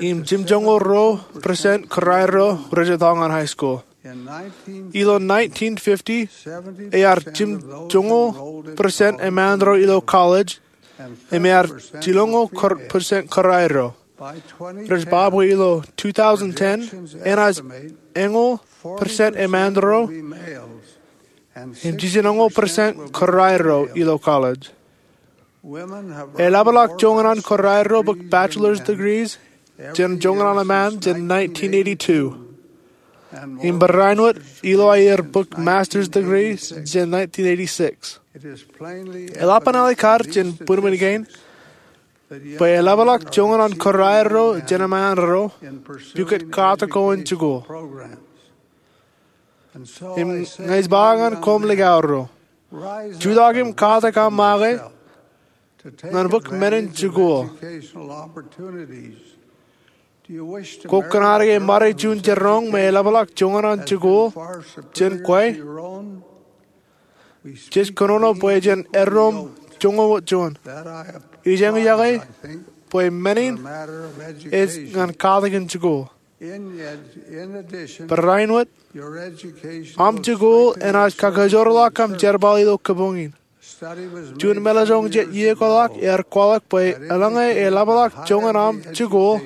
Im jimjuonñoul ruo percent kōrā ro rej etto ñan high school. Ilo nineteen fifty, ear jimjuonñoul percent emaanro ilo college, im ear jiluññoul percent kōrā ro. Rej ba bwe ilo two thousand ten, enaaj eñoul percent emaanro im jijinoñoul percent kōrā ro ilo college. Eḷapḷọk joñan an kōrā ro bōk bachelor's degrees jān joñan an eṃṃaan jān nineteen eighty-two. Im barāinwōt ilo aer bōk master's degree jān nineteen eighty-six. Eḷap an ālikkar jān būnmān kein bwe eḷapḷọk joñan an kōrā ro jān eṃṃaan ro pukot katak ko in jikuuḷ. Im ña ij ba ñan koṃ likao ro, jutak im katak aṃ make ñan bōk men in jikuuḷ. Kwō kōṇaan ke ṃade juon jiroñ me eḷapḷọk joñan an jikuuḷ jān kwe? Jej kōnono bwe jen errooṃ joñoul juon. Ij eñjake bwe men in ej ñan katak in jikuuḷ. Barāinwōt, aṃ jikuuḷ enaaj kakajoorḷọk aṃ jerbal ilo kōpoñ in. Juon meḷeḷe jet iiō ko ḷọk ear kwaḷọk bwe eḷaññe eḷapḷọk joñan aṃ jikuuḷ,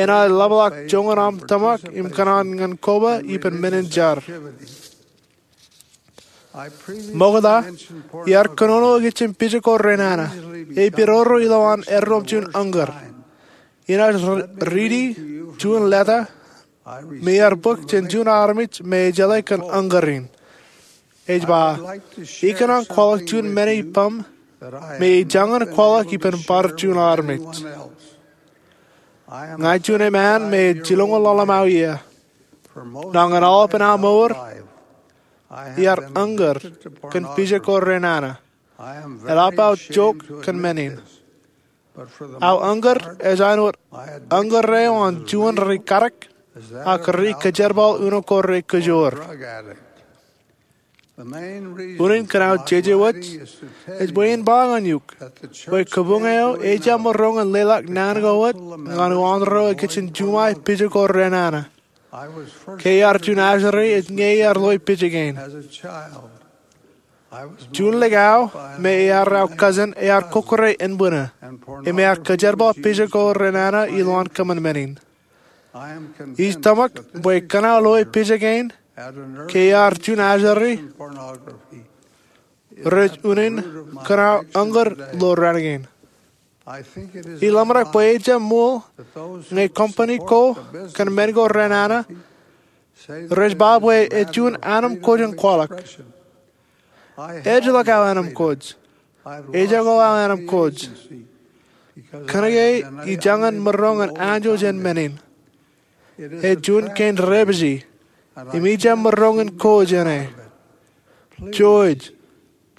enaaj ḷapḷọk joñan aṃ tōmak im kōṇaan ñan koba ippān men in jar. Ṃokta, iar kōnono ikijjien pijak ko renana, epidodo ilowaan errooṃ juon uññūr. Inaaj riiti juon leta me iar bōk jān juon armej me ejeḷā kōn uññūr in. Ej ba, ikōṇaan kwaḷọk juon men ippaṃ me ij jañin kwaḷọk ippān bar juon armej. Ña juon eṃṃaan me ej jiluño ḷōḷḷam eo iiō. Ñan aolepen aō mour, iar uññūr kōn pijak ko renana. Eḷap aō jook kōn men in. Aō uññūr ej āinwōt uññūr eo an juon ri katak, ak ri kajerbal uno ko re kajoor. Unin kōn aō jeje wōj ej bwe in ba ñan eok bwe kōpoñ eo ejjab maroñ in leḷọk naan ko wōt ñan uwaan ro ikijjien juṃae pijak ko renana. Ke iar juon ajri ej ñe iar loe pijak in. Juon likao me ear aō cousin ear kōkkure ānbwinnū im ear kajerbal pijak ko renana ilowaan kōṃṃan men in. Ij tōmak bwe kōn aō loe pijak in ke iar juon ajri, rej unin kōn aō uññūr ilo raan kein. Ij ḷōmṇak bwe ejjab ṃool ñe company ko kōn men ko renana rej ba bwe ej juon anemkwōj in kwaḷọk. Ejjeḷọk aō anemkwōj. Ejako aō anemkwōj. Kōnke ij jañin maroñ in anjọ jān men in. Ej juon kein dāpiji im ijjab maroñ in ko jāne. Jouj,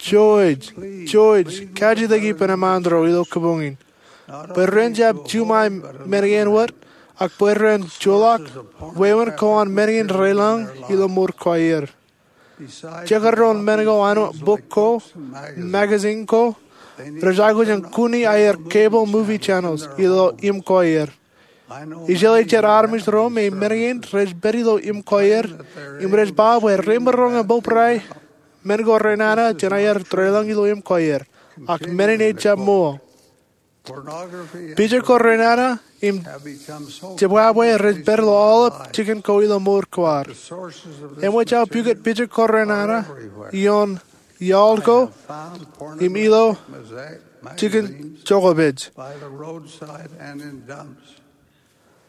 jouj, jouj kajjitōk ippān eṃṃaan ro ilo kōpoñ in bwe ren jab juṃae men kein wōt, ak bwe ren joḷọk wāween ko an men kein deḷọñ ilo mour ko aer. Jekdọọn men ko āinwōt bok ko, magazine ko, rej aikuj in kuni aer cable movie channels ilo im ko aer. Ij jeḷā jet armej ro me men kein rej pād ilo im ko aer im rej ba bwe remaroñ in bōbrae men ko renana jān aer deḷọñ ilo im ko aer, ak men in ejjab ṃool. Pijak ko renana im jebwābwe rej pād ilo aolep jikin ko ilo mour ko ad. Eṃōj aō pukot pijak ko renana ioon iaḷ ko im ilo jikin jokpej.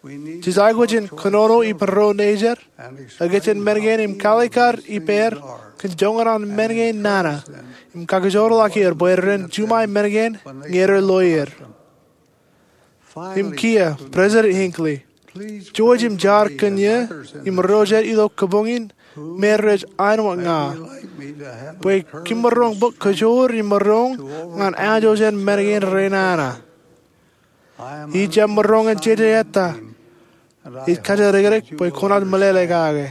Jej aikuj in kōnono ippān ro nejid ikijjien men kein im kaalikkar ippāer kōn joñan an men kein nana im kakajoorḷọk er bwe ren juṃae men kein ñe rej loe er. Im kiiō, President Hinckley, jouj im jar kōn eō im ro jet ilo kōpoñ in me rej āinwōt ña bwe kōm maroñ bōk kajoor im maroñ ñan anjọ jān men kein renana. Ijjab maroñ in jeje ettā. Ij kajjitōk bwe kwōnaaj meḷeḷe kake.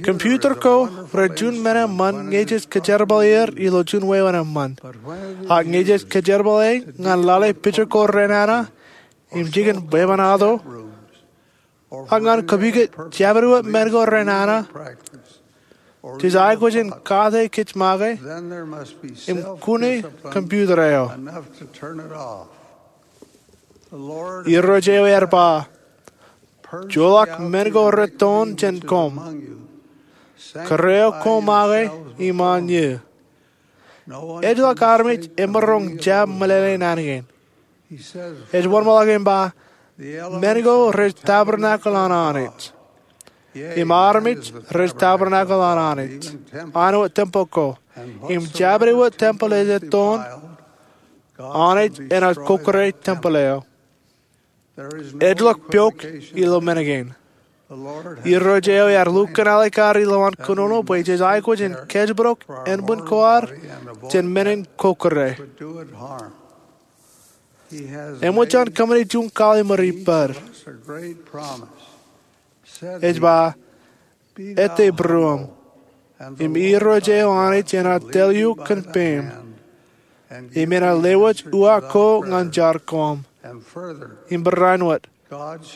Computer ko rej juon men eṃṃan ñe jej kajerbale er ilo juon wāween eṃṃan. Ak ñe jej kajerbale ñan lale pijak ko renana im jikin bwebwenato, ak ñan kōpikōt jabdewōt men ko renana, jej aikuj in kate kōj make im kune computer eo. Irooj eo ear ba, joḷọk men ko retoon jān koṃ. Kōrā eo koṃ make iṃaan eō. Ejjeḷọk armej emaroñ jab meḷeḷe naan kein. Ej wōnṃaanḷọk im ba, men ko rej tabernacle an Anij. Im armej rej tabernacle an Anij, an wōt tempel ko. Im jabdewōt tempel ej ettoon, Anij enaaj kokkure tempel eo. Ejjeḷọk pok ilo men kein. Irooj eo ear lukkuun alikkar ilowaan kōnono bwe jej aikuj in kōjparok ānbwin ko ad jān men in kokkure. Eṃōj an kōṃṃane juon kalimur ippād. Ej ba, ete būruōṃ, im Irooj eo Anij enaaj tōl eok kōn peiṃ, im enaaj lewōj uwaak ko ñan jar koṃ. Im barāinwōt,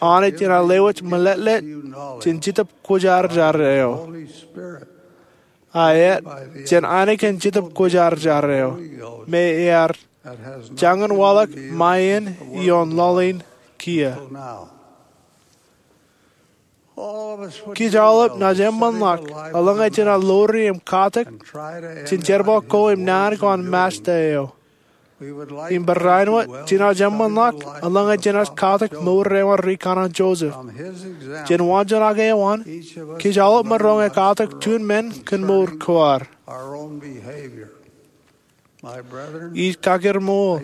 Anij enaaj lewōj meḷeḷe jān Jetōb Kwōjarjar eo. Ak jān ainikien Jetōb Kwōjarjar eo, me ear jañin waḷọk ṃae in ioon laḷ in kiiō. Kōj aolep naaj eṃṃanḷọk eḷaññe jenaaj ḷoori im katak jān jerbal ko im naan ko an Masta eo. Im barāinwōt jenaaj eṃṃanḷọk eḷaññe jenaaj katak mour eo an ri kanaan Joseph. Jān waanjoñak eo an, kōj aolep maroñ katak juon men kōn mour ko ad. Ij kakiṃṃool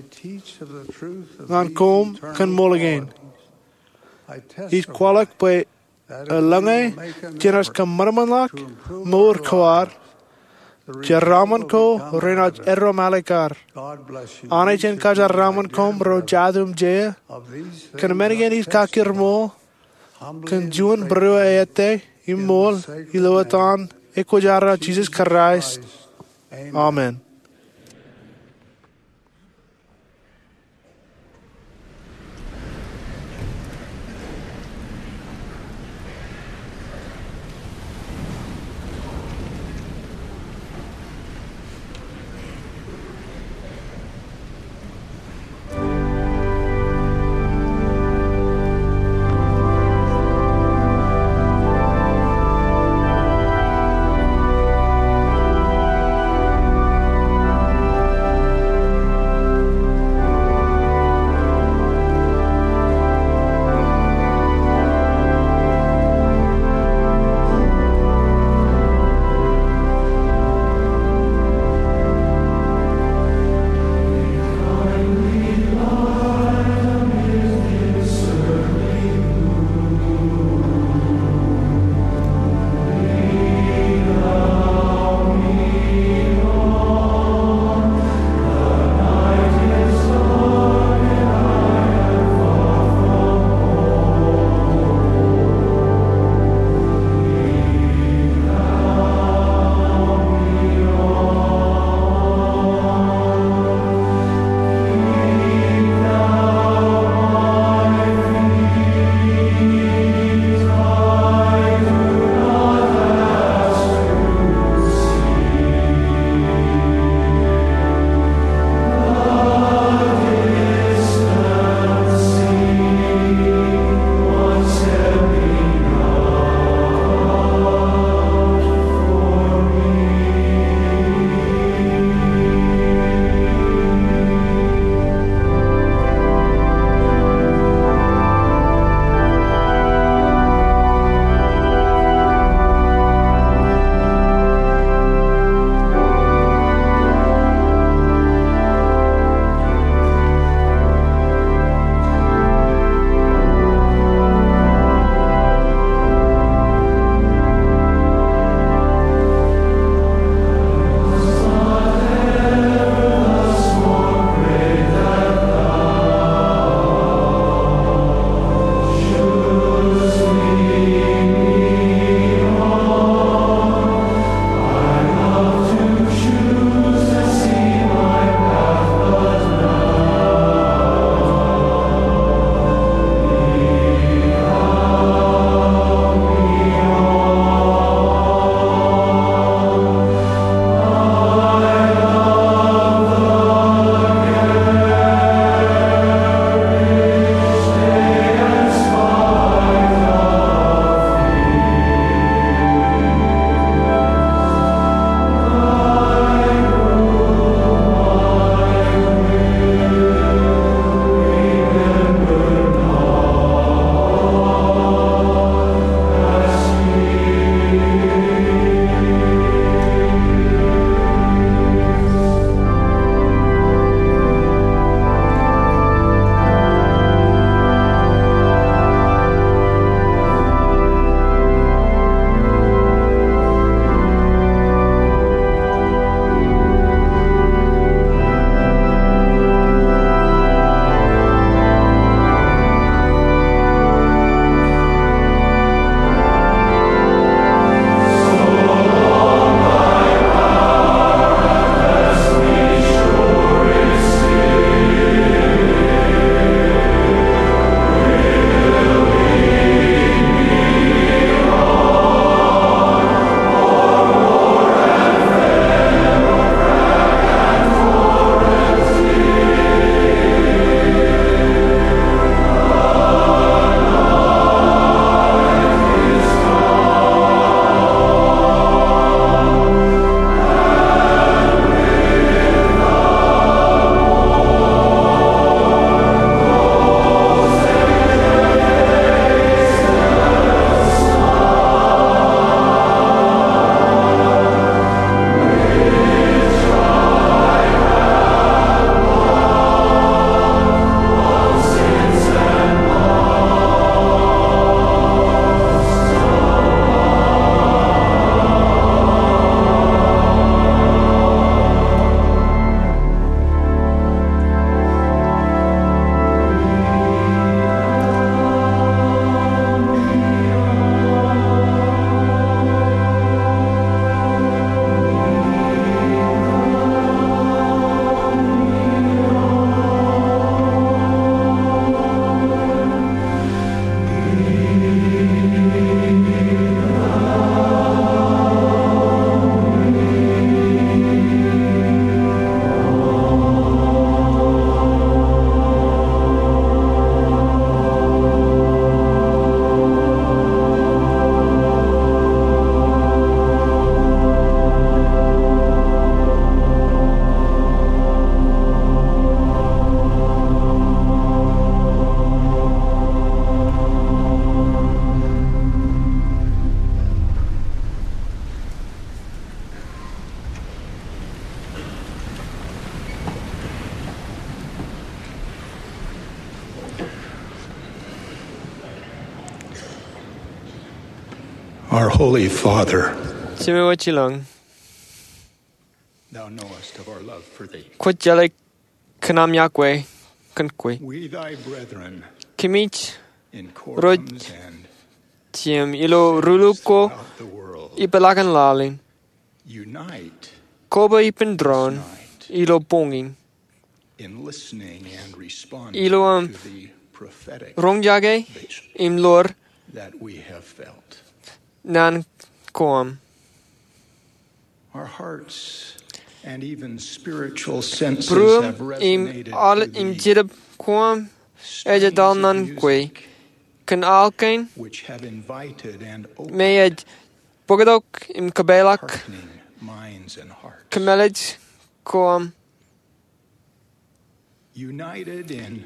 ñan koṃ kōn ṃool kein. Ij kwaḷọk bwe eḷaññe jenaaj kōṃanṃanḷọk mour ko ad, jeraaṃṃan ko renaaj eddo im alikkar. Anij en kajeraaṃṃan koṃ ro jatū im jeiū. Kōn men kein ij kakiṃṃool kōn juon būruō eo ej ṃool ilo etan ekwōjarro an Jisōs Kraist. Amen. Our Holy Father, Jemem eo ej ilọñ, thou knowest of our love for thee. Kwōj jeḷā kōn aṃ iọkwe kōn kwe. We, thy brethren, Kōmij in ro quorums and jeiū ilo rūluko throughout the world, ipeḷaakin laḷ in, unite koba ippān doon tonight ilo boñin in listening and responding ilo aṃ to the prophetic roñjake vision im ḷoor that we have felt. Naan ko aṃ. Our hearts and even spiritual senses Būruōṃ have im resonated aolep to im the jedab ko aṃ ej etal naan kwe music kōn aḷ kein which have invited and opened me ej bōktok im kōpeḷḷọk hearkening minds and hearts. Kōmālij ko aṃ. United in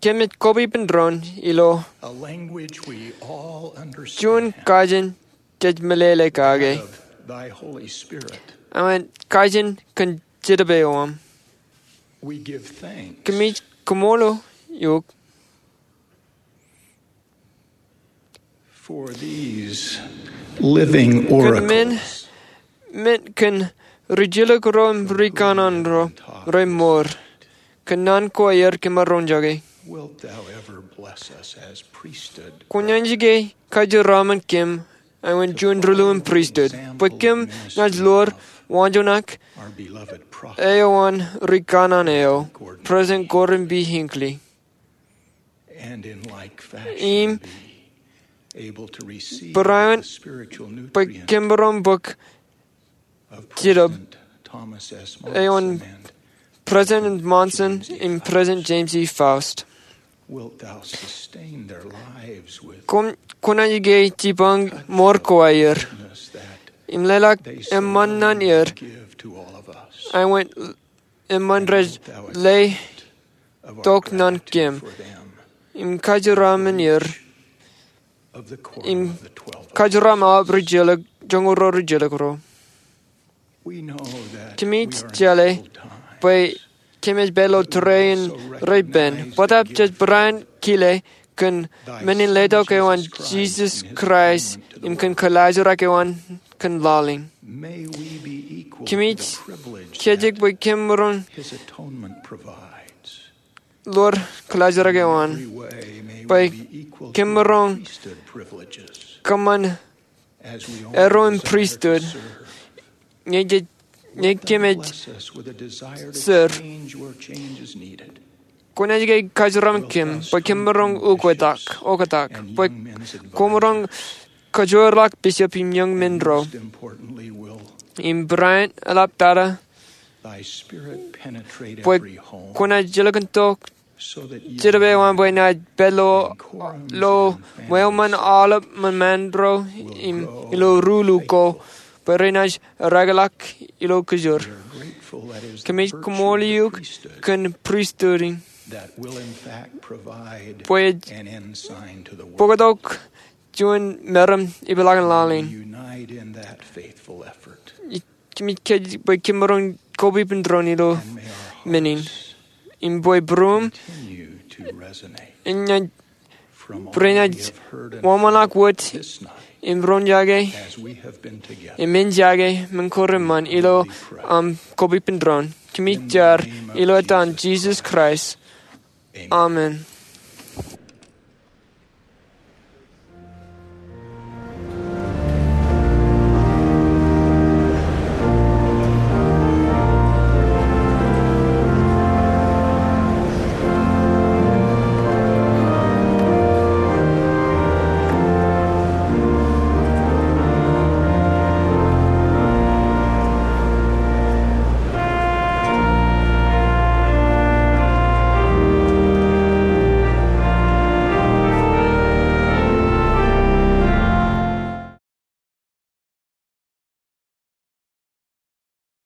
Kōmij koba ippān doon ilo a language we all understand, juon kajin jej meḷeḷe kake, of thy Holy Spirit. Āinwōt kajin kōn Jetōb eo aṃ. We give thanks Kōmij koṃṃool eok for these living oracles. Kōn men, men kōn rijjelōk ro im rikanaan ro remour. Kōn naan ko aer kōm ar roñjake. Wilt thou ever bless us as priesthood? Kwōnaaj ke kajeraṃṃan kōm āinwōt juon ri-lewin pristut bwe kōm naaj ḷoor waanjoñak eo an rikanaan eo, President Gordon B. Hinckley. And in like fashion, im be able to receive barāinwōt the spiritual nutrients bwe kōm maroñ bōk jetōb eo an President Monson and President James E. Faust. Wilt thou sustain their lives with Kwōnaaj ke jipañ mour ko aer im leḷọk eṃṃan ñan er āinwōt eṃṃan rej letok ñan kōm im kajeraṃṃan er im kajeraṃṃan aolep ri-jeḷā joñoul ruo ri-jeḷā ro. Kōmij jeḷā bwe kōmij pād ilo tōre in reipen. Bōtab jej barāinwōt kile kōn men in letok eo an Jisōs Kraist im kōn kōḷaajrak eo an kōn laḷ in. Kōmij kajjitōk bwe kōm maroñ ḷoor kōḷaajrak eo an bwe kōm maroñ kōṃṃan erro in pristut ñe kōmij ser. Kwōnaaj ke kajeraṃṃan kōm bwe kōm maroñ oktak, oktak bwe koṃro kōjeraṃṃan bishop im young men ro im barāinwōt eḷaptata bwe kwōnaaj jilkintok Jetōb eo aṃ bwe enaaj pād ilo ṃweo ṃōn aolep ṃōṃaan ro im ilo rūluko bwe renaaj erakḷọk ilo kōjro. Kōmij koṃṃool eok kōn pristut in bwe ej bōktok juon meram ipeḷaakin laḷ in. Kōmij kajjitōk bwe kōm maroñ koba ippān doon ilo men in im bwe būruōṃ enaaj, bwe renaaj wōnṃaanḷọk wōt im roñjake im eñjake men ko reṃṃan ilo aṃ koba ippān doon. Kōmij jar ilo etan Jisōs Kraist. Amen.